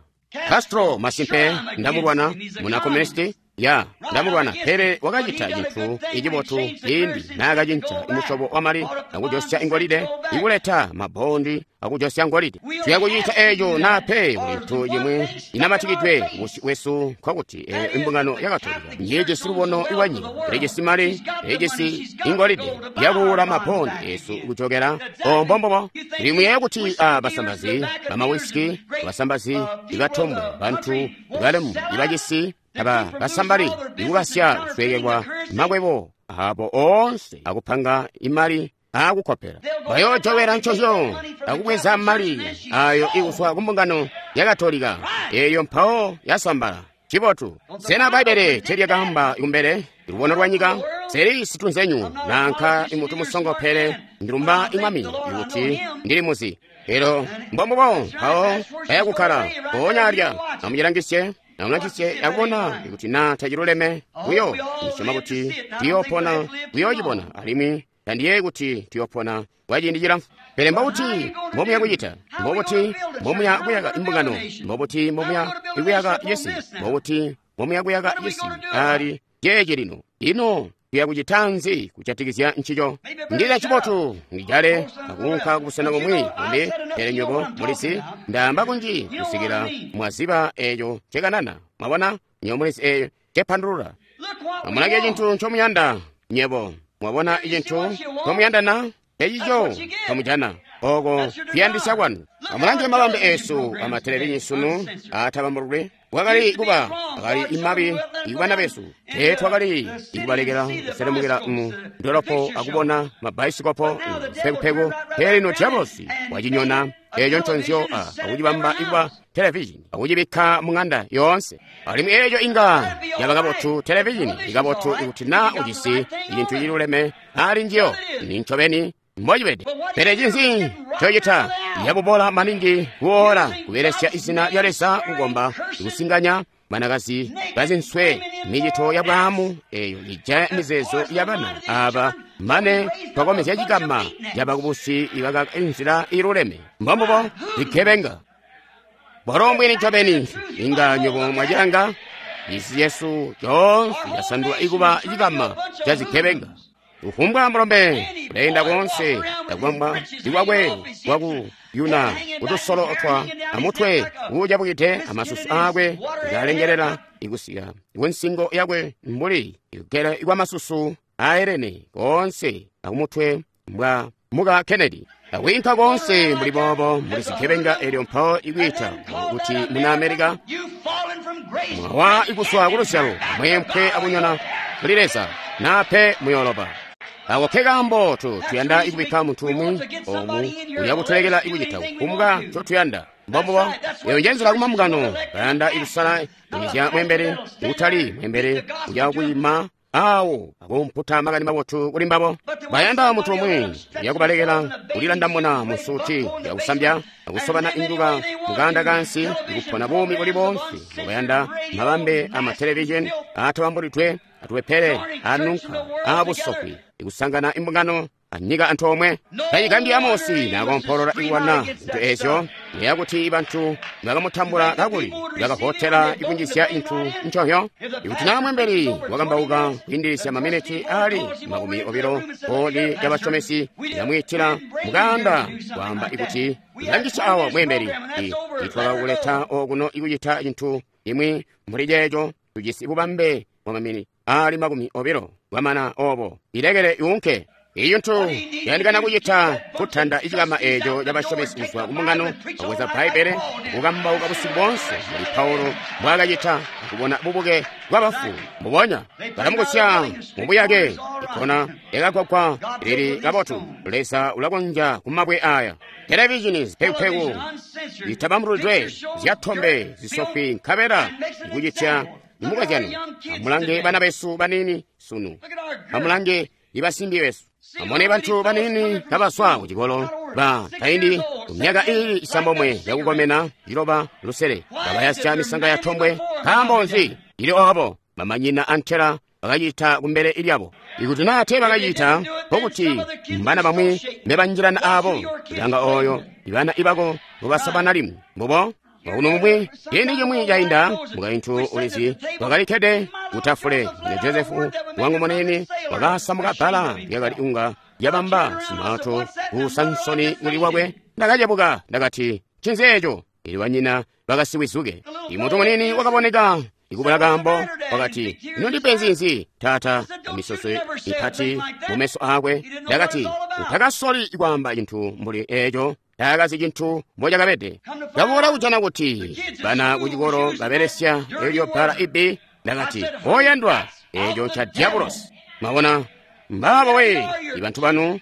Castro masimpe ndamulwana muna komunisti ya ndamulwana, pele wakacita cintu icibotu ciindi naakacinca imusyobo wamali akujosya ingolide, ikuleta mabondi akujosya ngolide. Tuyakucita eeco naa pe kulintu cimwi inamatikidwe kubusyu bwesu, nkokuti eyo imbungano ya Katolika njijisi lubono lwanyika, ilijisi mali, ilijisi ingolide yakuula mabondi esu kujokera. Ombombobo limuyeeya kuti abasambazi bamawisiki, abasambazi ibatombwe, bantu balemu ibacisi aba basambali ikukasya kusweekelwa makwebo abo oonse akupanga imali akukopela bayojowera ncozyo akubweza mali ayo ikuzwa kumbungano ya Katolika eyo mpawo yasambala. Cibotu. Sena Bbaibbele telyakaamba kumbele lubono lwa nyika? Seli situnzenyu nanka imutu musongo, pele ndilumba imwami ikuti ndili muzi. Elo mbombubo mpawo bayakukkala mpoonya alya. Amucilangisye amulangisye akubona ikuti naa taciluleme buyo. Ndisyoma kuti tuyopona kuyoocibona, alimwi tandiyeeyi kuti tuyopona kwa ciindi cilamfu. Pele mbobuti mbomuya kucita? Mbobuti mbomuya kuyaka imbungano? Mbobuti mbomuya kuyaka cisi? Mbobuti mbomuya kuyaka cisi ali ceeci lino? Ino tuya kucita nzi kujatikizya ncico? Ndila cibotu ndijale akuunka kubusena bumwi bumbi, pele nywebo mulizi ndaamba kunji kusikila mwaziba eeco ncekanana. Mwabona, nywebo mulizi eeco ncepandulula. Amulange cintu ncomuyanda nywebo. Mwabona icintu ncomuyandana? Ecico kamujana oko kuyandisya kwanu. Amulange mabambe esu amatelevizhini sunu atabambululwe. Wakali kuba akali imabi ikubana besu teetwakali ikubalekela kuselemukila mu ndolopo akubona mabaisikopo mpekupeku. Pele lino diabulosi wacinyona eeco nconzyo akucibamba ikuba televizhini akucibikka mung'anda yoonse. Alimwi eeco inga yaba kabotu televizhini ikabotu ikuti naa ujisi cintu ciluleme ali njiyo. Ni ncobeni mbocibede. Pele cinzi ncocita? Yabubola maningi kuola kubelesya izina lya Leza kukomba kusinganya Banakazi bazinswe, micito ya bwaamu eyo ijaya mizeezo ya bana aba mane twakomezya cikama cabakubusi ibakaka inzila iluleme. Mbombubo zigebenga. Bwalo mbwini ncobeni, inga nywebo mwacilanga, cisi cesu coonse casandula ikuba cikama ca zigebenga. Kufumbwa mulombe uleenda koonse takwambwa ikwakwe kwaku yuna kutusolo twa amutwe uucabukide amasusu aakwe ngalengelela ikusika kunsingo yakwe mbuli ikugela ikwamasusu aelene koonse akumutwe mbwa muka Kennedy. Akwiinka koonse mbuli boobo mbuli zigebenga elyo mpawo ikwiita kuti muna Amerika mwawa ikuswa kuluzyalo mwempwe akunyona kuli Leza nape muyoloba. Ako ke kaambo tuyanda ikubikka muntu umwi omu uya kutulekela ikucita kufumbwa ncotuyanda. Mbombubo eyo njenzela kumambungano bayanda ikusala inizya mwembele utali mwembele uya kuyima awo akumputa makani mabotu kuli mbabo. Bayanda muntu umwi uya kubalekela kulilandamuna mu suti yakusambya akusobana injuka mukanda kansi ikupona buumi buli bonse. Bayanda mabambe ama television atabambulidwe atuwepele anunka abusokwi ikusangana imbungano anyika antoomwe. Kayigambye Amosi nakompolola ikuwana zintu ezyo neyakuti bantu bakamutambula kakuli bakavotela ikunjizya inthu nchohyo. Ikuti naa mwembeli wakambauka kwiindilisya maminiti ali 20 kodi lyabasomesi yamwiitila mukanda kwaamba ikuti langisha awa mwembeli itwakakuleta okuno ikucita chinthu imwi mbuli ceeco tujisi bubambe bwa mamini ali 20 bwamana obo ilekele iunke. Iyo ntu yandikana kucita kutanda icikama eco cabasomesi kuzwa kumungano akweza Bbaibele kukambauka busiku bonse mbuli Paulo mbwaakacita akubona bubuke bwabafu. Mbubonya balamukusya mubuyake ikona yakagwagwa lili kabotu. Leza ulakonzya kumabwe aya. Televizhini zipekupeku zitabambuludwe zyatombe zisofwi nkabela ikucitya imukozyano. Amulange bana besu banini sunu, amulange ibasimbi besu. Amone bantu banini kabaswa kucikolo ba kaindi kumyaka ili 9 yakukomena 6 7 kabayasya misanga ya tombwe. Nkaambo nzi ili obo bamanyina antela bakacita kumbele ilyabo? Ikuti naa te bakacita nkokuti mbana bamwi mbebanjilana abo ilanga oyo ibana ibako mubasabana limwi mbubo. Uno mumwe ciindi cimwi cainda mukaintu ulizi wakalikkede kutafule ne Josefu wangu munene wakasamuka bbala lyakali unga lyabamba simato ku Sansoni kuli wakwe. Ndakacebuka ndakati ncinzi eco? Ili banyina bakasiwizuke. Imuntu munene wakaboneka ikubula kaambo wakati ino ndipenzi nzi tata? Amisoso ipati mumeso akwe. Ndakati utakasoli kwaamba cinthu mbuli eco. Taakazi cinthu mbocakabede. Ndaboola kujana kuti bana kucikolo babelesya elyo bbala ibbi. Ndakati oyandwa eco nca diabulosi. Mwabona mbaabo we ibantu banu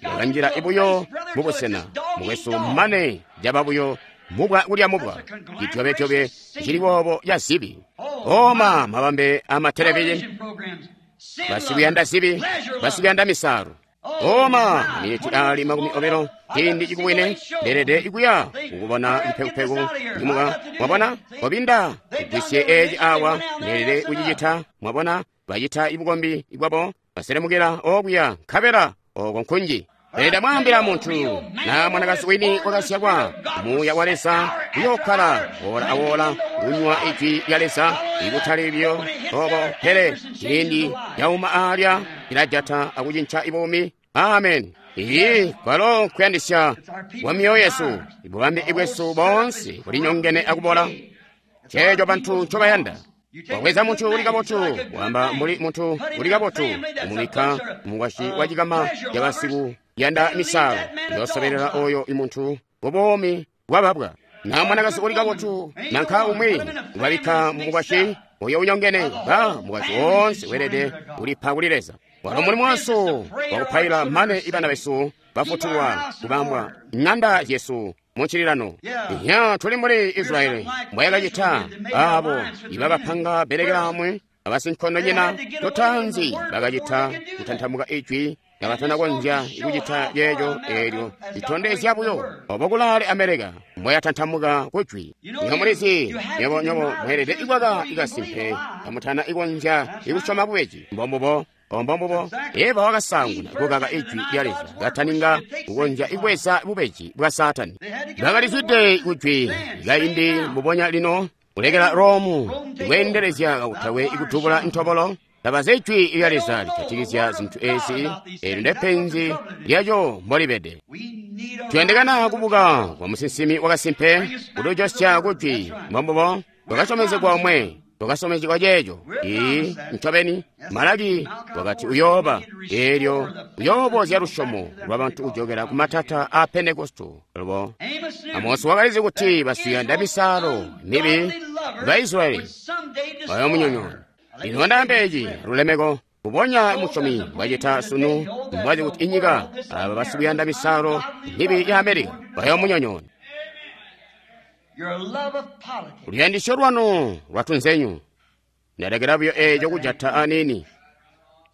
bakanjila ibuyo mubusena mukwesu mane caba buyo mubwa kulya mubwa cityobetyobye cili boobo ca zibi. Oma mabambe ama televizhini basikuyanda zibi basikuyanda misalo. Oma miniti ali 20 ciindi cikuwine ndelede ikuya kukubona mpekupeku imuka. Mwabona obinda kugwisye eci awa ndelede kucicita. Mwabona bacita ibukombi ibwabo baselemukila okuya nkabela oko nkunji. Pele ndamwaambila muntu na mwanakazi wini wakasyakwa muuya wa Leza uyokkala wola awola kunywa ijwi lya Leza ikutali byo obo pele ciindi yauma alya ilajata akucinca ibuumi. Amen. Iyi kwalo nkuyandisya kwa myoyo yesu ibubambe ibwesu bonse bulinyongene akubola. Ceeco bantu ncobayanda. Wabweza muntu uli kabotu wamba mbuli muntu uli kabotu umubikka mumukwasyi wa cikama cabasiku yanda misalo yosobelela oyo imuntu bubomi bwababwa. Na mwanakazi uli kabotu nanka umwi ubabikka mumukwasyi oyo unyongene ba mukwasyi wonse welede ulipa kuli Leza. Walo mulimo wasu wakupaila mane ibana besu bafutulwa kubambwa ng'anda yesu muncililano. Iya tuli mbuli Israeli mbwayakacita abo ibakapanga belekelamwe abasinkondonyina totanzi bakacita kutantamuka ijwi kabatana konzya ikucita yeeco eelyo litondezya buyo obo kulaale Amerika mboyatantamuka kujwi. Nywebo mulizi, nywebo mweelede ikukaka ikasimpe kamutana ikonzya ikusyoma bubeji. Mbombubo. Mbombubo. Eva wakasaanguna kukaka ijwi lya Leza kataninga kukonzya ibweza bubeji bwa Saatani. Bakalizwide kujwi kaindi mbubonya lino kulekela Romu ikweendelezya kakutakwe ikudubula ntobolo. Tabazi ijwi lya Leza lijatikizya zintu ezi. Eelyo ndepenzi lyaco mbolibede. Tuyandikana kubuka kwa musinsimi wakasimpe kutujosya kujwi. Mbombubo. Twakasyomezegwa omwe. Twakasyomezegwa ceeco. Ii, ncobeni Malaki wakati uyooba. Eelyo uyoobozya lusyomo lwabantu kujokela ku matata a Pentekosto. Lubo Amosi wakalizi kuti basiyanda misalo mibi ba Israyeli bayomunyonyoona. Lino ndaamba eci lulemeko mbubonya musyomi mbwacita sunu, mbwazi kuti inyika aba basikuyanda misalo mibi ya Amerika bayomunyonyoona. Luyandisyo lwanu lwatunzenyu ndalekela buyo eeco kujata aniini,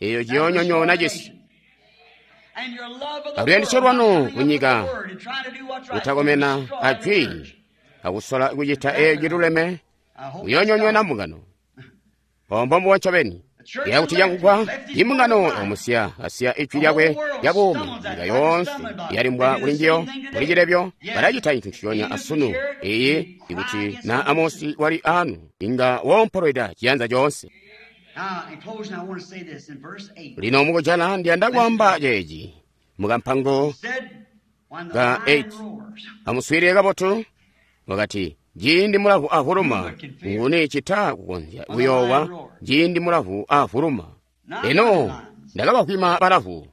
eeyo ciyoonyonyoona cisi. Aluyandisyo lwanu kunyika kutakomena ajwi akusola kucita eeco ciluleme kuyoonyonyoona mbungano. Mbombubo ncobeni. Yakuti cakugwa imbungano yomusiya asiya ijwi lyakwe lya buumi. Nyika yoonse yalimbwa kuli njiyo kuli cilebyo. Balacita cintu nciconya asunu. Iyi ikuti na Amosi wali anu inga woompolweda ciyanza coonse. Lino mukujala ndiyanda kwaamba ceeci mukampango ka 8. Amuswiilile kabotu. Wakati ciindi mulavu avuluma, nguni cita kukonzya kuyoowa ciindi mulavu avuluma? Eno ndakabavwima balavu.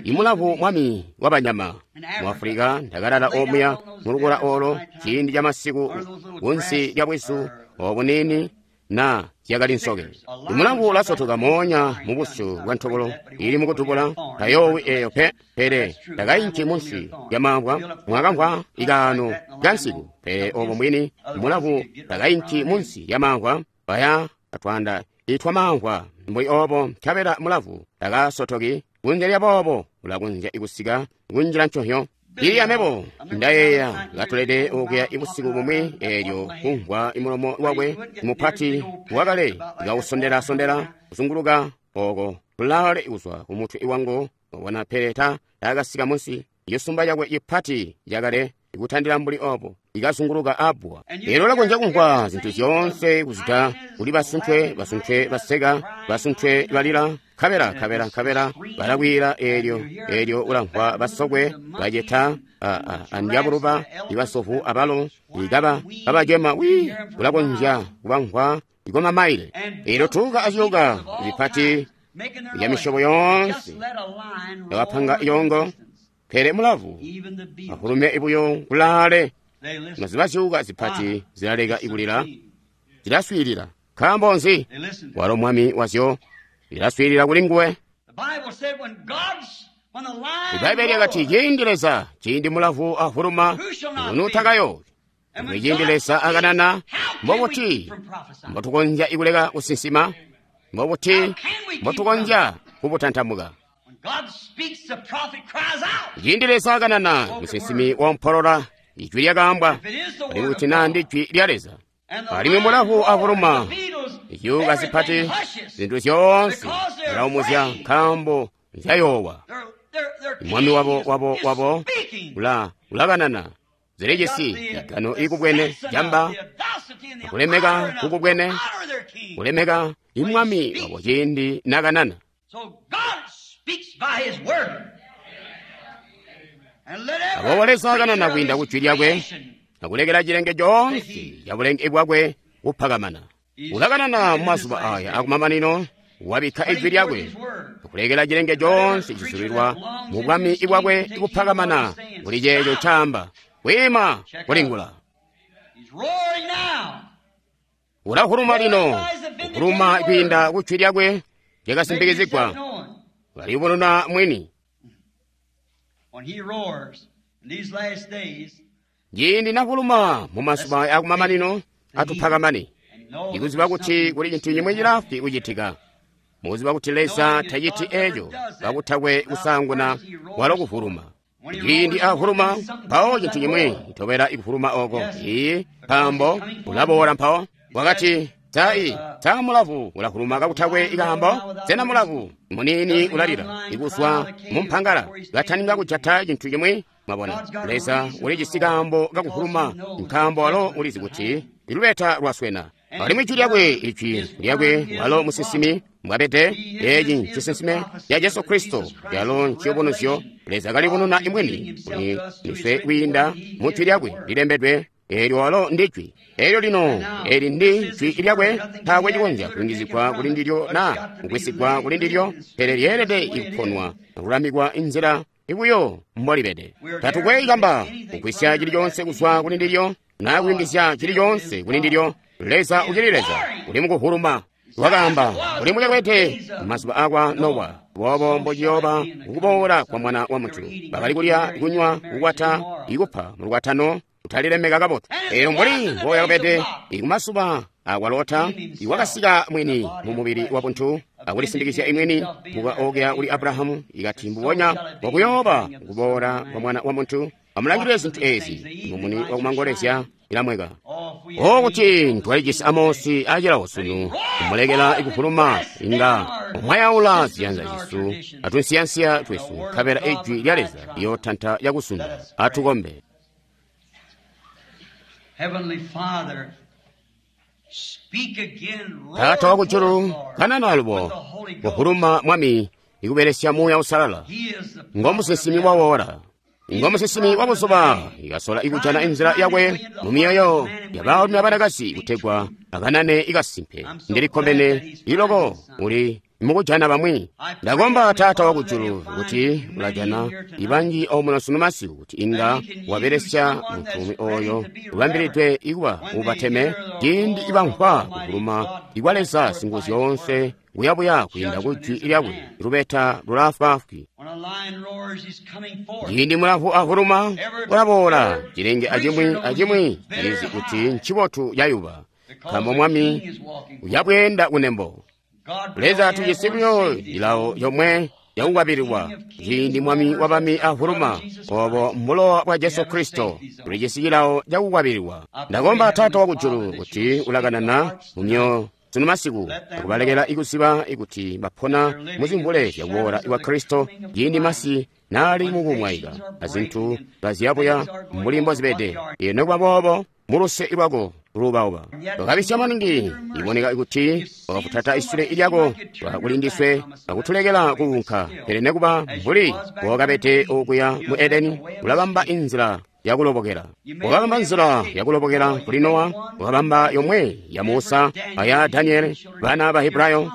Imulavu mwami wabanyama mu Afulika. Ndakalala omuya mulukula olo ciindi camasiku kunsi lya bwizu obuniini na zyakali nsoke. Imulavu ulasotoka moonya mu busyu bwa ntobolo ili mukutubula, tayoowi eeyo pe. Pele takainki munsi lya mamvwa. Mwakamvwa ikaano kansiku. Pele obo mwini mulavu takainki munsi lya mamvwa, baya atwanda itwa mamvwa mbuli obo, nkabela mulavu takasotoki. Kunze lya boobo ulakonzya ikusika kunjila nconhyo. Ili amebo ndayeeya katulede okuya ibusiku bumwi eelyo kumvwa imulomo wakwe mupati wakale kausondela-sondela kuzunguluka oko kulaale kuzwa kumutwe wangu wabona, pele takasika munsi. Cisumba cakwe cipati cakale ikutandila mbuli obo ikazunguluka abbwa. Eelyo ulakonzya kumvwa zintu zyoonse kuzita kuli basuntwe, basuntwe baseka, basuntwe balila, nkabela nkabela nkabela balakwiila. Eelyo ulamvwa basokwe baceta andyabuluba, ibasovu abalo ikaba kabacema wi. Ulakonzya kubamvwa ikoma maile. Eelyo tuuka aciuka zipati lya misyobo yoonse yakapanga yongo. Pele mulavu avulume ibuyo kulaale, noziba ziuka zipati zilaleka ikulila, zilaswiilila. Nkaambo nzi? Walo mwami wazyo, zilaswiilila kuli nguwe. Ibaibbele lyakati ciindi Leza, ciindi mulavu avuluma, nguni utakayoowi? Ciindi Leza akanana, mbobuti mbotukonzya ikuleka kusinsima? Mbobuti mbotukonzya kubutantamuka? Ciindi Leza akanana, musinsimi woompolola, ijwi lyakaambwa, alimwi kuti naa ndijwi lya Leza. Alimwi mulavu avuluma, izyuuka zipati, zintu zyoonse zilaumuzya nkaambo nzyayoowa. Mwami wabo ulakanana, zilijisi igano ikubwene jamba, akulemeka kukubwene, kulemeka imwami wabo ciindi nakanana. Aboobo Leza akanana kwiinda kujwi lyakwe, akulekela cilenge coonse cabulenge bwakwe kupakamana. Ulakanana mumazuba aya akumamanino, wabikka ijwi lyakwe, akulekela cilenge coonse cizulilwa mu bwami bwakwe kupakamana kuli ceeco ncaamba, kwiima kulingula. Ulahuluma lino, kuhuluma kwiinda kujwi lyakwe lyakasimbikizigwa, ulaliyubununa mwini. Ciindi nahuluma mumazuba akumamanino atupakamane, ikuziba kuti kuli cintu cimwi cilafwi kucitika. Mukuziba kuti Leza taciti eeco kakutakwe kusaanguna walo kuvuluma. Ciindi ahuluma mpawo cintu cimwi itobela ikuhuluma oko. Iyi nkaambo ulaboola mpawo. Wakati, Sa mulavu ulahuluma kakutakwe ikaambo? Sena mulavu muniini ulalila ikuzwa mumpangala kataninga kujata cintu cimwi? Mwabona, Leza ulijisi kaambo kakuhuluma, nkaambo walo ulizi kuti ilubeta lwaswena. Alimwi ijwi lyakwe, ijwi lyakwe walo musinsimi mbwabede, eeci ncisinsime ca Jesu Kristo, calo nciyubunuzyo. Leza kalibununa imwini kuli ndiswe kwiinda mu jwi lyakwe lilembedwe. Eelyo walo ndi jwi. Eelyo lino, eli ndi jwi lyakwe, taakwe cikonzya kuyungizigwa kuli ndilyo naa kugwisigwa kuli ndilyo, pele lyeelede ikuponwa akulamikwa inzila ibuyo mbolibede. Tatukwe kamba kugwisya cili coonse kuzwa kuli ndilyo naa kuyungizya cili coonse kuli ndilyo. Leza ucili Leza, uli mukuhuluma. Wakaamba, uli mucakwete mazuba akwa Nowa, boobo mbociyooba kukuboola kwa Mwana wa Muntu. Bakali kulya, kunywa, kukwata, ikupa mulukwatano, kutalilemeka kabotu. Eyo mbuli mboyakabede ikumazuba akwa Lota, iwakasika mwini mu mubili wa buntu akulisindikizya imwini muka okya kuli Abrahamu, ikati mbubonya mbokuyooba kuboola kwa Mwana wa Muntu. Amulangilile zintu ezi, mumuni wakumangolezya ilamweka. O kuti twalijisi Amosi acilawo sunu, kumulekela ikuhuluma inga umwayaula ziyanza zyesu atunsiyansiya twesu, nkabela ijwi lya Leza liyootanta yakusunu. Atukombe. Taata wakujulu, kanana alubo kuhuluma Mwami ikubelesya Muuya Uusalala. Ngomusinsimi wa wora, ngomusinsimi wa buzuba, ikasola ikujana inzila yakwe mu myoyo ya baalumi abanakazi kutegwa akanane ikasimpe. Ndilikkomene iloko uli mukujana bamwi. Ndakomba Taata wakujulu kuti ulajana ibanji omuno sunu masiku kuti inga wabelesya muntu umwi oyo ubambilidwe ikuba ubateme ciindi ibamvwa kuhuluma ikwa Leza Singuzyoonse kuyabuya kwiinda ku jwi lyakwe lubeta lulaafwaafwi. Ciindi mulavu ahuluma ulaboola, cilenge acimwi acimwi cilizi kuti ncibotu cayuba, nkaambo Mwami uyabweenda kunembo. Leza tujisi buyo cilawo comwe cakukwabililwa ciindi Mwami wabami ahuluma, obo mbulowa bwa Jesu Kristo. Tulijisi cilawo cakukwabililwa. Ndakomba Taata wakujulu kuti ulakanana mumyoyo sunu masiku akubalekela ikuziba ikuti bapona muzimvule zyakuboola kwa Kristo ciindi masi naali mukumwaika azintu kaziyabuya mbuli mbozibede. Ino nokuba boobo muluse lwako lubauba wakabisya maningi, iboneka kuti wakafutata isule lyako kulindiswe akutulekela kuunka. Pele nekuba mbuli wakabede okuya mu Edeni, ulabamba inzila yakulobokela. Wakabamba nzila yakulobokela kuli Nowa, wakabamba yomwe ya Musa aya Daniele, bana ba Hebrayo.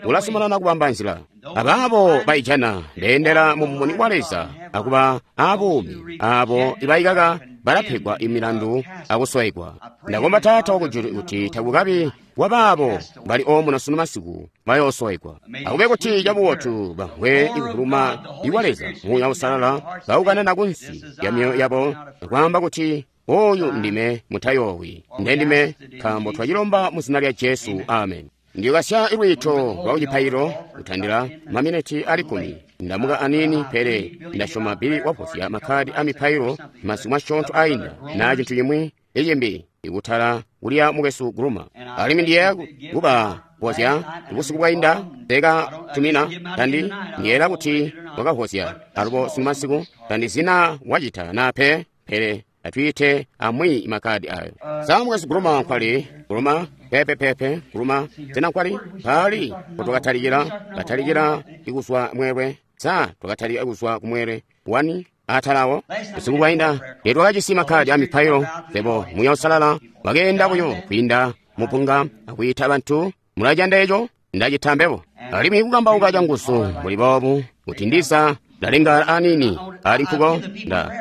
Ulazumanana kubamba nzila. Abaabo baijana beendela mu mumuni wa Leza akuba abuumi, abo ibaikaka balapegwa imilandu akuswaigwa. Ndakomba Taata wakujulu kuti takukabi wabaabo bali omuno sunu masiku bayooswaigwa. Akube kuti cabubotu bamvwe ikuhuluma ikwa Leza Muuya Uusalala kaukanana kunsi ya myoyo yabo akwaamba kuti, oyu ndime, mutayoowi, ndendime, nkaambo twacilomba mu zina lya Jesu. Amen. Ndiyokasya ilwiito lwa kucipaililo kutandila maminiti ali 10. Ndamuka anini, pele ndasyoma Bili wavozya makkadi a mipailo masiku masyoonto ainda naa cintu cimwi icimbi ikutala kulya mukwesu Gruma. Alimwi ndiyeeya kuba vozya busiku bwainda teka tumina tandi ndiyeera kuti wakavozya alubo sunu masiku tandizina wacita naa pe, pele atwiite amwi makkadi ayo. Sa mukwesu Gruma nkwali? Gruma pepepepe Gruma sena nkwali? Paali potwakatalikila katalikila ikuzwa mweelwe. Sa twakatalika kuzwa kumweelwe wani atalawo busiku bwainda tetwakajisi makkadi a mipailo. Sebo Muuya Uusalala wakeenda buyo kwiinda mupunga akwiita bantu. Mulacanda eco? Ndacita mbebo. Alimwi kukambauka canguzu mbuli boobu kuti ndiza ndalenga anini ali nkuko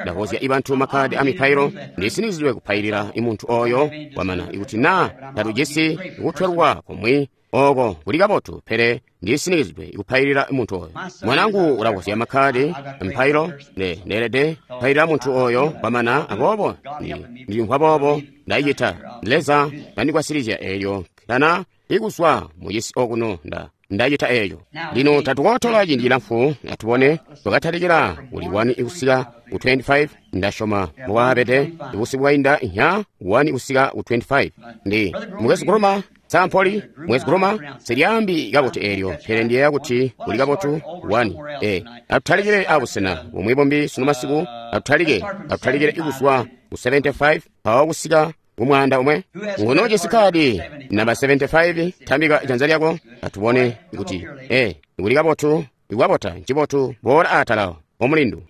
ndavozya ibantu makkadi a mipailo. Ndisinizidwe kupailila imuntu oyo wamana ikuti naa tatujisi kutwelwa kumwi oko kuli kabotu, pele ndisinikizidwe kupailila muntu oyo. Mwanangu ulavozya makkadi mpailo, ndeelede kupailila muntu oyo kwamana, aboobo ndilimvwa boobo ndacita. Leza kandigwasilizya eelyo tana ikuzwa mucisi okuno. Ndacita eco. Lino tatukotola ciindi cilamfu, atubone twakatalikila kuli 1 kusika ku 25, ndasyoma mbwaabede busiku bwainda nya 1 kusika ku 25. Ndi mukwesu Groma sampoli mukwesu Groma silyambi kabotu eelyo, pele ndiyeeya kuti kuli kabotu 1. Atutalikile abusena bumwi bumbi sunu masiku, atutalikile kuzwa ku 75 mpawo kusika kumwaanda umwe. Nguno ujisi kadi namba 75, tambika janza lyako atubone kuti kuli kabotu, ikwabota ncibotu, boola atala omulindu.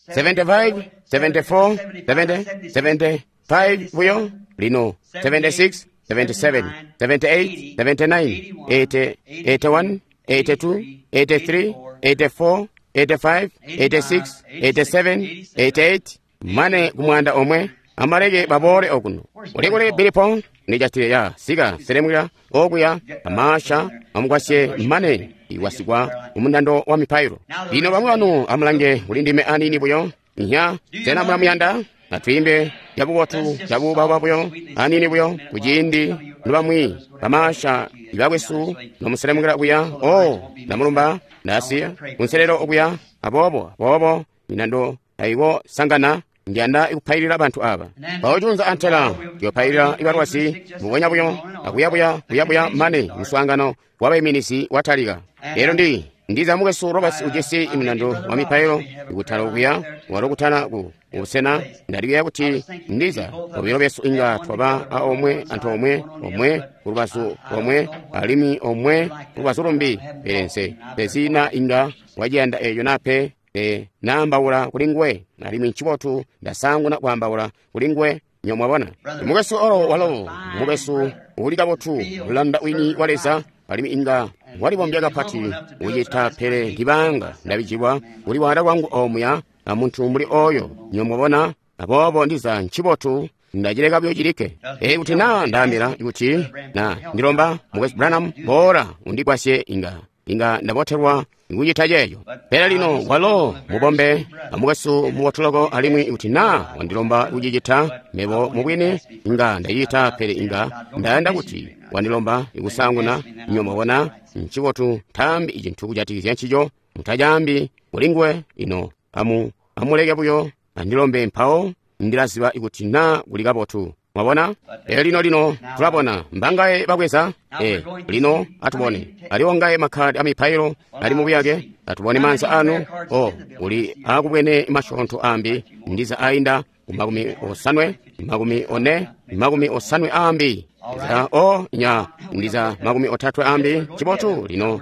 75, 74, 70, 75 buyo lino 76, 77, 78, 79, 80, 81, 82, 83, 84, 85, 86, 87, 88, mane kumwanda omwe. Amaleke baboole okuno. Ulikuli bilipo ndijatile ya sika selemwira okuya amasha amukwasye mane iwasikwa umundando wa mipailo. Lino bamwi banu amulange kuli ndime anini buyo nya sena mulamuyanda atwiimbe cabubotu cabuubauba buyo anini buyo kuciindi nobamwi bamasha ibakwesu nomuselemukila kuya. O ndamulumba ndasiya kunselelo okuya aboobo aboobo minando ayiwo sangana. Ndiyanda ikupailila bantu aba. Mpawo antela ndiyopailila ibalwazi mbubonya buyo akuyabuya kuyabuya mane muswaangano wabaiminizi watalika. Lero ndiza mukwesu Roberts ujisi iminando wa mipailo ikutala okuya walo kutala ku busena. Ndalikuya kuti ndiza obilo besu inga twaba a omwe anthu omwe omwe kulubazu omwe alimwi omwe kulubazu lumbi, pele nse pezina inga waciyanda eyo nape. Naambaula kuli nguwe alimwi ncibotu ndasanguna kwaambaula kuli nguwe nyo mwabona. Mukwesu olo walo mukwesu uli kabotu mulanda wini wa Leza alimwi inga walibombya kapati ucita, pele ndibanga ndabijibwa kuli wada kwangu omuya amuntu mbuli oyo nyo mwabona. Aboobo ndiza ncibotu ndacileka buyo cilikke. Kuti naa ndaambila kuti na ndilomba mukwesu Branham boola undigwasye inga ndabotelwa nkucita ceeco. Pele lino walo mubombe amukwesu mubotuloko alimwi kuti naa wandilomba kucicita mebo mubwini inga ndacita, pele inga ndayanda kuti wandilomba ikusanguna nyo mwabona. Ncibotu ntaambi icintu kujatikizya ncico, mutacaambi kuli nguwe ino amuleke buyo andilombe mpawo ndilaziba kuti naa kuli kabotu. Mwabona? Lino tulabona mbangaye babweza. Lino atubone aliwo ngaye makhadi amipailo ali mubuyake. Atubone manza anu. Uli akubwene masyoonto ambi ndiza ainda ku 50, 40, 50 ambi za nya ndiza 30 ambi. Cibotu lino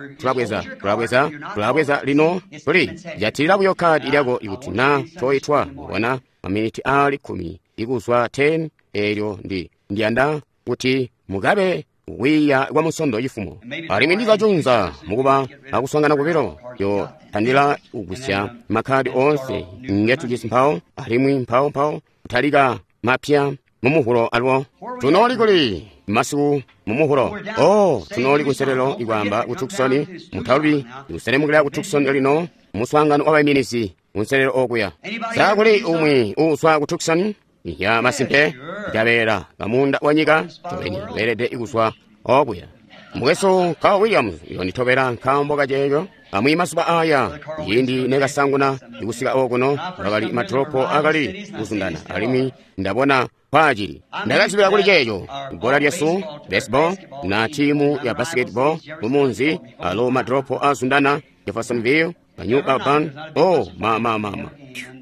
tulabweza lino tuli jatilila buyo khadi lyako ikuti na toyitwa. Mwabona maminiti ali 10 ikuzwa 10. Elyo ndiyanda kuti mukabe wiya kwa musondo chifumo alimwi ndizachunza mukuba akusangana kubilo yo tandila kugwisya makhadi onse ngetujisi mpawo alimwi mpawo kutalika mapya mumuhulo alwo. Tunoli kuli masiku mumuhulo. Tunoli kunselelo ikwamba ku Tucson mutalubi ikuselemukila ku Tucson lino muswaangano wa baiminizi kunselelo okuya. Sakuli umwi uswa ku Tucson ya masimpe jabeera kamunda wa nyika tobeni beelede ikuzwa okuya. Mukwesu Carl Williams yonditobera nkaambo kaceeco. Amwi masuba aya yindi nekasanguna ikusika okuno akali madropo akali kuzundana alimwi ndabona kwacili. Ndakazibira kuli ceeco gola lyesu baseball na timu ya basketball mumunzi alo madropo azundana Jeffersonville New Urban. Mama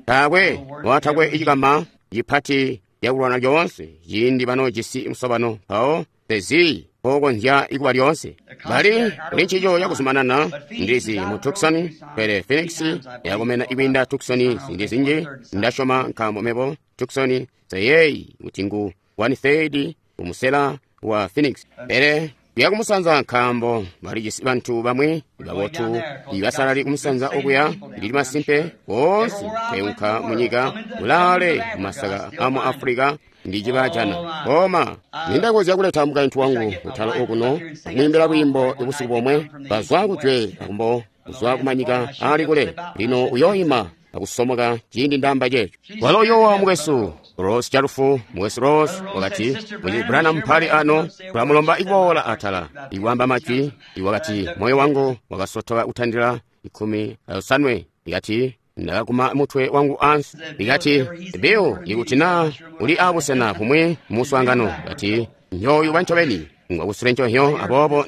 takwe watakwe ichikama yipati yakulwana lyonse yindi bano jisi musobano mpawo tezi okonzya ikuba lyonse bali kuli ncico yakuzumanana ndizi mu Tucson, pele Phoenix yakumena ikwinda Tucson zindi zinji. Ndasyoma nkaambo mebo Tucson seyeyi kuti ngu 1/3 umusela wa Phoenix, pele yakumusanza nkaambo balijisi bantu bamwi babotu ibasalali kumusanza okuya. Ndili masimpe boonse peunka munyika ulale mumasaka amu Afrika ndicibajana koma nindakonzya kuleta mukaintu wangu kutala okuno kumwiimbila lwiimbo ubusiku bomwe bazwa kujwe akumbo kuzwa kumanyika ali kule. Lino uyoyima akusomoka ciindi ndamba ceeco. Walo yowa mukwesu Rose chalufu, Mukwesu Rose wakati, Mucizi Branham mpali ano, tulamulomba ikuboola atala, ikwaamba majwi. Wakati, moyo wangu wakasotoka kutandila 18. Ikati, ndakaguma mutwe wangu ansi. Ikati, Bill, ikuti na uli abusena bumwi muswaangano, ikati, nyoyu bancobeni ngwakusule ncohyo, aboobo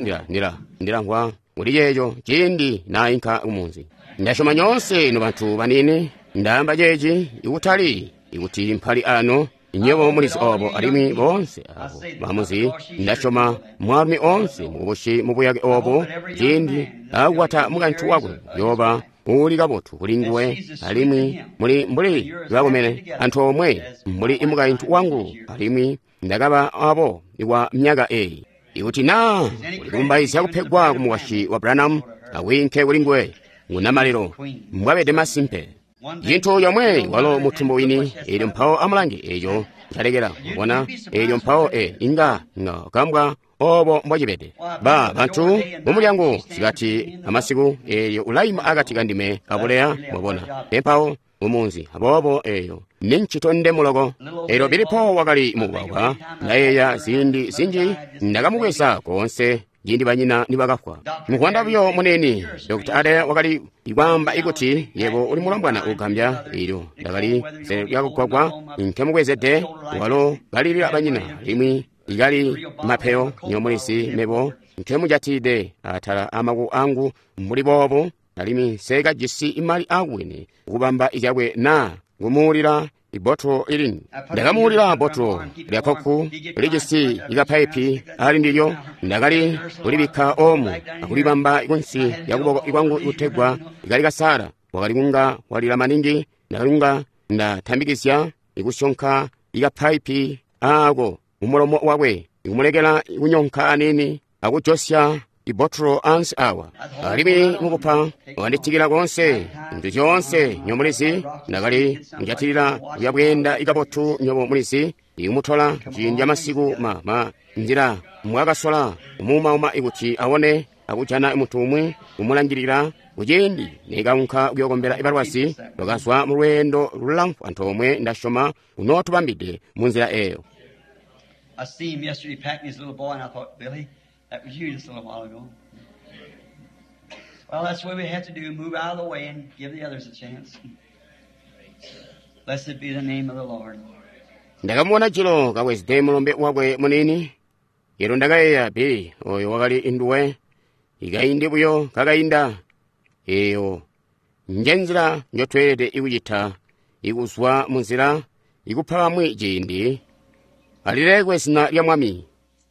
ndilamvwa kuli yeeyo ciindi nainka kumunzi. Ndasyoma nyoonse no bantu banini, ndaamba ceeci ikutali ikuti mpali ano, nywebo mulizi obo, alimwi boonse abo bamuzi. Ndasyoma mwaalumi onse mukubushi mubuyake obo, ciindi akukwata mukaintu wakwe yoba uli kabotu kuli nguwe, alimwi muli mbuli bakomene antoomwe mbuli mukaintu wangu, alimwi ndakaba abo kwa myaka eyi. Ikuti na ulikumbaizya kupegwa ku mukwasyi wa Branham, awinke kuli nguwe ngunamaliro mbwabede masimpe. Cintu yomwe walo mutumbu wini, eelyo mpawo amulange eeyo ncalekela mubona, eelyo mpawo inga kambwa obo mbwacibede. Ba bantu mumulyango sikati amasiku, eelyo ulaima akati kandime abuleya, mwabona, empawo mumunzi, aboobo eeyo nincito ndemuloko. Eelyo Bilipo wakali mubwabwa, ndayeeya ziindi zinji ndakamubweza koonse ciindi banyina nibakafwa. Mukwanda buyo munene, Dr. Ade wakali kwaamba ikuti yebo uli mulombwana ugambya. Eelyo ndakali lyakugwagwa nkemubwezede, walo kalilila banyina, alimwi ikali mapeyo nyomulizi mebo nkemujatide atala amaku angu mbuli boobo, alimwi nsekajisi imali akubwene kubamba izyakwe na kumuulila ibotolo ilini. Ndakamuulila botolo lya koku lijisi ikapaipi ali ndilyo, ndakali kulibikka omu akulibamba kunsi lyakuboko kwangu kutegwa ikali kasala. Wakali kunga walila maningi, ndakali kunga ndatambikizya ikusyonka ikapaipi ako mumulomo wakwe, ikumulekela kunyonka anini akujosya ibotolo ansi awa. Alimwi mukupa wanditikila konse ntu zyoonse nyomulizi, ndakali njatilila kuyabweenda ikabotu nyobo mulizi, ikumutola ciindi amasiku ma nzila mwakasola kumuumauma ikuti awone akujana muntu umwi kumulangilila. Kuciindi nikaunka kuyokombela ibalwazi, twakazwa mu lweendo lulamfu antoomwe, ndasyoma unootubambide mu nzila eyo. I see him yesterday packing his little boy, and I thought, Billy, that was you just a little while ago. Well, that's what we have to do, move out of the way and give the others a chance. Blessed be the name of the Lord. Ndakamuona jilo kabwezede mulombe wakwe munini. Elo ndakayeeya, Billy, oyo wakali induwe. Ikaindi buyo kakainda. Eyo nje nzila njotweelede ikucita, ikuzwa munzila, ikupa bamwi ciindi. Alilekwe zina lya Mwami.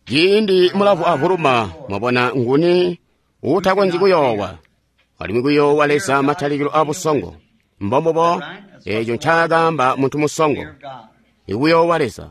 Ciindi mulavu avuluma, mwabona nguni uutakonzyi kuyoowa. Alimwi kuyoowa Leza matalikilo abusongo. Mbombubo eeco ncaakaamba muntu musongo, ikuyoowa Leza.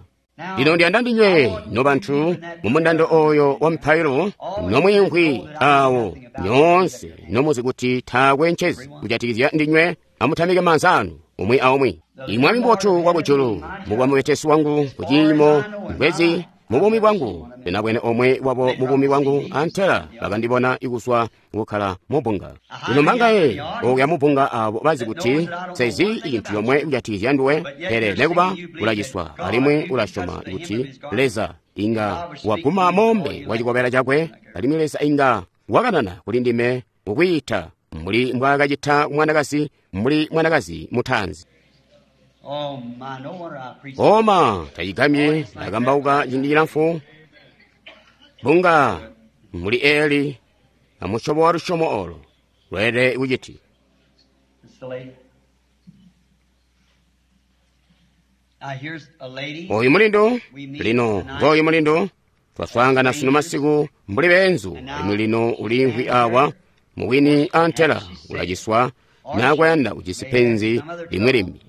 Lino ndiyanda ndinywe nobantu mumundando oyo wa mpailo, nomwiimvwi awo nyoonse nomuzi kuti taakwe ncezi kujatikizya ndinywe, amutamike maanza anu umwi aumwi. Imwami mbotu wakujulu, mukuba mubetesi wangu kuciimo mbwezi mubuumi bwangu, ndinabwene omwe wabo mubuumi bwangu, antela bakandibona ikuzwa kukkala mubunga. Lino mbangaye okuya mubunga abo bazi kuti sezi icintu yomwe kujatikizya nduwe, pele nekuba ulaciswa alimwi ulasyoma kuti Leza inga waguma mombe wa cikobela cakwe, alimwi Leza inga wakanana kuli ndime mukwiita mbuli mbwaakacita mwanakazi, mbuli mwanakazi mutaanzi. Oh my, no wonder I preach. Oma tayigamye ndakambauka ciindi cilamfu bunga muli eli amusyobo wa lusyomo olo lweelede kuciti. It's the lady. Now here's a lady. Oyu mulindu lino ngoyu mulindu twaswaangana sunu masiku mbuli beenzu, alimwi lino uliimvwi awa muwini antela ulaciswa nakwayanda ujisi penzi limwi limbi.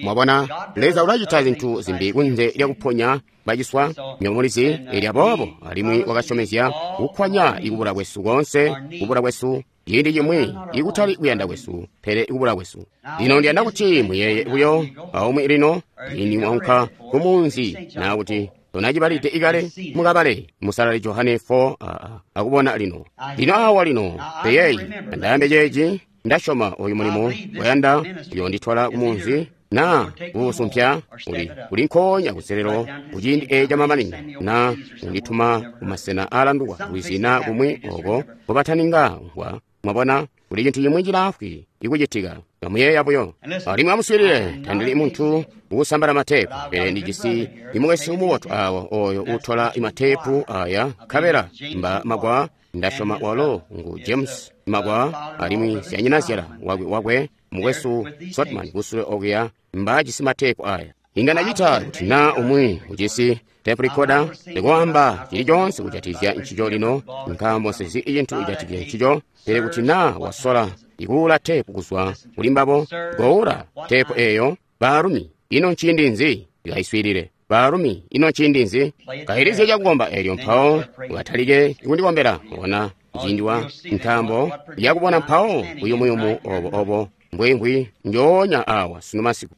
Mwabona, Leza ulacita zinthu zimbi kunze lyakuponya baciswa nyomulizi elya boobo, alimwi wakasyomezya kukwanya ikubula kwesu konse, kubula kwesu ciindi cimwi ikutali kuyanda kwesu, pele ikubula kwesu. Lino ndiyanda kuti muyeeye buyo aumwi lino, ciindi mwaunka kumunzi naa kuti tonacibalide ikale, mukabale musalali Johane 4 akubona lino. Lino awa lino peyeyi andayambe ceeci, ndasyoma oyu mulimo wayanda uyonditwala kumunzi Na kuusumpya uli nkoonya kuselelo kuciindi eeci camamanino, na undituma kumasena aalandukwa lwizi na kumwi oko nkobataninga mvwa. Mwabona, kuli cintu cimwi cilaafwi ikucitika. Kamuyeeya buyo. Alimwi amuswiilile, tandili muntu uusambala mateepu, pele ndijisi imukwesu mubotu awa oyo uutola mateepu aya nkabela mba magwa. Ndasyoma walo ngu James Magwa, alimwi syanyinazyala wakwe mukwesu Sotman kusule okuya mbajisi mateepu aya. Inga ndacita kuti na umwi ujisi tape recorder ndikwaamba cili coonse kujatikizya ncico lino, nkaambo nsezi cintu kujatikizya ncico, pele kuti na wasola ikuula teepu kuzwa kuli mbabo, goula teepu eeyo. Baalumi, ino nciindi nzi? Kaiswiilile. Baalumi, ino nciindi nzi? Kailizye cakukomba eelyo mpawo ukatalike kundikombela. Bona ciindi wa ntambo yakubona mpawo buyumuyumu obo mbwembwi njoonya awa sunu masiku.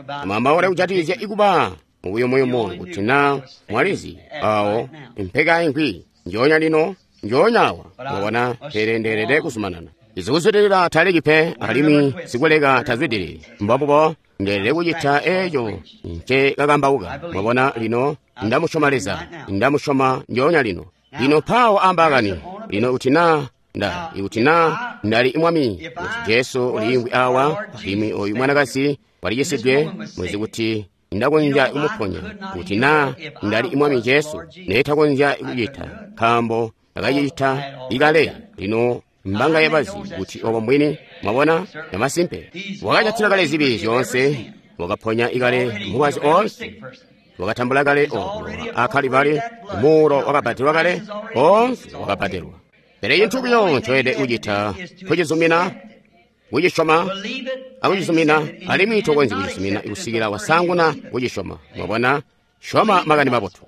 Amwambaule kujatikizya ikuba mubuyumuyumu kuti na mwalizi awo mpeka ingwi njoonya lino njoonya awa. Mwabona, pele ndeelede kuzumanana. Izikuzwidilila taleki pe, alimwi sikuleka tazwidilili. Mbombubo ndeelede kucita eeco nce kakambauka. Mwabona, lino ndamusyoma Leza, ndamusyoma njoonya lino. Lino mpawo ambakani lino kuti na ikuti na ndali mwami kuti Jesu uliimvwi awa, alimwi oyu mwanakazi walicisidwe, mwezi kuti ndakonzya kumuponya. Kuti na ndali mwami Jesu, neetakonzya kucita, nkaambo akacita ikale. Lino mbanga yabazi kuti obo mbwini. Mwabona, namasimpe wakacatila kale zibi zyoonse, wakaponya ikale mubazi oonse, wakatambula kale obo akalivali, muuro wakabbadelwa kale, oonse wakabbadelwa. Pele cintu buyo ncoyelede kucita kucizumina, kucisyoma akucizumina, alimwi tokonzyi kucizumina kusikila wasaanguna kucisyoma. Mwabona, syoma makani mabotu.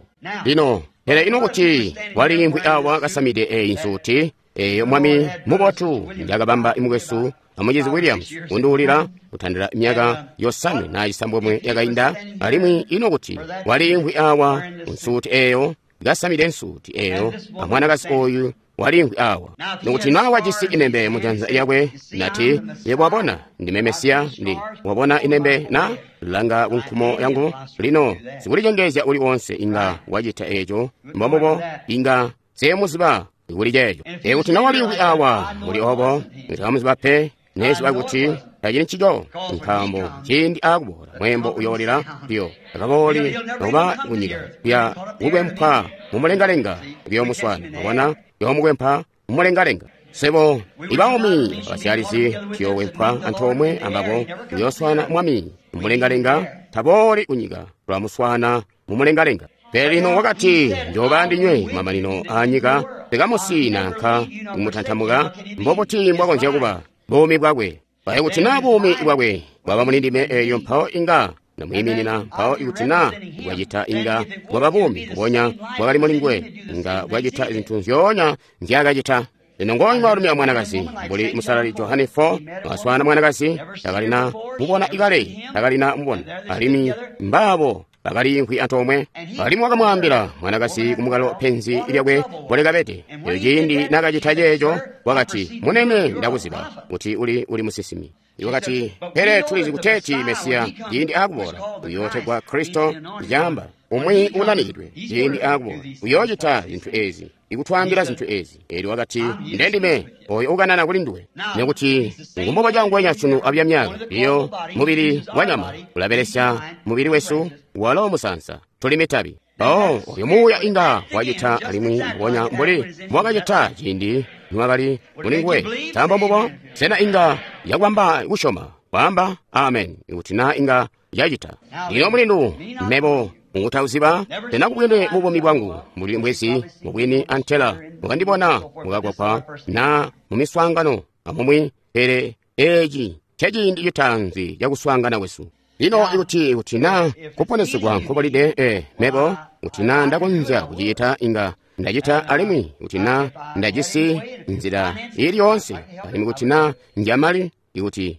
Lino, pele ino kuti waliimvwi awa kasamide eeyi nsuti eeyo mwami mubotu njakabamba imukwesu amucizi Williams kunduulila kutandila myaka 9 na 9 yakainda, alimwi ino kuti waliimvwi awa nsuti eeyo kasamide nsuti eeyo amwanakazi oyu waliimvwi awa, nokuti na wajisi inembe mujanza lyakwe, nati, yebo wabona ndime Mesiya, ndi wabona inembe na langa kunkumo yangu. Lino sikulicengezya uli wonse inga wacita eeco. Mbombubo, inga seemuziba kuli ceeco. Ekuti na waliimvwi awa muli obo, ntamuziba pe, neziba kuti tacili ncico, nkaambo ciindi akuboola mwembo uyoolila biyo akabooli nokuba kunyika kuya kukwempwa mumulengalenga kuyomuswana. Mwabona, kuyomukwempwa mumulengalenga. Sebo ibaumi abasyalizi tuyoowempwa antoomwe ambabo kuyooswana mwami mumulengalenga. Tabooli kunyika, tulamuswana mumulengalenga. Pele lino wakati, njooba ndinywe kumamanino aanyika, tekamusi nanka kumutantamuka. Mbobuti mbwakonzya kuba buumi bwakwe? Baye kuti na buumi bwakwe bwaba muli ndime eeyo, mpawo inga namwiiminina. Mpawo ikuti na bwacita inga bwaba buumi mbubonya bwakali muli nguwe, inga bwacita zintu nzyoonya nzyaakacita. Lino ngooyu mwaalumi amwanakazi, mbuli musalali Johane 4, wakaswaana mwanakazi, takalina mubona ikale, takalina mubona, alimwi mbaabo bakaliimvwi antoomwe. Alimwi wakamwaambila mwanakazi kumukalo penzi lyakwe mbolikabede. Eyo ciindi nakacita ceeco, wakati, munene, ndakuziba kuti uli musinsimi. Wakati, pele tulizi kuteeti Mesiya ciindi akuboola uyootegwa Kristo, caamba umwi unanikidwe. Ciindi akuboola uyoocita zintu ezi, ikutwaambila zintu ezi. Eelyo wakati, ndendime oyo ukanana kuli nduwe. Nekuti ngumbubo cangwenya sunu abya myaka iyo mubili wa nyama ulabelesya mubili wesu, walo musansa tuli mitabi. Mpawo oyo muuya inga wacita alimwi mbubonya mbuli mbwakacita ciindi niwakali muli nguwe. Nkaambo mbubo, sena inga yakwamba kusyoma kwaamba amen ikuti na inga yacita. Lino mulindu, mebo mukutauziba tenakubwene mubuumi bwangu mbuli mbwezi mubwini antela mukandibona mukakwakwa na mumiswaangano amumwi, pele eeci nceciindi citaanzi cakuswaangana kwesu. Lino ikuti na kuponesegwa nkubolide, mebo kuti na ndakonzya kucita inga ndacita, alimwi kuti na ndajisi nzila ili yoonse, alimwi kuti na njamali, ikuti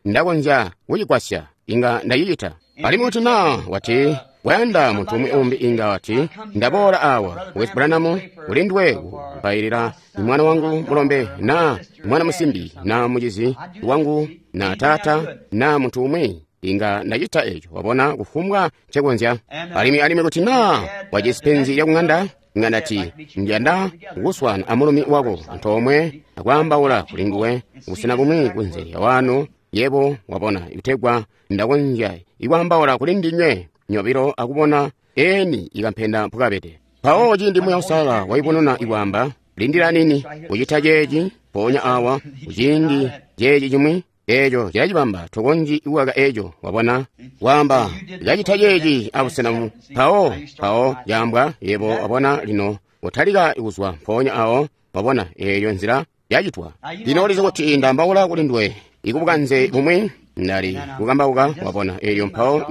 ndakonzya kucigwasya inga ndacicita. Alimwi kuti na wati wayanda muntu umwi umbi inga wati, ndaboola awa Wes Branham kuli nduwe kupailila mwana wangu mulombe na mwana musimbi na mucizi wangu na taata na muntu umwi, Inga ndacita eco, wabona, kufumbwa ncekonzya. Alimwi kuti naa wajisi penzi lya kung'anda, inga ndati njanda kukuswaana amulumi wako antoomwe akwaambaula kuli nguwe kubusena bumwi kunze lya wano, yebo wabona, kutegwa ndakonzya ikwaambaula kuli ndinywe nyobilo akubona eni ikampenda mpukabede. Mpawo ciindi Muuya Uusalala waibonona ikwaamba, lindila nini, kucita ceeci, mpoonya awa, kuciindi ceeci cimwi, eeco cilacibamba, tokonzyi kukaka eeco, wabona, waamba, kacita ceeci abusena bumwi. Mpawo yaambwa, yebo wabona lino, utalika kuzwa mpoonya awo, wabona, eeyo nzila yacitwa. Lino ulizi kuti ndaambaula kuli nduwe, ikubukanze bumwi, ndali kukambauka, wabona, eeyo mpawo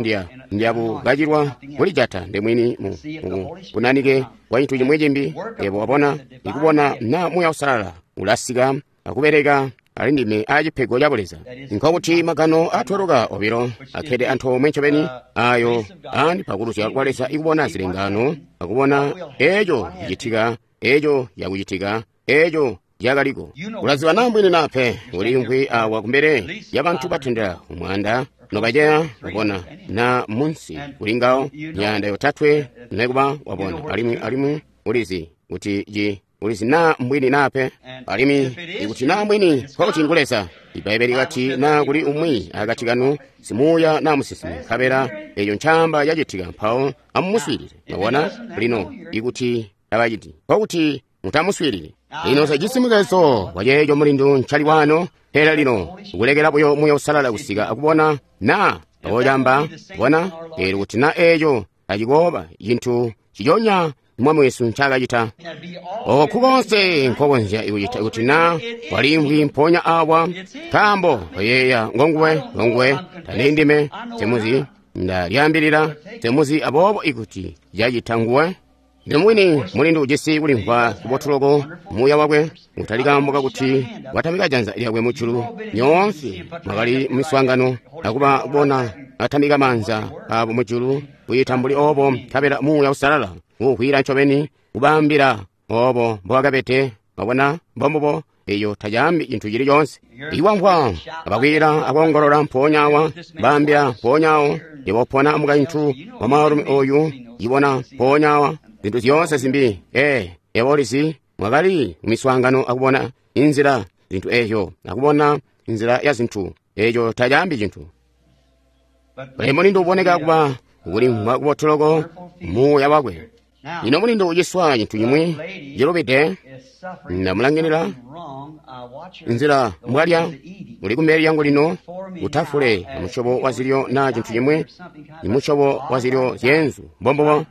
ndiyakukacilwa kulijata ndemwini mu kunanike kwa cintu cimwi cimbi, yebo wabona, ikubona na Muuya Uusalala ulasika akubeleka ali ndime acipego ca Buleza. Nkokuti magano atweluka obilo akhede antoomwe ncobeni ayo andipa kuluzya kwa Leza ikubona zilengano, akubona eeco cicitika, eeco yakucitika, eeco yakaliko. Ulaziba naa mbwini naa pe, uliimvwi awa kumbele ya bantu batendela umwanda nobaceya, wabona, na munsi kuli ngawo myaanda yotatwe nekuba, wabona, alimwi ulizi kuti ulizi naa mbwini naa pe. Alimwi ikuti naa mbwini, nkokuti ngu Leza. Ibbaibeli likati naa kuli umwi akati kanu simuuya naa musinsimi, nkabela eeco ncaamba cacitika, mpawo amumuswiilile. Mwabona? Lino ikuti tabaciti, nkokuti mutamuswiilili. Lino sejisi muzeezo waceeco mulindu ncali wano, pele lino kulekela buyo Muuya Uusalala kusika akubona naa mpawo bona, eelyo kuti naa eeco tacikooba cintu ciconya Mwami wesu ncaakacita. Oku konse nkokonzya kucita kuti naa waliimvwi mpoonya awa, nkaambo oyeeya ngonguwe, tali ndime, nsemuzi, ndalyaambilila, nsemuzi, aboobo ikuti cacita nguwe. Lino mwini mulindu ujisi kulimvwa kubotuloko muuya wakwe, utali kaambo kakuti watamika janza lyakwe mujulu. Nyoonse mwakali mumiswaangano akuba bona atamika maanza abo mujulu kuyita mbuli obo, nkabela Muuya Uusalala uukwila ncobeni kubaambila obo mbowakabede. Mwabona, mbombubo, eyo tacaambi cintu cili coonse. Iwamvwa abakwila akoongolola mpoonya awa, baambila mpoonya awo, yebo pona mukaintu wa mwaalumi oyu, ibona mpoonya awa, zintu zyoonse zimbi. Yebo ulizi, mwakali mumiswaangano akubona inzila zintu eezyo, akubona inzila ya zintu, eeco tacaambi cintu. Pele mulindu uboneka kuba kulimvwa kubotuloko muuya wakwe. Lino mulindu uciswa cintu cimwi cilubide, ndamulangilila nzila mbwalya, uli kumbele lyangu lino, utafule musyobo wa zilyo naa cintu cimwi, imusyobo wa zilyo zyeenzu, mbombubo.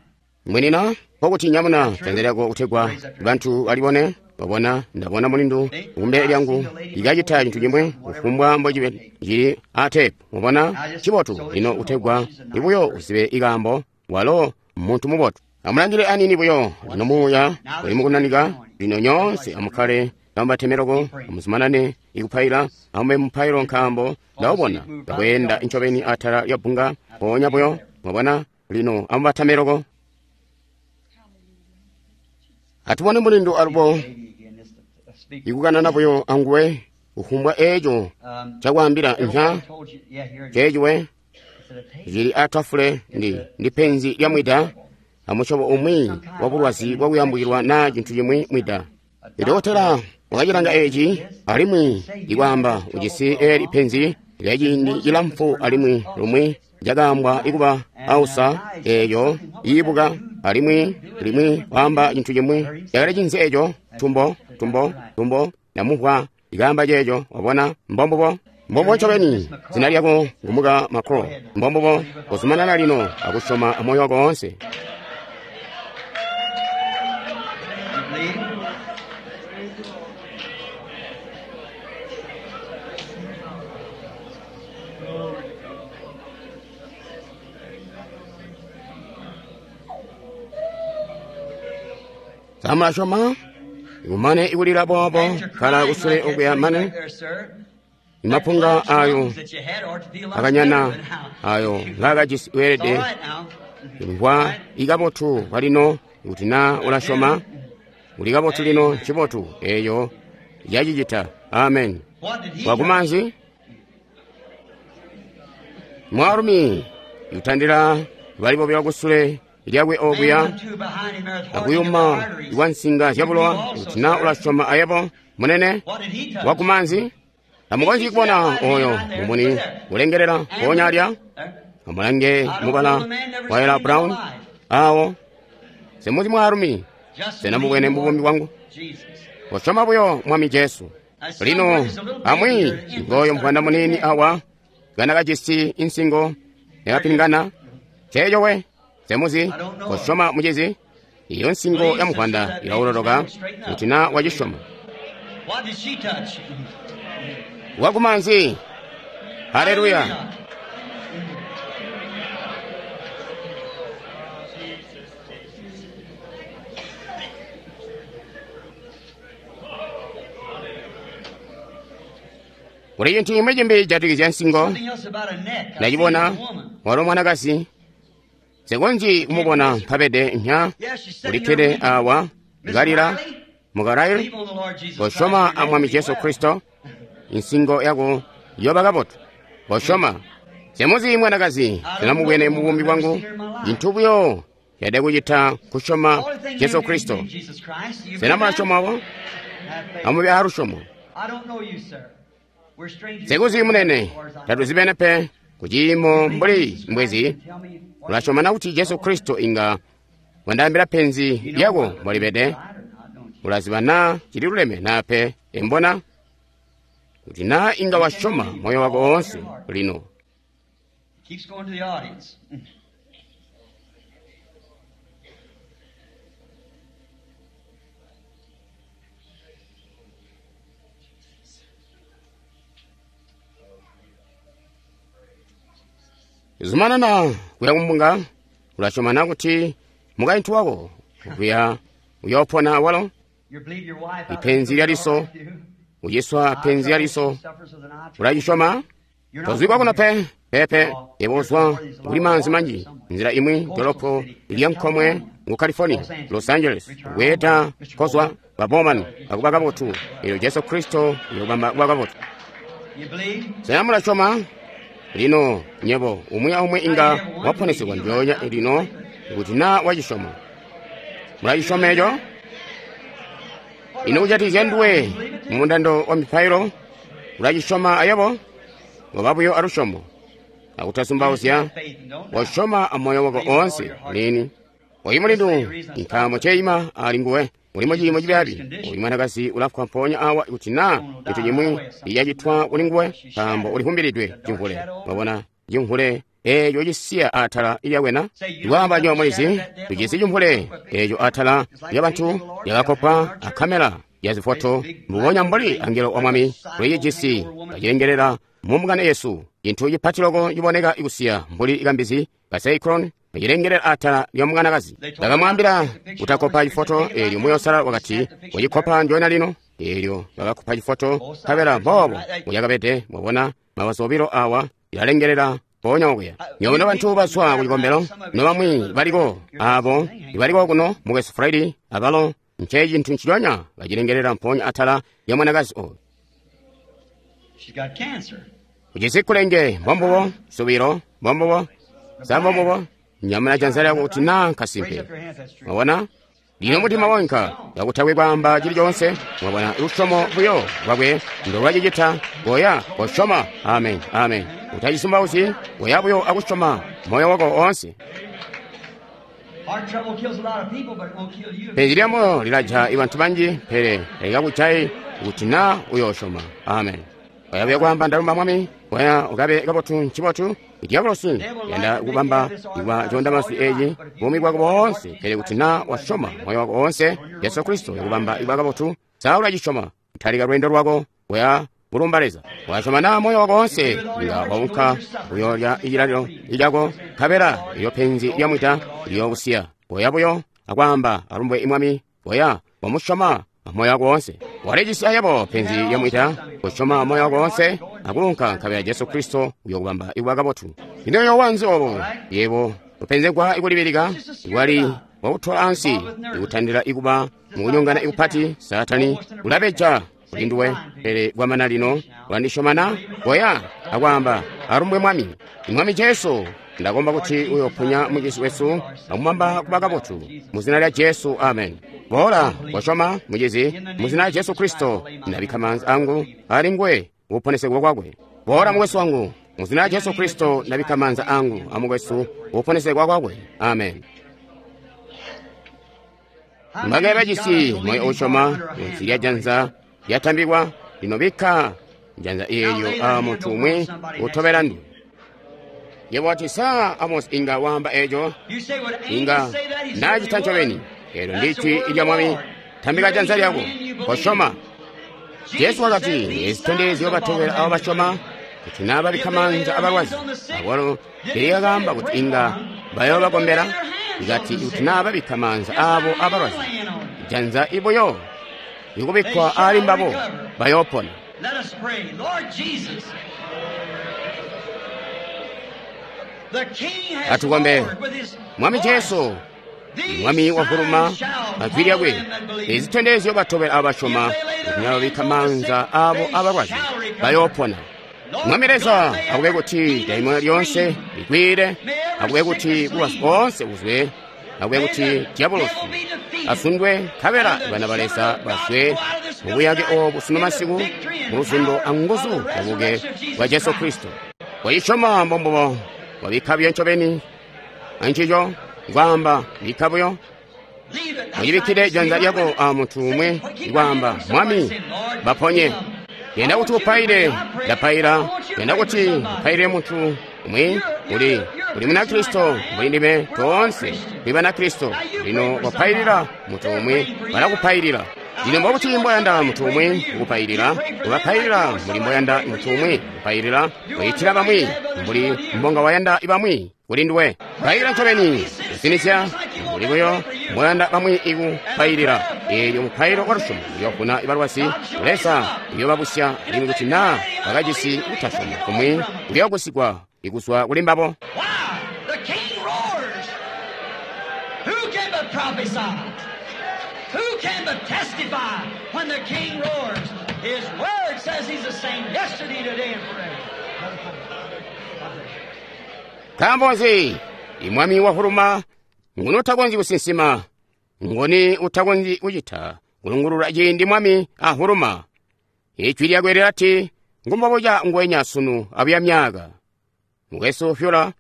Mwenina, nkokuti nyamuna janza lyako kutegwa bantu balibone. Wabona, ndabona mulindu kumbele lyangu ikacita cintu cimwi, kufumbwa mbocibe cili atepu. Wabona, cibotu lino kutegwa ibuyo uzibe ikaambo, walo muntu mubotu. Amulangile anini buyo, lino muuya uli mukunanika. Lino nyoonse amukkale kamubatemeloko, amuzumanane ikupaila, amube mupailo, nkaambo ndawubona kakweenda ncobeni atala lya bbunga mpoonya buyo. Mwabona, lino amubatameloko. Atubone mulindu alubo ikukanana buyo anguwe kufumbwa eeco cakwaambila mpya ceeciwe cili atafule ndi penzi lya mwida amusyobo umwi wa bulwazi bwakuyambukilwa naa cintu cimwi mwida. Idokotela wakacilanga eeci alimwi ikwaamba ujisi eeli penzi lya ciindi cilamfu, alimwi lumwi cakaambwa ikuba ausa eeyo iibuka, alimwi limwi waamba cintu cimwi cakali cinzi eeco, tumbo tumbo tumbo, ndamumvwa ikaamba ceeco. Wabona, mbombubo mbombubo ncobeni. Zina lyako ngumuka Makro, mbombubo. Kuzumanana lino akusyoma amoyo wako woonse. Samulasyoma ikumane ikulila boobo, kala kusule okuya mane imapunga ayo akanyana ayo ngaakajisi weelede mvwa ikabotu kwalino. Kuti naa ulasyoma uli kabotu lino, ncibotu eeyo yacicita. Amen. Wakumanzi. Mwaalumi utandila bali bobilo kusule lyakwe okuya akuyuma kwa nsinga zyabulowa kuti na ulasyoma ayebo munene wakumanzi. Tamukonzyi kubona oyo mumuni ulengelela mpoonya alya. Amulange mubala wa Ella Brown awo. Semuzi mwaalumi, sena mubwene mubuumi bwangu? Kosyoma buyo Mwami Jesu. Lino amwi ngoyo mvwana muniini awa kana kajisi insingo yakapingana. Ceeco we semuzi kosyoma mucizi. Iyo nsingo ya muvwanda ilauloloka kuti na wacisyoma. Wakumanzi. Haleluya. Kuli cintu cimwi cimbi cijatikizya nsingo. Ndacibona walo mwanakazi. Nsikonzyi kumubona mpabede nya ulikkede awa kalila mukalaili. Kosyoma a Mwami Jesu Kristo, insingo yako yoba kabotu. Kosyoma. Semuzi mwanakazi, sinamubwene mubuumi bwangu. Cintu buyo yade kucita kusyoma Jesu Kristo. Sena mulasyoma wo? Amube alusyomo. Sikuzi munene, tatuzibene pe kuciimo mbuli mbwezi. Ulasyoma na kuti Jesu Kristo inga wandaambila penzi lyako mbolibede? Ulaziba na cililuleme na pe embona? Kuti na inga wasyoma moyo wako woonse lino. Zumanana kuya kumbunga. Ulasyoma na kuti mukaintu wako kuya uyoopona walo? Ipenzi lya liso, uciswa penzi lya liso, ulacisyoma? Tozwikwa kuno pe pepe, yebo uzwa kuli maanzi manji nzila imwi dolopo lya nkomwe mu California, Los Angeles, bweeda kozwa ba Bowman akuba kabotu. Elyo Jesu Kristo uyobamba kuba kabotu. Sena mulasyoma? Lino nyebo umwi aumwi inga waponesegwa ndyoonya lino kuti na wacisyoma. Mulacisyoma eco? Ino kujatikizya nduwe mu mundando wa mipailo, ulacisyoma ayebo? Ngoba buyo alusyomo akutasumbauzya, wasyoma amoyo wako oonse lini. Oyu mulindu nkaambo ceima ali nguwe mulimo ciimo cibyaabi. Oyu mwanakazi ulafwa mpoonya awa kuti na cintu cimwi icacitwa kuli nguwe, nkaambo ulihumbilidwe cimvule. Mwabona cimvule eeco cisiya atala lyakwena? Ndikwaamba nywebo mulizi, tujisi cimvule eeco atala lyabantu lyakakopwa a kamera ya zifoto, mbubonya mbuli angelo wa Mwami ulicijisi kacilengelela mumbungano yesu. Cintu cipati loko ciboneka ikusiya mbuli ikambizi ka cyclone kacilengelela atala lya mwanakazi. Ndakamwaambila kutakopa cifoto eelyo Muuya Uusalala wakati kucikopa njoona lino. Eelyo bakakopa cifoto nkabela mboobo mbucakabede. Mwabona mabazu obilo awa ilalengelela mpoonya okuya. Nywebo nobantu bazwa ku cikombelo, nobamwi baliko aabo ibaliko kuno mukwesu Friday abalo nce cintu nciconya kacilengelela mpoonya atala lya mwanakazi oyu. Ujisi kulenge mbombubo, subilo mbombubo, sa mbombubo. Nyamuna janza lyako kuti na nkasimpe. Mwabona? Lino mutima wonka kakutakwe kwaamba cili coonse. Mwabona lusyomo buyo lwakwe ndo lwacicita. Koya kosyoma. Amen. Amen. Utacisumbauzyi, koya buyo akusyoma moyo wako oonse. Penzi lya moyo lilaja ibantu banji, pele talikakujayi kuti na uyoosyoma. Amen. Koya buyo kwaamba ndalumba Mwami, koya ukabe kabotu ncibotu. Diabolosi yanda kubamba ikwa coondamazwi eeci buumi bwako boonse, pele kuti na wasyoma moyo wako oonse Jesu Kristo yakubamba ikwa kabotu. Sa ulacisyoma? Talika lweendo lwako koya kulumba Leza. Wasyoma na moyo wako oonse, inga waunka uyoolya icilalilo icako, nkabela ilyo penzi lya mwida liyookusiya. Koya buyo akwaamba alumbwe Mwami, koya wamusyoma moyo wako oonse. Walijisi ayebo penzi lya mwida, kusyoma moyo wako oonse akuunka, nkabela Jesu Kristo uyokubamba ikuba kabotu. Ino uyoowa nzi obo? Yebo upenzegwa ikulibilika, ikwali wakutola ansi, ikutandila ikuba mukunyongana ikupati. Saatani ulabeja kuli nduwe, pele kwamana lino ulandisyoma na? Koya akwaamba Alumbwe Mwami. Mwami Jesu, ndakomba kuti uyoponya mucizi wesu akumubamba kuba kabotu. Mu zina lya Jesu, amen. Boola, kosyoma, mucizi, mu zina lya Jesu Kristo, ndabikka maanza angu ali nguwe kuponesegwa kwakwe. Boola, mukwesu wangu, mu zina lya Jesu Kristo, ndabikka maanza angu amukwesu kuponesegwa kwakwe. Amen. Mbagaye bajisi moyo usyoma munsi lya janza lyatambikwa, lino bikka janza eelyo a muntu umwi utobela nduwe. Yebo wati, sa Amos inga waamba eco? Inga nacita ncobeni. Eelyo ndijwi lya Mwami. Tambika janza lyako, kosyoma. Jesu wakati, ezi zitondezyo batobela abo basyoma, kuti naa babikka maanza abalwazi. Akwalo teeyakaamba kuti inga bayoobakombela, ikati kuti naa babikka maanza aabo abalwazi, janza ibuyo ikubikkwa aali mbabo bayoopona. Let us pray. Lord Jesus, the King has Atukombe. roared with his Mwami voice. Jesu, These Mwami wavuluma signs shall ajwi lyakwe, follow them that believe. ezi zitondezyo batobela abo basyoma, kuti naa babikka maanza aabo abalwazi bayoopona. Mwami Leza, akube kuti daimona lyonse likwire, akube kuti bulwazi boonse buzwe, akube kuti diabolosi asundwe, nkabela bana ba Leza bazwe mu buyake obu sunu masiku, mu luzundo anguzu zyabuke bwa Jesu Kristo. Wayisyoma mbombubo, wabikka buyo ncobeni ancico, kwaamba bikka buyo. Leave it. Uyibikkile janza lyako a muntu umwe, kwaamba, Mwami, baponye. Yenda kuti upaile, ndapaila. Yenda kuti upailire muntu umwe, uli Munakristo mbuli ndime, toonse tuli Banakristo. Lino wapailira muntu umwe, balakupailira. Lino mbobuti mboyanda muntu umwe kukupailira, ubapailira mbuli mboyanda muntu umwe kupailira, uyitira bamwi mbuli mbonga wayanda bamwi kuli nduwe. Pailira ncobeni, kusinizya mbuli buyo mboyanda bamwi ikupailira. Eelyo mupailo wa lusyomo uyoovuna balwazi, Leza uyoobabusya, alimwi kuti naa bakajisi kutasyoma kumwi kuyoogusigwa ikuzwa kuli mbabo. Why? The King roars. Who can but prophesy? Who can but testify when the King roars? His word says he's the same yesterday, today, and forever. Nkaambo nzi imwami wahuluma nguni utakonzyi kusinsima, nguni utakonzyi kucita kulungulula ciindi mwami ahuluma? Ijwi lyakwe lilati, ngumbobuca ngwenya sunu abuya myaka. Mukwesu Fyula,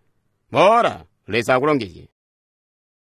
boola, Leza akulongezye.